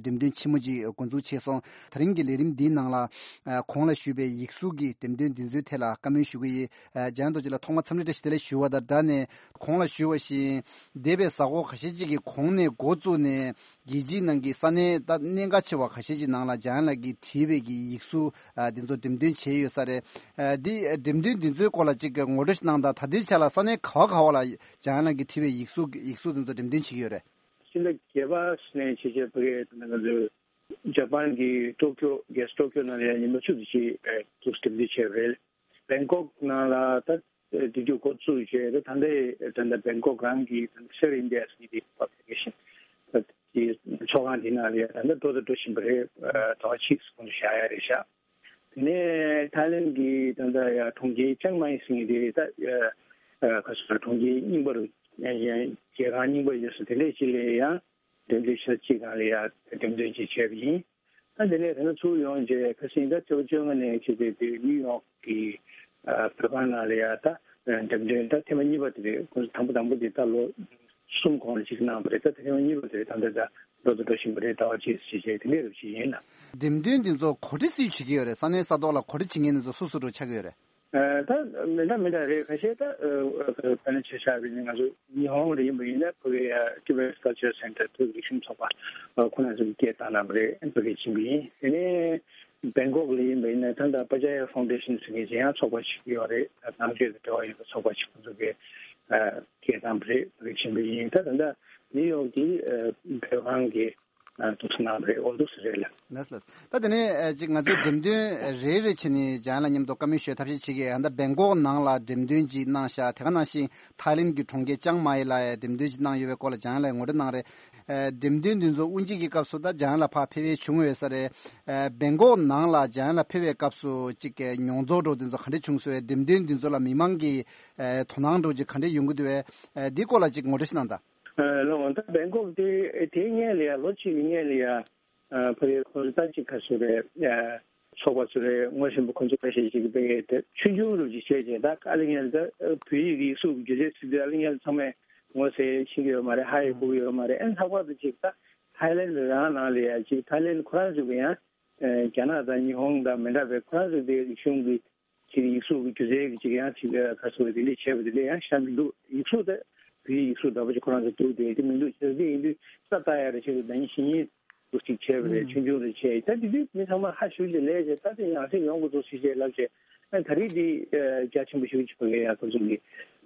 འགྲེམས་སྟོན་ཆེན་མོ་ཅིག་འགོ་འཛུགས་བྱས་སོང་། དེ་རིང་གི་ལས་རིམ་འདིའི་ནང་ལ་ཨ་གོང་ལ་ཞུས་པའི་ཡིག་གཟུགས་ཀྱི་འགྲེམས་སྟོན་འདི་ཚོའི་ཐད་ལ་བཀའ་མོལ་ཞུ་གི་ཡིན། ཨ་འཇམ་དབྱངས་རྡོ་རྗེ་ལགས་ཐོག་མར་འཚམས་འདྲི་བཀྲ་ཤིས་བདེ་ལེགས་ཞུ་བ་དང་སྦྲགས་ནས་གོང་ལ་ཞུས་པ་བཞིན་འདས་པའི་གཟའ་འཁོར་ཁ་ཤས་ཀྱི་གོང་ནས་འགོ་བཙུགས་ནས། རྒྱལ་སྤྱིའི་ནང་གི་ས་གནས་ད་གནད་འགག་ཆེ་བ་ཁ་ཤས་ཀྱི་ནང་ལ་འཇམ་དབྱངས་ལགས་ཀྱིས་བྲིས་པའི་གི་ཡིག་གཟུགས་ཨ་འདི་ཚོ་འགྲེམས་སྟོན་བྱས་ཡོད་ས་རེད། ཨ་འདི་འགྲེམས་སྟོན་འདི་ཚོའི་སྐོར་ལ་ཅིག་ངོ་སྤྲོད་ཞིག་གནང་དང་། ད་ལྟའི་ཆ་ལ་ས་གནས་ག་བ་ག་བ་ལ་འཇམ་དབྱངས་ལགས་ཀྱིས་བྲིས་པའི་ཡིག་གཟུགས་ཡིག་གཟུགས་འདི་ཚོ་འགྲེམས་སྟོན་བྱེད་ཀྱི་ཡོད་རེད། ཕྱི་ཟླ་བརྒྱད་པ་ནས་བྱས་རྗེས་ཕ་གིའི་ང་ཚོའི་ཇ་པན་གྱི་ཏོ་ཀྱོ་རྒྱལ་ས་ཏོ་ཀྱོ་ནང་ལ་ཡང་ཉི་མ་བཅུ་དེ་ཅིག་ཨ་འདུག་འགྲེམས་སྟོན་བྱས་པ་རེད། བེང་ཀོག་ནང་ལ་ད་དེ་དུས་འགོ་བཙུགས་བྱས་ད་ད་ལྟའི་ད་ལྟ་བེང་ཀོག་རང་གི་ད་ལྟ་Share India་ཟེར་གྱི་དེ་publication་ད་དེ་ཚོགས་ཁང་དེ་ནང་ལ་ཡ་ད་ལྟ་འགྲོ་དང་འགྲོ་བཞིན་པ་རེད། ཟླ་བ་གཅིག་གོང་དུ་བཞག་ཡ་རེད་ཤག་དེ་ནས་ཐའི་ལེན་གྱི་ད་ལྟ་ཡ་གྲོང་ཁྱེར་ཅང་མ་ཡིན་ཟེར་གྱི་དེ་ད་ཁ་སང་གྲོང་ཁྱེར་རྙིང་པ་རུ་མཇལ་ཁང་རྙིང་པ་ཡོད་ས་དེ་འདྲས་ཅིག་ལ་ཡང་། འགྲེམས་སྟོན་ཆེ་ས་གཅིག་སྒང་ལ་ཡ་འགྲེམས་སྟོན་ཅིག་བྱས་པ་ཡིན། ད་དེ་ནས་ད་ནི་ཚུར་ཡོང་རྗེས་ཁ་སང་ད་ཕྱི་ལོ་བཅོ་ལྔ་ནས་བྱས་ཏེ་དེ་ནིའུ་ཡོག་གི་བོད་ཁང་ནང་ལ་ཡ་ད་འགྲེམས་སྟོན་ད་ཐེངས་མ་གཉིས་པ་དེ་རེད། ཁོང་ཚོ་དང་པོ་དང་པོ་དེ་ད་ལོ་གསུམ་གོང་ལ་གཅིག་གནང་བ་རེད། ད་ཐེངས་མ་གཉིས་པ་དེ་རེད། ད་ད་ད་འགྲོ་དང་འགྲོ་བཞིན་པ་རེད། ཟླ་བ་གཅིག་ཟེར་བྱས་དེ་འདྲས་རུ་ཞིག་ཡིན་ལ། འགྲེམས་སྟོན་འདི་ཚོ་གོ་སྒྲིག་སུས་བྱེད་ཀྱི་ཡོད་རེད། ས་གནས་ས་ཐོག་ལ་གོ་སྒྲིག་བྱེད་མཁན་འདི་ཚོ་སུ་སུ་འདྲ་ཆགས་ཀྱི་ཡོད་རེད། ཨ་ད་མི་འདྲ་མི་འདྲ་རེད། ཁ་ཤས་ད་ཨ་དཔེར་ན་ཆ་བཞག་པ་ཡིན་ན་ང་ཚོ་ཉི་ཧོང་ལ་ཡིན་པ་ཡིན་ན་ཕ་གི་ཨ་Tibet Culture Center་བོད་རིག་གཞུང་ཚོགས་པ་ཨ་ཁོ་རང་ཚོ་གིས་སྐད་བཏང་གནང་བ་རེད། ཕ་གིར་ཕྱིན་པ་ཡིན། དེ་ནས་བེང་ཀོག་ལ་ཡིན་པ་ཡིན་ན་ད་ལྟ་Pajaya Foundation་ཟེར་མཁན་གཞན་ཡང་ཚོགས་པ་ཞིག་ཡོད་རེད། ནང་ཆོས་དང་འབྲེལ་བ་ཡོད་པའི་ཚོགས་པ་ཞིག་ཁོ་ཚོ་གིས་ཨ་སྐད་བཏང་བ་རེད། ཕ་གིར་ཕྱིན་པ་ཡིན། ད་ད་ལྟ་ནིའུ་ཡོག་གི་ཨ་བོད་ཁང་གི་ཨ་འདུག་སེ་གནང་རེད། འོ་འདུག་སེ་རེད་ལ། ལགས་ལགས། ད་དེ་ནས་ཨ་ཅིག་ང་ཚོའི་འགྲེམས་སྟོན་རེ་རེ་བྱས་ནས་འཇམ་དབྱངས་ལགས་མཉམ་དུ་བཀའ་མོལ་ཞུ་ཐབས་ཤེས་བྱེད་ཀྱི། ཨ་ད་བེང་ཀོག་ནང་ལ་འགྲེམས་སྟོན་ཅིག་གནང་ཤག་དེ་ག་ནང་བཞིན་ཐའི་ལེན་གྱི་གྲོང་ཁྱེར་ཅང་མའི་ལ་ཡང་འགྲེམས་སྟོན་ཅིག་གནང་ཡོད་པའི་སྐོར་ལ་འཇམ་དབྱངས་ལགས་ངོ་སྤྲོད་གནང་རེད། ཨ་འགྲེམས་སྟོན་འདི་ཚོ་དབུ་འབྱེད་ཀྱི་སྐབས་སུ་ད་འཇམ་དབྱངས་ལགས་ཕར་ཕེབས་ཡས་བྱུང་ཡོད་ས་རེད། ཨ་བེང་ཀོག་ནང་ལ་འཇམ་དབྱངས་ལགས་ཕེབས་པའི་སྐབས་སུ་ཅིག་གི་མྱོང་ཚོར་འདྲ་བོ་འདི་ཚོ་ག་འདྲ་བྱུང་སོང་བས། འགྲེམས་སྟོན་འདི་ཚོ་ལ་མི་མང་གི་ཨ་དོ་སྣང་འདྲ་བོ་ཅིག་ག་འདྲ་ཡོང་གི་འདུག་བས། ཨ་འདིའི་སྐོར་ལ་ཅིག་ངོ་སྤྲོད་ཞིག་གནང་དང་། ཨ་ལགས་འོང་། ད་བེང་ཀོག་དེ་དེའི་སྔོན་ལ་ཡ་ལོ་གཅིག་གི་སྔོན་ལ་ཡ་ཨ་ཕ་གིའི་ཁོ་ཚོ་ད་ཅིག་ག་ཚོད་རེད། ཨ་ཚོགས་པ་ཚོ་རེད། ངོ་ཤེས་པ་ཁོ་ཚོ་ཁ་ཤས་ཅིག་གིས་དཔེ་དེ་ཆུང་ཆུང་རུ་ཅིག་བྱས་རྗེས་ད་ཨ་ལི་ངན་ད་བོད་ཡིག་གི་ཡིག་གཟུགས་ཀྱི་སྒྱུ་རྩལ་ཟེར་དུས་ཨ་ལི་ངན་ཚང་མས་ངོ་ཤེས་ཤེས་ཀྱི་ཡོད་མ་རེད། ཧ་ཡང་གོ་གི་ཡོད་མ་རེད། ཨ་ནི་ལྷག་པར་དུ་ཅིག་ད་ཐའི་ལེན་རང་ནང་ལ་ཡ་ཅིག་ཐའི་ལེན་ཁོ་རང་ཚོ་གི་ཡང་ཨ་རྒྱ་ནག་དང་ཉི་ཧོང་དང་མི་འདྲ་བའི་ཁོ་རང་ཚོ་དེ་རིག་གཞུང་གི་ཅིག་ཡིག་གཟུགས་ཀྱི་སྒྱུ་རྩལ་གྱི་ཅིག་ཡང་ཅིག་ཁ་སོ་དེ་འདྲས་བྱས་པ་དེ་འདྲས་ཡང་ཤར་གྱི་འདུག་ཡིག་གཟུགས་དེ་བོད་ཡིག་གཟུགས་འདྲ་པོ་ཅིག་ཁོ་རང་ཚོ་འདུག་དེ་དེ་མི་འདུག་ཅེས་དེ་ཡིན་དུས་ས་ལྟ་ཡ་རེ་བྱས་ཏེ་ད་ཡིན་ཞིང་ཡིན་འདུག་ཅིག་བྱས་པ་རེད། ཆུང་ཆུང་རེ་བྱས་ད་དེ་དུས་མི་ཚང་མ་ཧ་ཞུ་ཅིག་ལས་བྱས་ད་དེ་ཡང་སེ་ཡོང་དགོས་འདུག་ཟེར་བྱས་ལབ་བྱས་ཨ་ད་རེས་དེ་རྒྱ་ཆེན་པོ་ཞུ་ཅིག་བ་གས་ཡ་ཁོ་ཚོ་གི་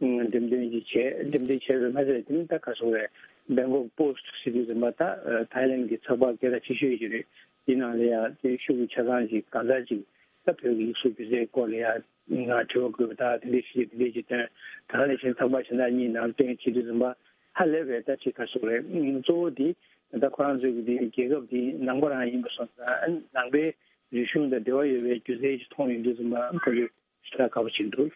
འགྲེམས་སྟོན་ཅིག་བྱས་འགྲེམས་སྟོན་བྱས་པའི་མ་ཟད་དེ་ནི་ད་ཁ་སོ་རེད། Bangkok Post་ཟེར་དུས་ཙམ་པ་ད་ཐའི་ལེན་གྱི་ཚགས་པར་སྐད་གྲགས་ཆེ་ཤོས་ཅིག་རེད། དེ་ནང་ལ་ཡ་དེ་ཤུགས་ཀྱི་ཆ་ཚང་ཅིག་གང་ཟག་ཅིག་ད་བོད་ཀྱི་ཡིག་གཟུགས་སྒྱུ་རྩལ་སྐོར་ལ་ཡ་ང་དྲི་བ་དགོས་པ་དག་དེ་འདྲས་ཞིག་དེ་འདྲས་ཀྱི་དོན་དག་ལས་བྱེད་ཚགས་པར་གཞན་དག་གཉིས་ནང་བསྟན་བྱེད་དུས་ཙམ་པ་ཧ་ལས་པའི་ད་ཅིག་ག་སོགས་རེད། གཙོ་བོ་དེ་ད་ཁོ་རང་ཚོའི་གི་དེ་རྒྱལ་ཁབ་དེ་ནང་པ་རང་ཡིན་པ་སོང་ཙང་ནང་པའི་རིག་གཞུང་དང་འབྲེལ་བ་ཡོད་པའི་སྒྱུ་རྩལ་ཞིག་མཐོང་ཡོང་དུས་ཙམ་པ་ཁོ་ཚོས་ཞེ་དྲག་དགའ་པོ་བྱེད་འདུག་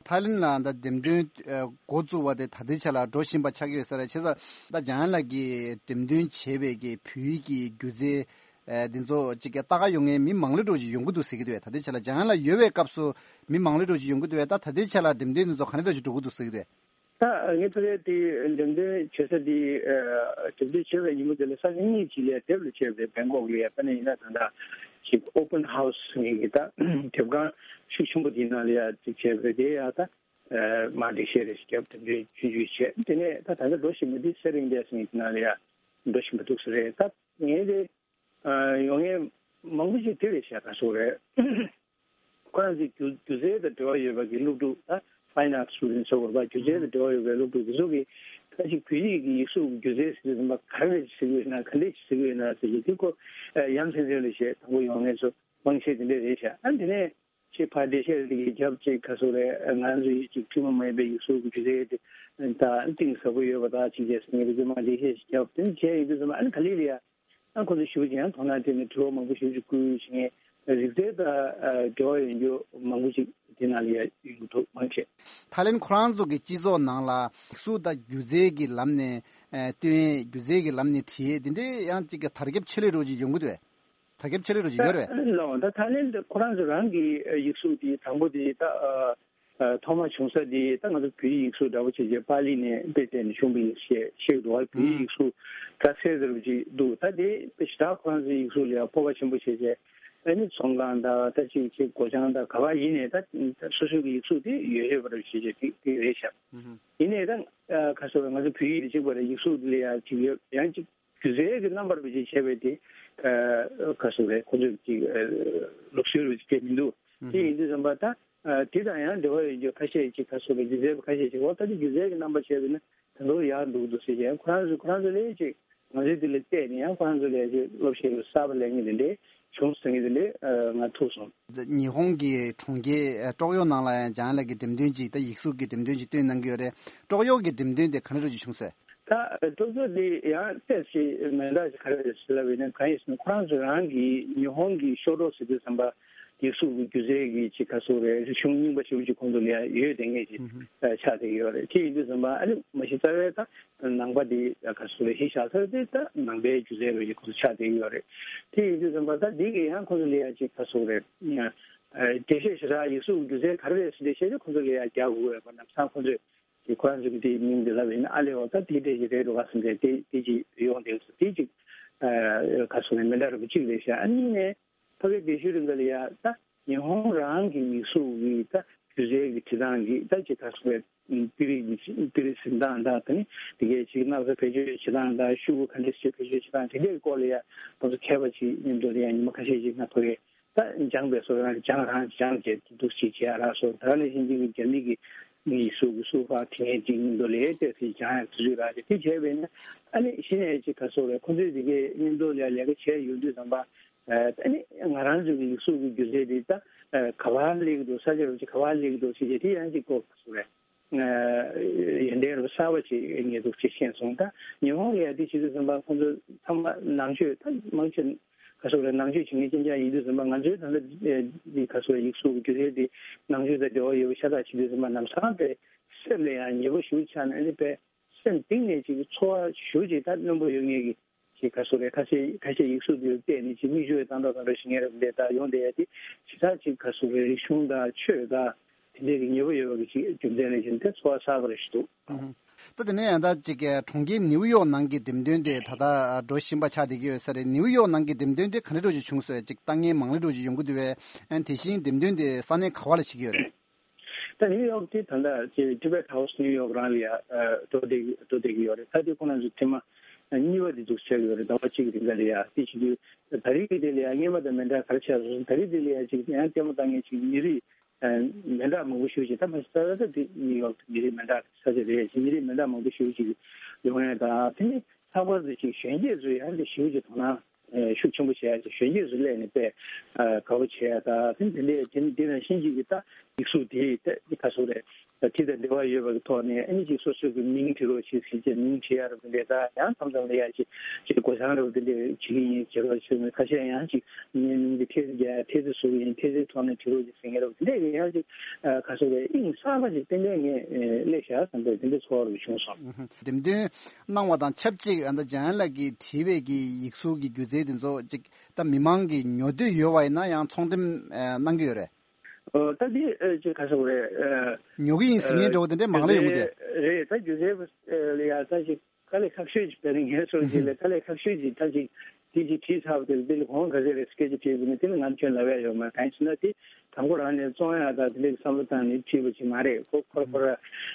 ཐའི་ལེན་ལ་ད་འགྲེམས་སྟོན་འགོ་བཙུགས་པ་དེ་ད་ལྟའི་ཆ་ལ་འགྲོ་བཞིན་པ་ཆགས་ཀྱི་ཡོད་ས་རེད། བྱས་ཙང་ད་འཇམ་དབྱངས་ལགས་ཀྱིས་འགྲེམས་སྟོན་བྱས་པའི་གི་བོད་ཡིག་གི་སྒྱུ་རྩལ་ཨ་འདི་ཚོ་ཅིག་གི་ལྟ་ག་ཡོང་མཁན་མི་མང་ལོས་འགྲོ་ཅིག་ཡོང་གི་འདུག་ཟེར་གྱི་འདུག་བས། ད་ལྟའི་ཆ་ལ་འཇམ་དབྱངས་ལགས་ཡོད་པའི་སྐབས་སུ་མི་མང་ལོས་འགྲོ་ཅིག་ཡོང་གི་འདུག་བས། ད་ད་ལྟའི་ཆ་ལ་འགྲེམས་སྟོན་འདི་ཚོ་ག་འདྲ་འདྲ་ཅིག་འགྲོ་གི་འདུག་ཟེར་གྱི་འདུག་བས། ད་ངས་ཕ་གིའི་དེ་འགྲེམས་སྟོན་བྱེད་ས་དེ་འགྲེམས་སྟོན་བྱེད་པའི་ཉིན་མོ་དེ་ལ་ས་ཉིན་གཉིས་ཅིག་ལ་དེབ་ལ་བྱས་པ་རེད། བེང་ཀོག་ལ་ཡ་དཔེར་ན་ཡིན་ན་ད་ལྟ་ཅིག་open house་ངེད་ཀྱི་ད་དེབ་ཁང་ཤུགས་ཆེན་པོ་དེའི་ནང་ལ་ཡ་ཅིག་བྱས་པ་རེད། དེ་ཡ་ད་མར་འགྲེལ་བཤད་རེ་ཞིག་བརྒྱབ་འགྲེམས་སྟོན་ཆུང་ཆུང་བྱས། དེ་ནས་ད་ད་ལྟ་འགྲོ་བཞིན་པ་འདི་སེ་རིང་ཌེ་ཟེར་ངེད་ཀྱི་ནང་ལ་ཡ་འགྲོ་བཞིན་པ་འདུག་ས་རེད། ད་ངས་དེ་ཡོང་མཁན་མང་པོ་ཞིག་དེ་རེད་ཤག་ག་སོགས་རེད། ཁོ་རང་ཚོའི་སྒྱུ་སྒྱུ་རྩལ་དང་འབྲེལ་བ་ཡོད་པ་གི་སློབ་ཕྲུག་ད་fine arts students་ཟེར་བ་སྒྱུ་རྩལ་དང་འབྲེལ་བ་ཡོད་པའི་སློབ་ཕྲུག་དེ་ཚོ་གིས་ད་ཅིག་བོད་ཡིག་གི་ཡིག་གཟུགས་སྒྱུ་རྩལ་ཟེར་དུས་ཙམ་པ་ག་རེ་ཟེར་གྱི་ཡོད་ན་ག་འདྲས་ཟེར་གྱི་ཡོད་ན་ཟེར་གྱི་དེ་ཁོ་ཡ་མཚན་མཚན་ལ་བཤད། དང་པོ་ཡོང་མཁན་ཚོ་མང་ཆེ་དེ་འདྲས་རེད་ཤག་ཨ་དེ་ནས་ཅིག་ཕར་འགྲེལ་བཤད་དེ་གི་རྒྱབ་ཅིག་ག་སོགས་རེད། ང་ཚོ་ཡིག་ཅིག་ཐུན་མོང་མ་ཡིན་པའི་ཡིག་གཟུགས་ཀྱི་སྒྱུ་རྩལ་དེ་ད་གཏིང་ཟབ་པོ་ཡོད་པ་དག་ཅིག་བྱས་ཟེར་ངེས་པའི་རྗེས་མ་འགྲེལ་བཤད་ཅིག་བརྒྱབ། དེ་ནས་བྱས་ཡོང་དུས་ཙམ་པ་ཨ་ནི་ག་ལེ་ལ་ཡ། ཨ་ཁོ་ཚོ་ཞུ་ཅིང་དོ་སྣང་སྤྲད་ནས་དྲི་བ་མང་པོ་ཞིག་ཅིག་བསྐུལ་ཞིང་རིག་རྩལ་དང་འབྲེལ་བ་ཡོད་རྒྱུ་མང་པོ་ཞིག་དེ་ནང་ལ་ཡ་ཡོང་གི་འདུག་མང་ཆེ། ཐའི་ལེན་ཁོ་རང་ཚོ་གི་སྤྱི་ཚོགས་ནང་ལ་ཡིག་གཟུགས་དང་སྒྱུ་རྩལ་གྱི་ལམ་ནས་ཨ་སྟོན་ཡས། སྒྱུ་རྩལ་གྱི་ལམ་ནས་བྲིས་ཡས་དེ་འདྲའི་ཡང་ཅིག་གི་དར་ཁྱབ་ཆེ་ལོས་འགྲོ་ཅིག་ཡོང་གི་འདུག་བས། དར་ཁྱབ་ཆེ་ལོས་འགྲོ་ཅིག་ཡོད་རེད། ལགས་འོང་། ད་ཐའི་ལེན་ཁོ་རང་ཚོ་རང་གི་ཡིག་གཟུགས་དེ་དང་པོ་དེ་ད་ཨ། ཐོག་མ་བྱུང་ས་དེ་ད་ང་ཚོ་བོད་ཡིག་ཡིག་གཟུགས་འདྲ་པོ་བྱས་རྗེས་པཱ་ལི་ནས་དཔེ་བལྟས་ནས་བྱུང་བ་ཡིན་ཞེས་བཤད་འདུག་བ། བོད་ཡིག་ཡིག་གཟུགས་སྒྲ་གསལ་ཟེར་བ་ཅིག་འདུག་ད་དེ་དཔེ་ཞེ་དྲག་ཁོ་རང་ཚོའི་ཡིག་གཟུགས་ལ་ཡང་སྤོབས་པ་ཆེན་པོ་བྱས་རྗེས་ཨ་ནི་ཚོང་ཁང་དང་ད་ཅིག་ཅིག་སྒོ་བྱང་དང་ག་པར་ཡིན་ནའི་ད་སོ་སོའི་གི་ཡིག་གཟུགས་དེ་ཡོད་ཡོད་པ་རེད་བྱས་རྗེས་དེ་དེ་རེད་ཤག་ཡིན་ནའི་ད་ཁ་སོ་ང་ཚོ་བོད་ཡིག་དེ་གཅིག་པ་རེད། ཡིག་གཟུགས་དེ་ལ་ཡང་ཅིག་ཡོད། ཡང་ཅིག་སྒྱུ་རྩལ་གྱི་རྣམ་པར་བར་ཆད་བྱས་པའི་དེ་ཁ་སོ་རེད། ཁོ་ཚོས་ཅིག་ལུགས་སྲོལ་རེད་ཅིག་མི་འདུག་དེ་ཡིན་དུས་ཙམ་པ་ད། ཨ་དེ་དང་ཡང་འབྲེལ་བ་ཡོད་རྒྱུ་ཁ་ཤས་ཅིག་ཁ་སོ་རེད། སྒྱུ་རྩལ་པ་ཁ་ཤས་ཅིག་འོ་ད་དེ་སྒྱུ་རྩལ་གྱི་རྣམ་པ་བྱས་པས་ན་ད་ལོ་ཡག་འདུག་འདུག་ཟེར་ཀྱང་ཁོ་རང་ཚོས་ཁོ་རང་ཚོ་ལས་ཅིག་ང་ཚོའི་དེ་ལ་བལྟས་ནས་ཡང་ཁོ་རང་ཚོ་ལས་ཅིག་སློབ་ཁྲིད་གསར་པ་ལེན་མཁན་དེ་འདྲས་བྱུང་སོང་། ངས་དེ་འདྲས་ང་ཐུག་སོང་། ཉི་ཧོང་གི་གྲོང་ཁྱེར་ཀྲོག་ཡོ་ནང་ལ་ཡང་འཇམ་དབྱངས་ལགས་ཀྱི་འགྲེམས་སྟོན་ཅིག་ད་ཡིག་གཟུགས་ཀྱི་འགྲེམས་སྟོན་ཅིག་སྟོན་གནང་གི་ཡོད་རེད། ཀྲོག་ཡོ་གི་འགྲེམས་སྟོན་དེ་ག་འདྲ་ཅིག་བྱུང་སོང་། ད་ཀྲོག་ཡོ་དེ་ཡང་ཏོག་ཙམ་མི་འདྲ་ཞིག་ག་རེ་རེད་ཟེར་ལབ་པ་ཡིན་ན་གང་ཡིན་ཟེར་ན་ཁོ་རང་ཚོ་རང་གི་ཉི་ཧོང་གི་ཤོ་ཀྲོག་ཟེར་དུས་ཙམ་པ། ཡིག་གཟུགས་ཀྱི་སྒྱུ་རྩལ་གྱི་ཅིག་ག་སོགས་རེད། རིག་གཞུང་རྙིང་པ་ཞེ་པོ་ཅིག་ཁོང་ཚོ་ལ་ཡང་ཡོད་བསྡད་མཁན་ཅིག་ཆགས་བསྡད་ཀྱི་ཡོད་རེད། དེ་ཡིན་དུས་ཙམ་པ་ཨ་ནི་མ་གཞི་རྩ་བའི་ད་ནང་པ་འདི་ག་སོགས་རེད། གཞི་བཞག་ས་དེ་ད་ནང་པའི་སྒྱུ་རྩལ་རེད་ཅིག་ཁོང་ཚོ་ཆགས་བསྡད་ཀྱི་ཡོད་རེད། དེ་ཡིན་དུས་ཙམ་པ་ད་འདི་གི་ཡང་ཁོང་ཚོ་ལ་ཡང་ཅིག་ག་སོགས་རེད། འགྲེལ་བཤད་ཞེ་དྲག་ཡིག་གཟུགས་སྒྱུ་རྩལ་ག་རེ་རེད་ཟེར་འགྲེལ་བཤད་དེ་ཁོང་ཚོ་ལ་ཡང་རྒྱག་དགོས་ཡོད་པ། ལམ་སང་ཁོང་ཚོས་ཀྱི་ཁོ་རང་ཚོ་གི་དེའི་མིང་འདི་ལབ་ཡིན་ན་ཨ་ལེ་འོ་ད་དེ་འདྲས་ཀྱི་རེད་འགྲོ་ག་ཟེར་འདྲས་དེ་དེ་ཅིག་ཡོང་བསྡད་སོང་། དེ་ཅིག་ག་སོགས་རེད། མི་འདྲ་རུ་གཅིག་རེད་ཤག་ཨ་ནི་ནས། ཕ་གི་དེ་ཤུལ་རིང་ག་ལ་ཡ་ད་ ཉི་ཧོང་རང་གི་ཡིག་གཟུགས་ཀྱི་ད་སྒྱུ་རྩལ་གྱི་བྲིས་སྟངས་ཀྱི་ད་ཅིག་ག་རེ་ཟེར་དཔེ་དཔེ་རིས་ཀྱི་དཔེ་རིས་འཛིན་སྟངས་དང་། ད་ནི་དེ་གའི་ཅིག་སྣག་ཚ་བེད་སྤྱོད་བྱེད་སྟངས་དང་། ཤོག་གུ་ག་འདྲ་ཞིག་བེད་སྤྱོད་བྱེད་སྟངས་དེ་འདྲའི་སྐོར་ལ་ཡང་ཁོང་ཚོ་མཁས་པ་ཅིག་མཉམ་དུ་ལ་ཡང་ཉི་མ་ཁ་ཤས་ཅིག་ང་ཕ་གིར་ད་སྦྱངས་པའི་སོ་རང་སྦྱངས་རང་སྦྱངས་བྱས་འདུག་ཅིག་བྱས་རག་སོང་། ད་ནི་ཕྱིན་ཅིག་གི་རྒྱ་མི་གི་ཡིག་གཟུགས་ཀྱི་སུ་ཧྥ་དེ་ངས་ཅིག་མཉམ་དུ་ལ་ཡང་བལྟས་ཚེ་སྦྱངས་ཡག་དུས་ཚོད་རག་ཅིག་དེ་བྱས་པས་ན། ཨ་ནི་གཞི་ནས་ཅིག་ག་རེ་ཟེར་དགོས་རེད། ཁོང་ཚོས་དེ་གའི་མཉམ་དུ་ལ་ཡང་ལས་ཀ་བྱས་ཡོང་དུས་ཙམ་པ། ཨ་ནི་ང་རང་ཚོའི་ཡིག་གཟུགས་ཀྱི་སྒྱུ་རྩལ་འདི་ད་ག་པར་སླེབས་ཀྱི་འདུག་ས་ཆ་རུ་ཅིག་ག་པར་སླེབས་ཀྱི་འདུག་ཟེར་བྱས་དེ་ཡང་ཅིག་གོ་ག་རེ་ཟེར་དགོས་རེད། ཡོན་ཏན་རབ་གསར་པ་ཅིག་ངས་འདུག་ཅིག་ཤེས་སོང་། ད་ཉི་ཧོང་ལ་ཡང་དེ་བྱེད་དུས་ཙམ་པ་ཁོང་ཚོ་ཚང་མ་ནང་ཆོས་ད་མང་ཆེ་ག་རེ་ཟེར་དགོས་རེད། ནང་ཆོས་བྱེད་མཁན་རྐྱང་རྐྱང་ཡིན་དུས་ཙམ་པ། ང་ཚོའི་ད་ལྟ་འདི་ག་རེ་ཟེར་དགོས་རེད། ཡིག་གཟུགས་ཀྱི་སྒྱུ་རྩལ་འདི་ནང་ཆོས་དང་འབྲེལ་བ་ཡོད་པ་ཤ་སྟག་བྱེད་དུས་ཙམ་པ། ལམ་སང་དཔེ་སེམས་ལ་ཡང་ཉེ་པོ་ཞེ་པོ་ཆགས་ནས། ཨ་ནི་དཔེ་སེམས་གཏིང་ནས་ཅིག་ཚོར་བ་ཞེ་པོ་ཅིག་ད་རྣོན་པོ་ཡོད་མཁན་གྱི་ཅིག་ག་རེ་ཟེར་དགོས་རེད། ཁ་ཤས་ཁ་ཤས་ཡིག་གཟུགས་འདིར་བལྟས་ནས་ཅིག་མིག་ཆུ་ཡང་ཏག་ཏག་ཏག་ཏག་ཞིག་ངས་རབ་འདྲེ་ད་ཡོང་བསྡད་ཡ་དེ་ཇི་ལྟར་ཅིག་ག་རེ་ཟེར་དགོས་རེད། རིག་གཞུང་དང་ཆོས་དང་དེ་འདྲའི་གི་ཉེ་པོ་ཡོད་པ་གི་ཅིག་རྒྱུ་མཚན་ལ་བཞིན་དེ་ཚོར་བ་ཟབ་པ་རེ་ཞིག་འདུག་ཨུ་ཧུམ། ད་དེ་ནས་ཡང་ད་ཅིག་གྲོང་ཁྱེར་ནིའུ་ཡོག་ནང་གི་འགྲེམས་སྟོན་དེ་ད་ལྟ་འགྲོ་བཞིན་པ་ཆགས་བསྡད་ཀྱི་ཡོད་ས་རེད། ནིའུ་ཡོག་ནང་གི་འགྲེམས་སྟོན་དེ་ག་འདྲ་འདྲ་ཅིག་བྱུང་སོང་། ཅིག་ལྟ་མཁན་མང་ལེ་འདྲ་ཅིག་ཡོང་གི་འདུག་པས། ཨ་ནི་དེ་བཞིན་འགྲེམས་སྟོན་དེ་ས་གནས་ག་པ་ལ་བྱེད་ཀྱི་ཡོད་རེད། ད་ནིའུ་ཡོག་དེ་ད་ལྟ་ཅིག་Tibet House New York རང་ལ་ཡ་འགྲོ་བསྡད་འགྲོ་བསྡད་ཀྱི་ཡོད་རེད། ད་དེ་ཁོ་རང་ཚོ་ཐེངས་མ་གཉིས་པ་དེ་འདུག་བྱས་ཡོད་རེད། ཟླ་བ་གཅིག་གི་རིང་ལ་ཡ་དེ་བྱེད་དུས། ད་རེས་ཀྱི་དེ་ལ་ཡ་སྔོན་མ་དང་མི་འདྲ་ག་རེ་ཆགས་སོང་། ད་རེས་དེ་ལ་ཡ་ཅིག་ཡང་ལྟད་མོ་ལྟ་མཁན་ཅིག་མི་རིགས་མི་འདྲ་མང་པོ་ཞེ་པོ་ཅིག་ད་མ་གཞི་ད་ད་དེ་ནིའུ་ཡོག་མི་རིགས་མི་འདྲ་ས་ཆ་རེད། ཅིག་མི་རིགས་མི་འདྲ་མང་པོ་ཞེ་པོ་ཅིག་ཡོང་ཡ། ད་དེ་ནི་ལྷག་པར་དུ་ཅིག་གཞོན་སྐྱེས་ཚོས་ཡང་དེ་ཞེ་པོ་ཅིག་དོ་སྣང་ཤུགས་ཆེན་པོ་བྱེད་ཡ་ཅིག་གཞོན་སྐྱེས་ཚོ་སླེབས་ནས་དཔེ་དགའ་པོ་བྱེད་ཡ། ད་དེ་འདི་འདྲའི་དེ་འདི་ནང་བཞིན་ཅིག་གི་ད་ཡིག་གཟུགས་དེ་ད་ག་རེ་ཟེར་དགོས་རེད། དེ་དང་འབྲེལ་བ་ཡོད་པ་གི་ཐོག་ནས། ཨ་ནི་ཅིག་སོ་སོ་གི་མིང་བྲི་རོགས་བྱེད་ཟེར་བྱས་མིང་བྲི་ཡ་རབ་འདྲེ་ད་ཡང་མཚམས་མཚམས་ལ་ཡ་ཅིག་ཅིག་སྒོ་བྱང་རབ་འདི་འདྲས་བྱེད་ཀྱི་ཡིན་བྱེད་རོགས་བྱེད། ཁ་ཤས་ཡང་ཅིག་ངའི་མིང་འདི་ཐེལ་ཙེ་རྒྱག་ཡ་ཐེལ་ཙེ་བཟོ་གི་ཡིན། ཐེལ་ཙེ་ཐོག་ནས་བྲི་རོགས་ཅིག་ཟེར་མཁན་རབ་འདི་འདྲས་ཀྱི་ཡང་ཅིག་ག་རེ་ཟེར་དགོས་རེད། དབྱིངས་གསར་པ་ཅིག་ཏན་ཏན་ངས་སླེབས་ཤག་བསམ་པའི་དེ་འདྲའི་ཚོར་བ་རུ་བྱུང་སོང་། ཨུ་ཧུམ། འགྲེམས་སྟོན་གནང་བ་དང་ཆབས་ཅིག་ཨ་ད་འཇམ་དབྱངས་ལགས་ཀྱིས་བྲིས་པའི་གི་ཡིག་གཟུགས་ཀྱི་སྒྱུ་རྩལ་དེ་ཚོ་ཅིག་ད་མི་མང་གིས་ཉོ་འདོད་ཡོད་པ་ཡིན་ན་ཡང་ཚོང་འགྲེམས་ཨ་གནང་གི་ཡོད་རེད། ཨོ་ད་འདི་ཨ་ཅིག་ག་རེ་ཟེར་དགོས་རེད། ཨ་ཉོ་གི་ཡིན་ཟེར་མཁན་འདྲ་བོ་དེ་འདྲའི་མང་ལ་ཡོང་གི་འདུག་རེད། ད་སྒྱུ་རྩལ་པ་ལ་ཡ་ད་ཅིག་དཀའ་ལས་ཁག་ཤོས་ཅིག་དཔེར་ན་ངའི་ཚོར་གྱི་ལས་དཀའ་ལས་ཁག་ཤོས་ཅིག་ད་ཅིག་དེ་ཅིག་བྲིས་ཚར་བ་དེ་ལ་དེ་ལ་གོང་ག་ཚད་རེད་སྐད་ཆ་དྲིས་པ་ནི་དེ་ལ་ང་ཁྱོད་ལབ་ཡ་ཡོད་མ་རེད། གང་ཡིན་ཟེར་ན་དེ་དང་པོ་རང་ནས་བཙོང་ཡ་ད་དེ་འདྲའི་བསམ་བློ་བཏང་ནས་བྲིས་པ་ཅིག་མ་རེད། ཁོ་ཁོ་ར་ཁོ་ར་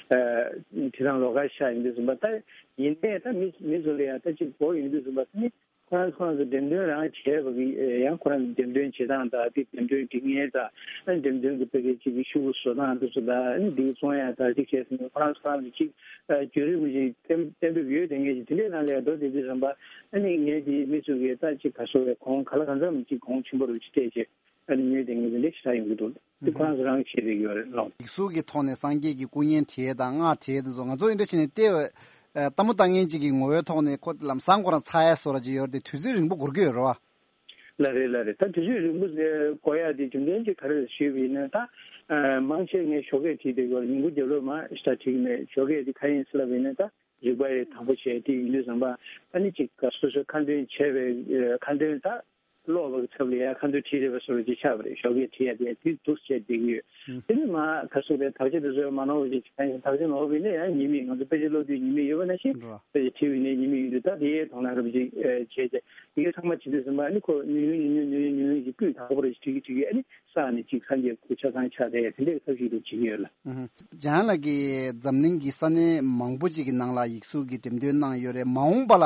བྲིས་སྟངས་ལོགས་ཀ་ཤ་ཡིན་དུས་ཙམ་པ། ད་ཡིན་ནའི་ད་མི་མི་ཚོ་ལ་ཡ་ད་ཅིག་གོ་ཡོང་དུས་ཙམ་པ་དེ་ནི། ཁོ་རང་ཁོ་རང་ཚོ་འགྲེམས་སྟོན་རང་བྱས་པ་གི་ཡང་ཁོ་རང་ཚོ་འགྲེམས་སྟོན་བྱེད་སྟངས་དང་དེ་འགྲེམས་སྟོན་སྒྲིག་ངན་དང་། ཨ་འགྲེམས་སྟོན་གྱི་ཕ་གི་ཅིག་གི་ཤོག་བུ་བཟོ་སྟངས་དེ་ཚོ་དང་། ཨ་འདི་བཙོང་ཡ་དང་དེ་བྱས་ཟིན་ཁོ་རང་ཚོ་ཁོ་རང་ཚོ་ཅིག་བརྒྱུད་རིམ་གྱི་གཏན་གཏན་འབེབས་ཡོད་དེ་ངས་ཅིག་དེ་འདྲའི་ནང་ལ་ཡ་འགྲོ་བསྡད་དུས་ཙམ་པ། ཨ་ནི་ངས་དེ་མི་ཚོ་གི་ད་ཅིག་ག་རེ་ཟེར་དགོས་རེད། གོང་ག་ལ་གང་འཚམ་ཅིག་གོང་ཆེན་པོ་རུ་ཅིག་སྤྲད་བྱས། ཨ་ནི་ངས་དེ་ངས་དེ་འདྲ་ཞེ་དྲག་ཡོང་གི་འདུག་དེ་ཁོ་རང་ཚོ་རང་གིས་བྱེད་བསྡད་ཀྱི་ཡོད་རེད་ལགས། ཡིག་གཟུགས་ཀྱི་ཐོག་ནས་སངས་རྒྱས་ཀྱི་སྐུ་བརྙན་བྲིས་དང་སྔགས་བྲིས་དེ་ཚོ་ང་ཚོ་འདི་འདྲ་བྱས་ནས་བལྟས། ལྟད་མོ་ལྟ་མཁན་ཅིག་གི་ངོ་བོའི་ཐོག་ནས་ཁོ་ལམ་སང་ཁོ་རང་ཚ་ཡ་བཟོ་འདྲ་ཅིག་ཡོད་རེད་དེ། དུས་ཚོད་རིང་པོ་འགོར་གྱི་ཡོད་རེད་བ། ལགས་རེད་ལགས་རེད། ད་དུས་ཚོད་རིང་པོ་འགོར་ཡ་དེ་རྒྱུ་མཚན་ཅིག་ག་རེ་རེད་ཞུས་པ་ཡིན་ན། ད་མང་ཆེ་ངས་ཞོགས་ཀས་བྲིས་བསྡད་ཀྱི་ཡོད་རེད། ཉིན་གུང་རྒྱབ་ལོགས་མར་ཞེ་དྲག་བྲིས་ཀྱི་མེད། ཞོགས་ཀས་དེ་ག་རེ་ཡིན་ཟེར་ལབ་པ་ཡིན་ན། ད་རིག་པ་ཡི་དང་པོ་བྱས་དེ་ཡིན་དུས་ཙམ་པ། ཨ་ནི་ཅིག་སོ་སོའི་ཁ་འདོན་བྱས་པའི་ཁ་འདོན་ད་ཀློག་པ་གི་ཚབ་ལ་ཡ་ཁ་འདོན་བྲིས་རེད་པ་བཟོ་འདྲ་ཅིག་ཆགས་པ་རེད། ཞོགས་ཀས་བྲིས་ཡ་དེ་དུས་འདུག་བྱས་བསྡད་ཀྱི་ཡོད། ཨུ། དེ་ནི་མ་ག་རེ་ཟེར་དགོས་རེད། དག་ཆ་དེ་ཚོ་མ་ནོར་བ་ཅིག་བྱས། དག་ཆ་ནོར་བ་ཡིན་ན་ཡང་ཉན་མི། ང་ཚོ་དཔེ་ཆ་ཀློག་དུས་ཉན་མི་ཡོད་པ་ནང་བཞིན། རེད། དཔེ་ཆ་བྲིས་པ་ཡིན་ན་ཉན་མི་ཡོད་དུས། ད་དེའི་དོ་སྣང་རབ་ཅིག་བྱས་བྱས། དེ་གའི་ཚང་མ་བྱེད་དུས་ཙམ་པ། ཨ་ནི་ཁོ་ཉུང་ཉུང་ཉུང་ཉུང་ཉུང་ཉུང་ཉུང་ཅིག་སྤུས་དག་པོ་རེ་ཅིག་བྲིས་ཀྱི་བྲིས་ཀྱི། ཨ་ནི་ས་ནས་ཅིག་སངས་རྒྱས་སྐུ་ཆ་ཚང་ཆགས་བསྡད་ཡ་དེ་འདྲའི་ཐབས་ཤེས་དེ་བྱེད་ཀྱི་ཡོད་ལགས། ཨུ་ཧུ། འཇམ་དབྱངས་ལགས་ཀྱིས་འཛམ་གླིང་གི་ས་གནས་མང་པོ་ཅིག་གི་ནང་ལ་ཡིག་གཟུགས་ཀྱི་འགྲེམས་སྟོན་གནང་ཡོད་རེད། མ་འོངས་པ་ལ་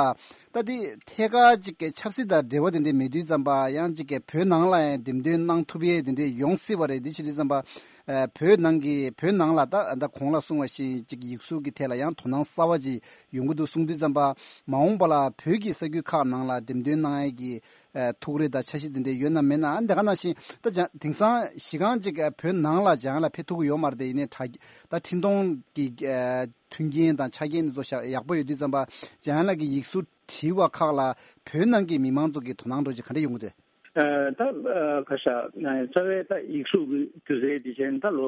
ད་དེ་ཐད་ཀར་ཅིག་གི་ཆབ་སྲིད་དང་འབྲེལ་བ་དེ་འདྲ་མེད་དུས་ཙམ་པ། ཡང་ཅིག་གི་བོད་ནང་ལ་ཡང་འགྲེམས་སྟོན་གནང་ཐུབ་ཡས་དེ་འདྲ་ཡོང་སྲིད་པ་རེད། དེ་བྱེད་དུས་ཙམ་པ། ཨ་བོད་ནང་གི་བོད་ནང་ལ་ད་ད་གོང་ལ་གསུངས་པ་བཞིན་ཅིག་ཡིག་གཟུགས་ཀྱི་ཐད་ལ་ཡང་དོ་སྣང་གསར་བ་ཅིག་ཡོང་གི་འདུག་གསུངས་དུས་ཙམ་པ། མ་འོངས་པ་ལ་བོད་ཀྱི་ས་ཁུལ་ཁག་ནང་ལ་འགྲེམས་སྟོན་གནང་ཡས་ཀྱི་ཨ་ཐུགས་རེ་དང་འཆར་གཞི་དེ་འདྲ་ཡོད་ན་མེད་ན། ཨ་འདི་ག་ནང་བཞིན་ད་ཅང་དེང་སང་གཞི་རྐང་ཅིག་ཨ་བོད་ནང་ལ་སྦྱང་ལ་ཕེབས་ཐུབ་ཀྱི་ཡོད་མ་རེད་དེ། ཡིན་ནའི་དྲ་ད་འཕྲིན་གཏོང་གི་ཨ་མཐུན་རྐྱེན་དང་ཆ་རྐྱེན་དེ་ཚོ་ཡག་པོ་ཡོད་དུས་ཙམ་པ། འཇམ་དབྱངས་ལགས་ཀྱི་ཡིག་གཟུགས་བྲིས་པ་ཁག་ལ་བོད་ནང་གི་མི་མང་ཚོ་གི་དོ་སྣང་འདྲ་ཅིག་ག་འདྲ་ཡོང་གི་འདུག་ཨ་ད་ཨ་ག་ས་ཨ་རྩ་བའི་ད་ཡིག་གཟུགས་ཀྱི་སྒྱུ་རྩལ་དེ་བྱས་ན་ད་ལོ་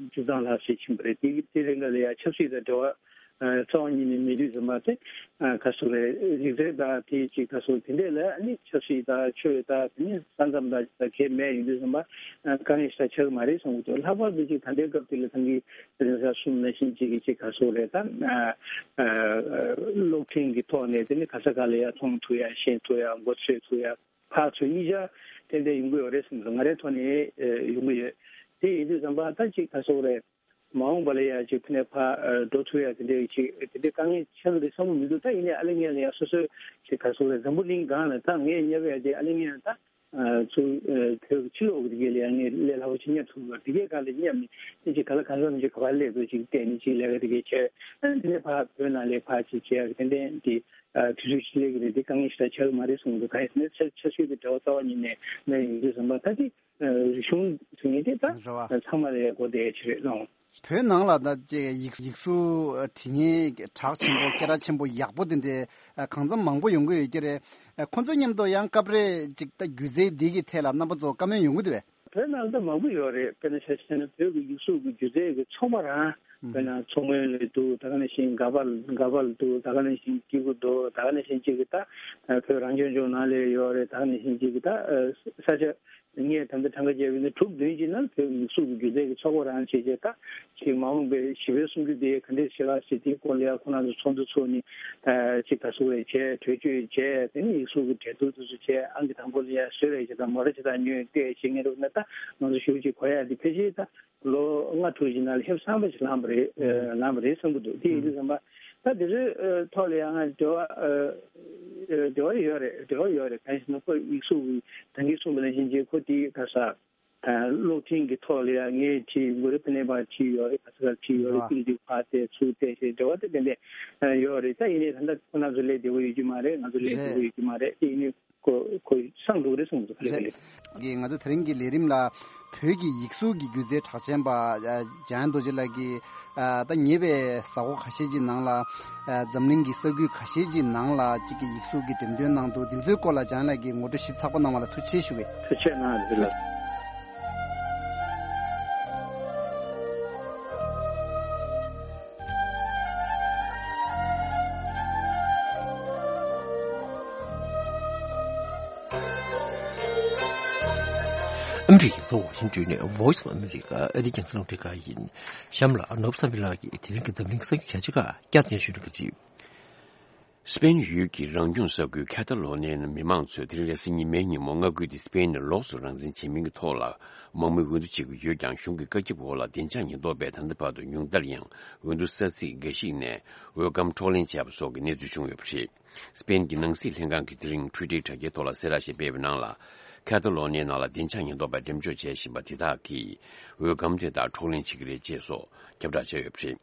བཅུ་ཐམ་ལྷག་ཞིག་ཕྱིན་པ་རེད། དེ་དེ་རིང་ག་ལ་ཡ་ཆབ་སྲིད་དང་འབྲེལ་བ་ཨ་རྩ་བ་ཉིད་ནས་མེད་དུས་ཙམ་པ། དེ་ཨ་ག་ཟེར་དགོས་རེད། རིག་རྩལ་དང་དེ་ཅིག་ག་ཟེར་དགོས་དེ་འདྲས་ལ་ནི་ཆབ་སྲིད་དང་ཆོས་དང་དེ་ནི་ས་མཚམས་དང་ཅིག་དང་གལ་མེད་ཡིན་དུས་ཙམ་པ། ཨ་དཀའ་ངལ་ཞེ་དྲག་ཆགས་ཀྱི་མ་རེད་བསམ་གྱི་འདུག་ལྷག་པར་དུ་ཅིག་ད་ལྟའི་སྐབས་དེ་ལ་ད་གིན་དེ་རིང་གསུངས་ནང་བཞིན་ཅིག་གི་ཅིག་ག་ཟེར་དགོས་རེད། ད་ཨ་ཨ་གློག་འཕྲིན་གྱི་ཐོག་ནས་དེ་ནི་ག་ས་ག་ལ་ཡ་མཐོང་ཐུབ་ཡ། ཤེས་ཐུབ་ཡ། མགོ་ཚོས་ཐུབ་ཡ། ཕར་ཚུར་གཉིས་ཆ་ ཏན་ཏན་ཡོང་གི་ཡོད་རེད་བསམ་སོང་། ང་རའི་ཐོག་ནས་ཡོང་གི་ཡོད། དེ་ཡིན་དུས་ཙམ་པ་ད་ཅིག་ག་སོག་རེད། མ་འོངས་པ་ལ་ཡ་ཅིག་ཕ་ནས་ཕ་འགྲོ་ཐུབ་ཡ་དེ་འདྲའི་ཅིག་དེ་འདྲའི་དཀའ་ངལ་ཆགས་ཀྱི་རེད་བསམ་གྱི་མི་འདུག་ད་ཡིན་ནའི་ཨ་ལེ་ངས་ལ་ཡ་སོ་སོའི་ཅིག་ག་སོག་རེད། འཛམ་བུ་གླིང་སྒང་ལ་ད་ངས་བསྙབ་ཡ་དེ་ཨ་ལེ་ངས་ད་ཚུར་བོད་ཀྱི་ཕྱི་ལོགས་ཀྱི་དེ་གའི་ལ་ཡ་ངས་ལས་སླ་པོ་ཅིག་བསྙབ་ཐུབ་ཀྱི་རེད། དེ་གའི་སྒང་ལ་བསྙབ་ནས་དེ་ཅིག་ག་ལ་གང་འཚམ་ཅིག་ག་པར་སླེབས་དགོས་ཅིག་བལྟས་ནས་ཅིག་ལས་ཀ་དེ་གའི་བྱས། ཨ་ནི་དེ་ནས་ཕ་བོད་ནང་ལ་ཕ་ཅིག་བྱས་ཡ་གི་ཏན་ཏན་དེ་དུས་ཚོད་ཅིག་སླེབས་ཀྱི་རེད། དེ་དཀའ་ངལ་ཞེ་དྲག་ཆགས་ཀྱི་མ་རེད་བསམ་གྱི་འདུག་གང་ཡིན་ཟེར་ན་ཆ་ཆ་ཤོས་དེ་འབྲེལ་བ་རྩ་བ་ཉིད་ནས་མེད་ཡིན་དུས་ཙམ་པ་ད་དེ། རིག་གཞུང་ཟེར་མཁན་དེ་ད་རེད་བ། ཚང་མ་ལ་ཡག་པོ་དེ་ཅི་རེད་ལོང་། བོད་ནང་ལ་ད་ཅེ་ཡིག་ཡིག་གཟུགས་འབྲི་མཁན་གྲགས་ཆེན་པོ་སྐད་གྲགས་ཆེན་པོ་ཡག་པོ་དེ་འདྲའི་གང་འཚམ་མང་པོ་ཡོང་གི་ཡོད་ཀྱི་རེད། ཁོ་ཚོ་མཉམ་དུ་ཡང་སྐབས་རེ་ཅིག་ད་སྒྱུ་རྩལ་འདི་གི་ཐད་ལ་རྣམ་པ་ཚོ་བཀའ་མོལ་ཡོང་གི་འདུག་བས། བོད་ནང་ད་མང་པོ་ཡོད་རེད། དཔེར་ན་ཆ་བཞག་ན་བོད་ཀྱི་ཡིག་གཟུགས་ཀྱི་སྒྱུ་རྩལ་གྱི་ཚོགས་པ་རང་དཔེར་ན་མཚོ་སྔོན་ལ་འདུག་ད་ག་ནང་བཞིན་དགའ་བལ་དགའ་བལ་འདུག་ད་ག་ནང་བཞིན་སྐྱེ་རྒུ་འདུག་ད་ག་ནང་བཞིན་ཅིག་གི་ད་བོད་རང་སྐྱོང་ལྗོངས་ནང་ལ་ཡོད་རེད། ད་ག་ནང་བཞིན་ཅིག་གི་ད་ས་ཆ། ངས་ད་ལྟ་གྲངས་ཀ་བརྒྱབ་ཡོད་ན་དྲུག་བདུན་ཅིག་ནང་བོད་ཡིག་གཟུགས་ཀྱི་སྒྱུ་རྩལ་གྱི་ཚོགས་པ་རང་བྱས་རྗེས་ད་ཅིག་མ་འོངས་པའི་བཞི་པའི་གསུམ་བཅུ་དེ་ག་འདྲས་ཤིག་ལ་ཟེར་དེའི་སྐོར་ལ་ཡང་ཁོ་རང་ཚོ་ཚོགས་འདུ་ཚོགས་ནས་ཅིག་ད་སུ་རེ་བྱས་གྲོས་ཆོད་བྱས་དེ་ནས་ཡིག་གཟུགས་ཀྱི་གྲལ་བསྡུར་དེ་ཚོ་བྱས་ཨང་ཀི་དང་པོ་ལ་ཡང་བཟོས་རེད་ཅེས་དང་མོ་ར་ཅིག་དང་ཉོས་ཏེ་བྱེད་མཁན་རེད་ན་ད་ང་ཚོ་ཞུ་ཅིག་གོ་ཡ་དེ་ཕལ་ཆེར་ད་ལོ་ལྔ་དྲུག་ཅིག་ནང་ལ་ཕེབས་སང་པ་ཞིག་ལངས་པ་རེད། ལངས་པ་རེད་བསམ་གྱི་འདུག་དེ་ཡིན་དུས་ཙམ་པ་ད་དེ་ཚོའི་ཐོག་ལ་ཡང་ང་འབྲེལ་བ་འབྲེལ་བ་ཡོད་རེད། འབྲེལ་བ་ཡོད་རེད། གང་ཡིན་ཟེར་ན་ཁོ་ཡིག་གཟུགས་ཀྱི་ད་གིན་གསུངས་པ་ནང་བཞིན་ཅིག་ཁོ་དེའི་ག་ས་གློག་འཕྲིན་གྱི་ཐོག་ལ་ཡང་ངས་ཅིག་མགོ་རེ་ཕ་ནས་པ་ཅིག་ཡོད་རེད། ག་ས་ག་ཅིག་ཡོད་རེད། ཨ་ཏིག་ཏིག་ཕར་བལྟས་ཚུར་བལྟས་ཞེས་འབྲེལ་བ་དེ་ཏན་ཏན་ཡོད་རེད། ད་ཡིན་ནའི་ད་ལྟ་ཁོ་རང་ཚོ་ལས་བདེ་པོ་ཡོད་ཀྱི་མ་རེད། ང་ཚོ་ལས་བདེ་པོ་ཡོད་ཀྱི་མ་རེད། དེ་ཡིན་ནའི་ཁོ་ཁོ་སང་འགྲོ་གི་རེད་གསུངས་འདུག་ལེ་ལེ། ང་ཚོ་དེ་རིང་གི་ལས་རིམ་ལ་བོད་ཀྱི་ཡིག་གཟུགས་ཀྱི་སྒྱུ་རྩལ་གྲགས་ཅན་པ་འཇམ་དབྱངས་རྡོ་རྗེ་ལགས་ཀྱིས་ད་ཉེ་བའི་གཟའ་འཁོར་ཁ་ཤས་ཀྱི་ནང་ལ་འཛམ་གླིང་གི་ས་ཁུལ་ཁ་ཤས་ཀྱི་ནང་ལ་གཅིག་གི་ཡིག་གཟུགས་ཀྱི་འགྲེམས་སྟོན་གནང་འདུག་འདི་ཚོའི་སྐོར་ལ་འཇམ་དབྱངས་ལགས་ཀྱིས་ངོ་སྤྲོད་ཞིབ་ཚགས་པོ་གནང་བ་ལ་ཐུགས་རྗེ་ཆེ་ཞུ་གི། ཐུགས་རྗེ་གནང་འདི་ལ། ཨ་མི་རི་ཀའི་རྒྱལ་ས་ཝ་ཤིང་ཏོན་ནས་Voice of America ཨ་རིའི་རྒྱང་སྲིང་རླུང་འཕྲིན་ཁང་ཡིན། གཤམ་ལ་ནོར་བུ་བསམ་འཕེལ་ལགས་ཀྱིས་དེ་རིང་གི་འཛམ་གླིང་གི་ས་རྒྱུད་གལ་ཆེ་ཁག་བསྐྱར་ཟློས་ཞུ་གནང་གི་རེད། སྤེན་ཡུལ་གྱི་རང་སྐྱོང་ས་ཁུལ་ཁ་ཏ་ལོ་ནིའི་མི་མང་ཚོས་དེ་རིང་རེས་གཟའ་ཉི་མའི་ཉིན་མོ་མངའ་ཁུལ་དེ་སྤེན་ནས་ལོགས་སུ་རང་འཛིན་བྱེད་མིན་གྱི་ཐོག་ལ་དམག་མིས་འོས་བསྡུ་བྱེད་ཀྱི་ཡོད་ཀྱང་། གཞུང་གི་བཀའ་ཁྱབ་འོག་ལ་བདེ་འཇགས་ཉེན་རྟོག་པས་ད་ལྟ་བར་དུ་ཉུང་མཐར་ཡང་འོས་བསྡུ་ས་ཚིགས་འགའ་ཞིག་ནས་འོས་སྒམ་འཕྲོག་ལེན་བྱས་པ་སོགས་ཀྱི་གནས་ཚུལ་བྱུང་ཡོད་པ་རེད། སྤེན་གྱི་ནང་སྲིད་ལྷན་ཁང་གིས་དེ་རིང་ཊུའི་ཊར་དྲ་རྒྱའི་ཐོག་ལ་གསལ་བསྒྲགས་ཤིག་སྤེལ་བའི་ནང་ལ། ཁ་ཏ་ལོ་ནིའི་ནང་ལ་བདེ་འཇགས་ཉེན་རྟོག་པས་འགྲེམས་འཇོག་བྱས་བཞིན་པ་དེ་དག་གིས་འོས་སྒམ་དེ་དག་འཕྲོག་ལེན་བྱེད་ཀྱི་རེད་ཅེས་སོགས་ཁྱབ་བསྒྲགས་བྱས་ཡོད་པ་རེད།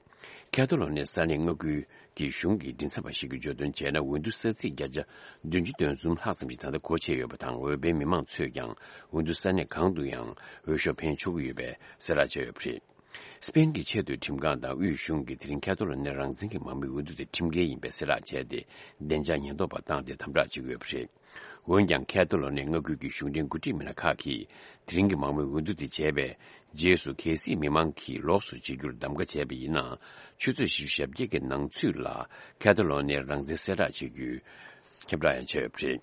ཁ་ཏ་ལོ་ནི་ས་གནས་མངའ་ཁུལ་གྱི་གཞུང་གི་མགྲིན་ཚབ་པ་ཞིག་གིས་བརྗོད་དོན་བྱས་ན། འོས་བསྡུ་ས་ཚིགས་བརྒྱ་ཆ་བདུན་ཅུ་དོན་གསུམ་ལྷག་ཙམ་ཞིག་ད་ལྟ་སྒོ་ཕྱེ་ཡོད་པ་དང་། འོས་འཕེན་མི་མང་ཚོས་ཀྱང་འོས་བསྡུ་ས་གནས་གང་དུ་ཡང་འོས་ཤོག་འཕེན་ཆོག་གི་ཡོད་པའི་གསལ་བསྒྲགས་བྱས་ཡོད་པ་རེད། སྤེན་གྱི་ཆེས་མཐོའི་ཁྲིམས་ཁང་དང་དབུས་གཞུང་གིས་དེ་རིང་ཁ་ཐོ་ལོ་ནས་རང་བཙན་གྱི་དམག་མིའི་འོས་བསྡུ་དེ་ཁྲིམས་འགལ་ཡིན་པའི་གསལ་བསྒྲགས་བྱས་ཏེ། བདེ་འཇགས་ཉེན་རྟོག་པ་བཏང་སྟེ་དམ་དྲག་བྱེད་ཀྱི་ཡོད་པ་རེད། འོན་ཀྱང་། ཁ་ཐོ་ལོ་ནས་མངའ་ཁུལ་གྱི་གཞུང་འབྲེལ་འགོ་ཁྲིད་མི་སྣ་ཁག་གིས་དེ་རིང་གི་དམག་མིའི་འོས་བསྡུ་དེ་བྱས་པའི་རྗེས་སུ། གལ་སྲིད་མི་མང་གིས་ལོགས་སུ་བྱེད་རྒྱུར་གདམ་ག་བྱས་པ་ཡིན་ན། ཆུ་ཚོད་བཞི་བཅུ་ཞེ་བརྒྱད་ཀྱི་ནང་ཚུད་ལ་ཁ་ཐོ་ལོ་ནས་རང་བཙན་གསལ་བསྒྲགས་བྱེད་རྒྱུའི་ཁྱབ་བསྒྲགས་ཡང་བྱས་ཡོད་པ་རེད།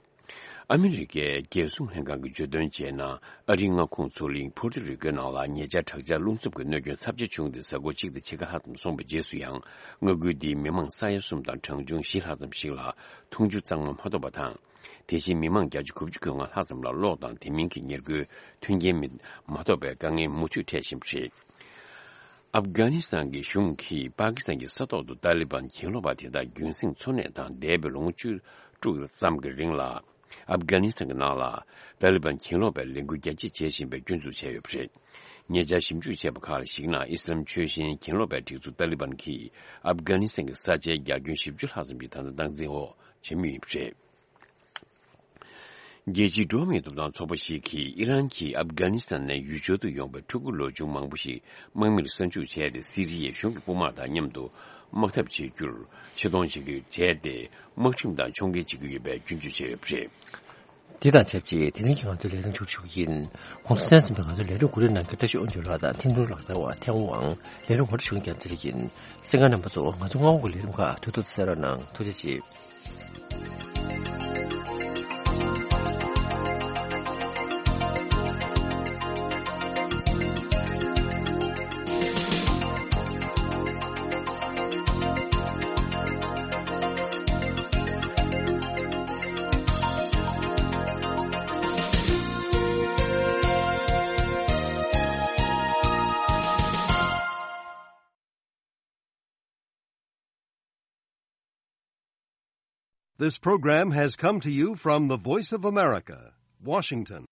ཨ་མི་རི་ཀའི་རྒྱལ་སྲུང་ལྷན་ཁང་གིས་བརྗོད་དོན་བྱས་ན། ཨ་རིའི་མངའ་ཁོངས་མཚོ་གླིང་ཕུར་ཏུ་རི་ཀོའི་ནང་ལ་ཉེ་ཆར་དྲག་ཆར་རླུང་འཚུབ་ཀྱི་གནོད་སྐྱོན་ཚབས་ཆེ་བྱུང་སྟེ། གཟའ་འཁོར་གཅིག་དང་ཕྱེད་ཀ་ལྷག་ཙམ་སོང་བའི་རྗེས་སུ་ཡང་། མངའ་ཁུལ་འདིའི་མི་མང་ས་ཡ་གསུམ་དང་གྲངས་ཆུང་བཞི་ལྷག་ཙམ་ཞིག་ལ་འཐུང་ཆུ་གཙང་མ་མ་ཐོབ་པ་དང་། དེ་བཞིན་མི་མང་བརྒྱ་ཆ་དགུ་བཅུ་གོ་ལྔ་ལྷག་ཙམ་ལ་གློག་དང་དེ་མིན་གྱི་ཉེར་མཁོའི་མཐུན་རྐྱེན་མི་མ་ཐོབ་པའི་དཀའ་ངལ་མུ་མཐུད་འཕྲད་བཞིན་པ་རེད། ཨབ་གྷ་ནི་སི་ཐན་གྱི་གཞུང་གིས་པ་ཀི་སི་ཐན་གྱི་ས་ཐོག་ཏུ་ཏཱ་ལི་བན་གྱེན་ལོག་པ་དེ་དག་རྒྱུན་སྲིང་འཚོ་གནས་དང་། འདས་པའི་ལོ་ངོ་བཅུ་དྲུག་ཙམ་གྱི་རིང་ལ་ཨབ་གྷ་ནི་སི་ཐན་གྱི་ནང་ལ་ཏཱ་ལི་བན་གྱེན་ལོག་པའི་ལས་འགུལ་རྒྱ་སྐྱེད་བྱེད་བཞིན་པའི་སྐྱོན་འཛུགས་བྱས་ཡོད་པ་རེད། ཉེ་ཆར་ཞིབ་འཇུག་བྱས་པ་ཁག་ལ་གཞིགས་ན། ཨི་སི་ལམ་ཆོས་གཞན་གྱེན་ལོག་པའི་སྒྲིག་འཛུགས་ཏཱ་ལི་བན་གྱིས་ཨབ་གྷ་ནི་སི་ཐན་གྱི་ས་ཆའི་རྒྱ་ཁྱོན་བཞི་བཅུ་ལྷག་ཙམ་ཞིག་ད་ལྟ་སྟངས་འཛིན་འོག་བྱེད་མུས་ཡིན་པ་རེད། རྒྱལ་སྤྱིའི་འགྲོ་བ་མིའི་ཐོབ་ཐང་ཚོགས་པ་ཞིག་གིས་ཨི་རན་གྱིས་ཨབ་གྷ་ནི་སི་ཐན་ནས་ཡུལ་སྦྱོར་དུ་ཡོང་བའི་ཕྲུ་གུ་ལོ་ཆུང་མང་པོ་ཞིག་དམག་མིར་གསར་འཇུག་བྱས་ཏེ། སི་རི་ཡའི་གཞུང་གི་དཔུང་དམག་དང་མཉམ་དུ་དམག་འཐབ་བྱེད་རྒྱུར་ཆེ་མཐོང་བྱེད་ཀྱི་བྱས་ཏེ། དམག་ཁྲིམས་དང་ཕྱོགས་འགལ་བྱེད་ཀྱི་ཡོད་པའི་སྐྱོན་བརྗོད་བྱས་ཡོད་པ་རེད། དེ་དང་ཆབས་ཅིག་དེ་རིང་གི་ང་ཚོའི་ལས་རིམ་མཇུག་སྒྲིལ་གྱི་ཡིན། ཁོང་ཚོ་གསན་གཟིགས་པའི་ང་ཚོའི་ལས་རིམ་གོ་སྒྲིག་གནང་མཁན་བཀྲ་ཤིས་དབང་འདུས་ལགས་དང་ཐིམ་ཐིམ་ལགས་རྩ་བ་ཐེ་ཝང་། ལས་རིམ་ཧོར་བྱུང་རྒྱང་རྩེ་ལགས་ཡིན། གསན་མཁན་རྣམ་པ་ཚོ། ང་ཚོ་མངའ་འོག་གི་ལས་རིམ་ཁག་དུས་ཐོག་ཏུ་གསན་རོགས་གནང་། ཐུགས་རྗེ་ཆེ། This program has come to you from the Voice of America, Washington.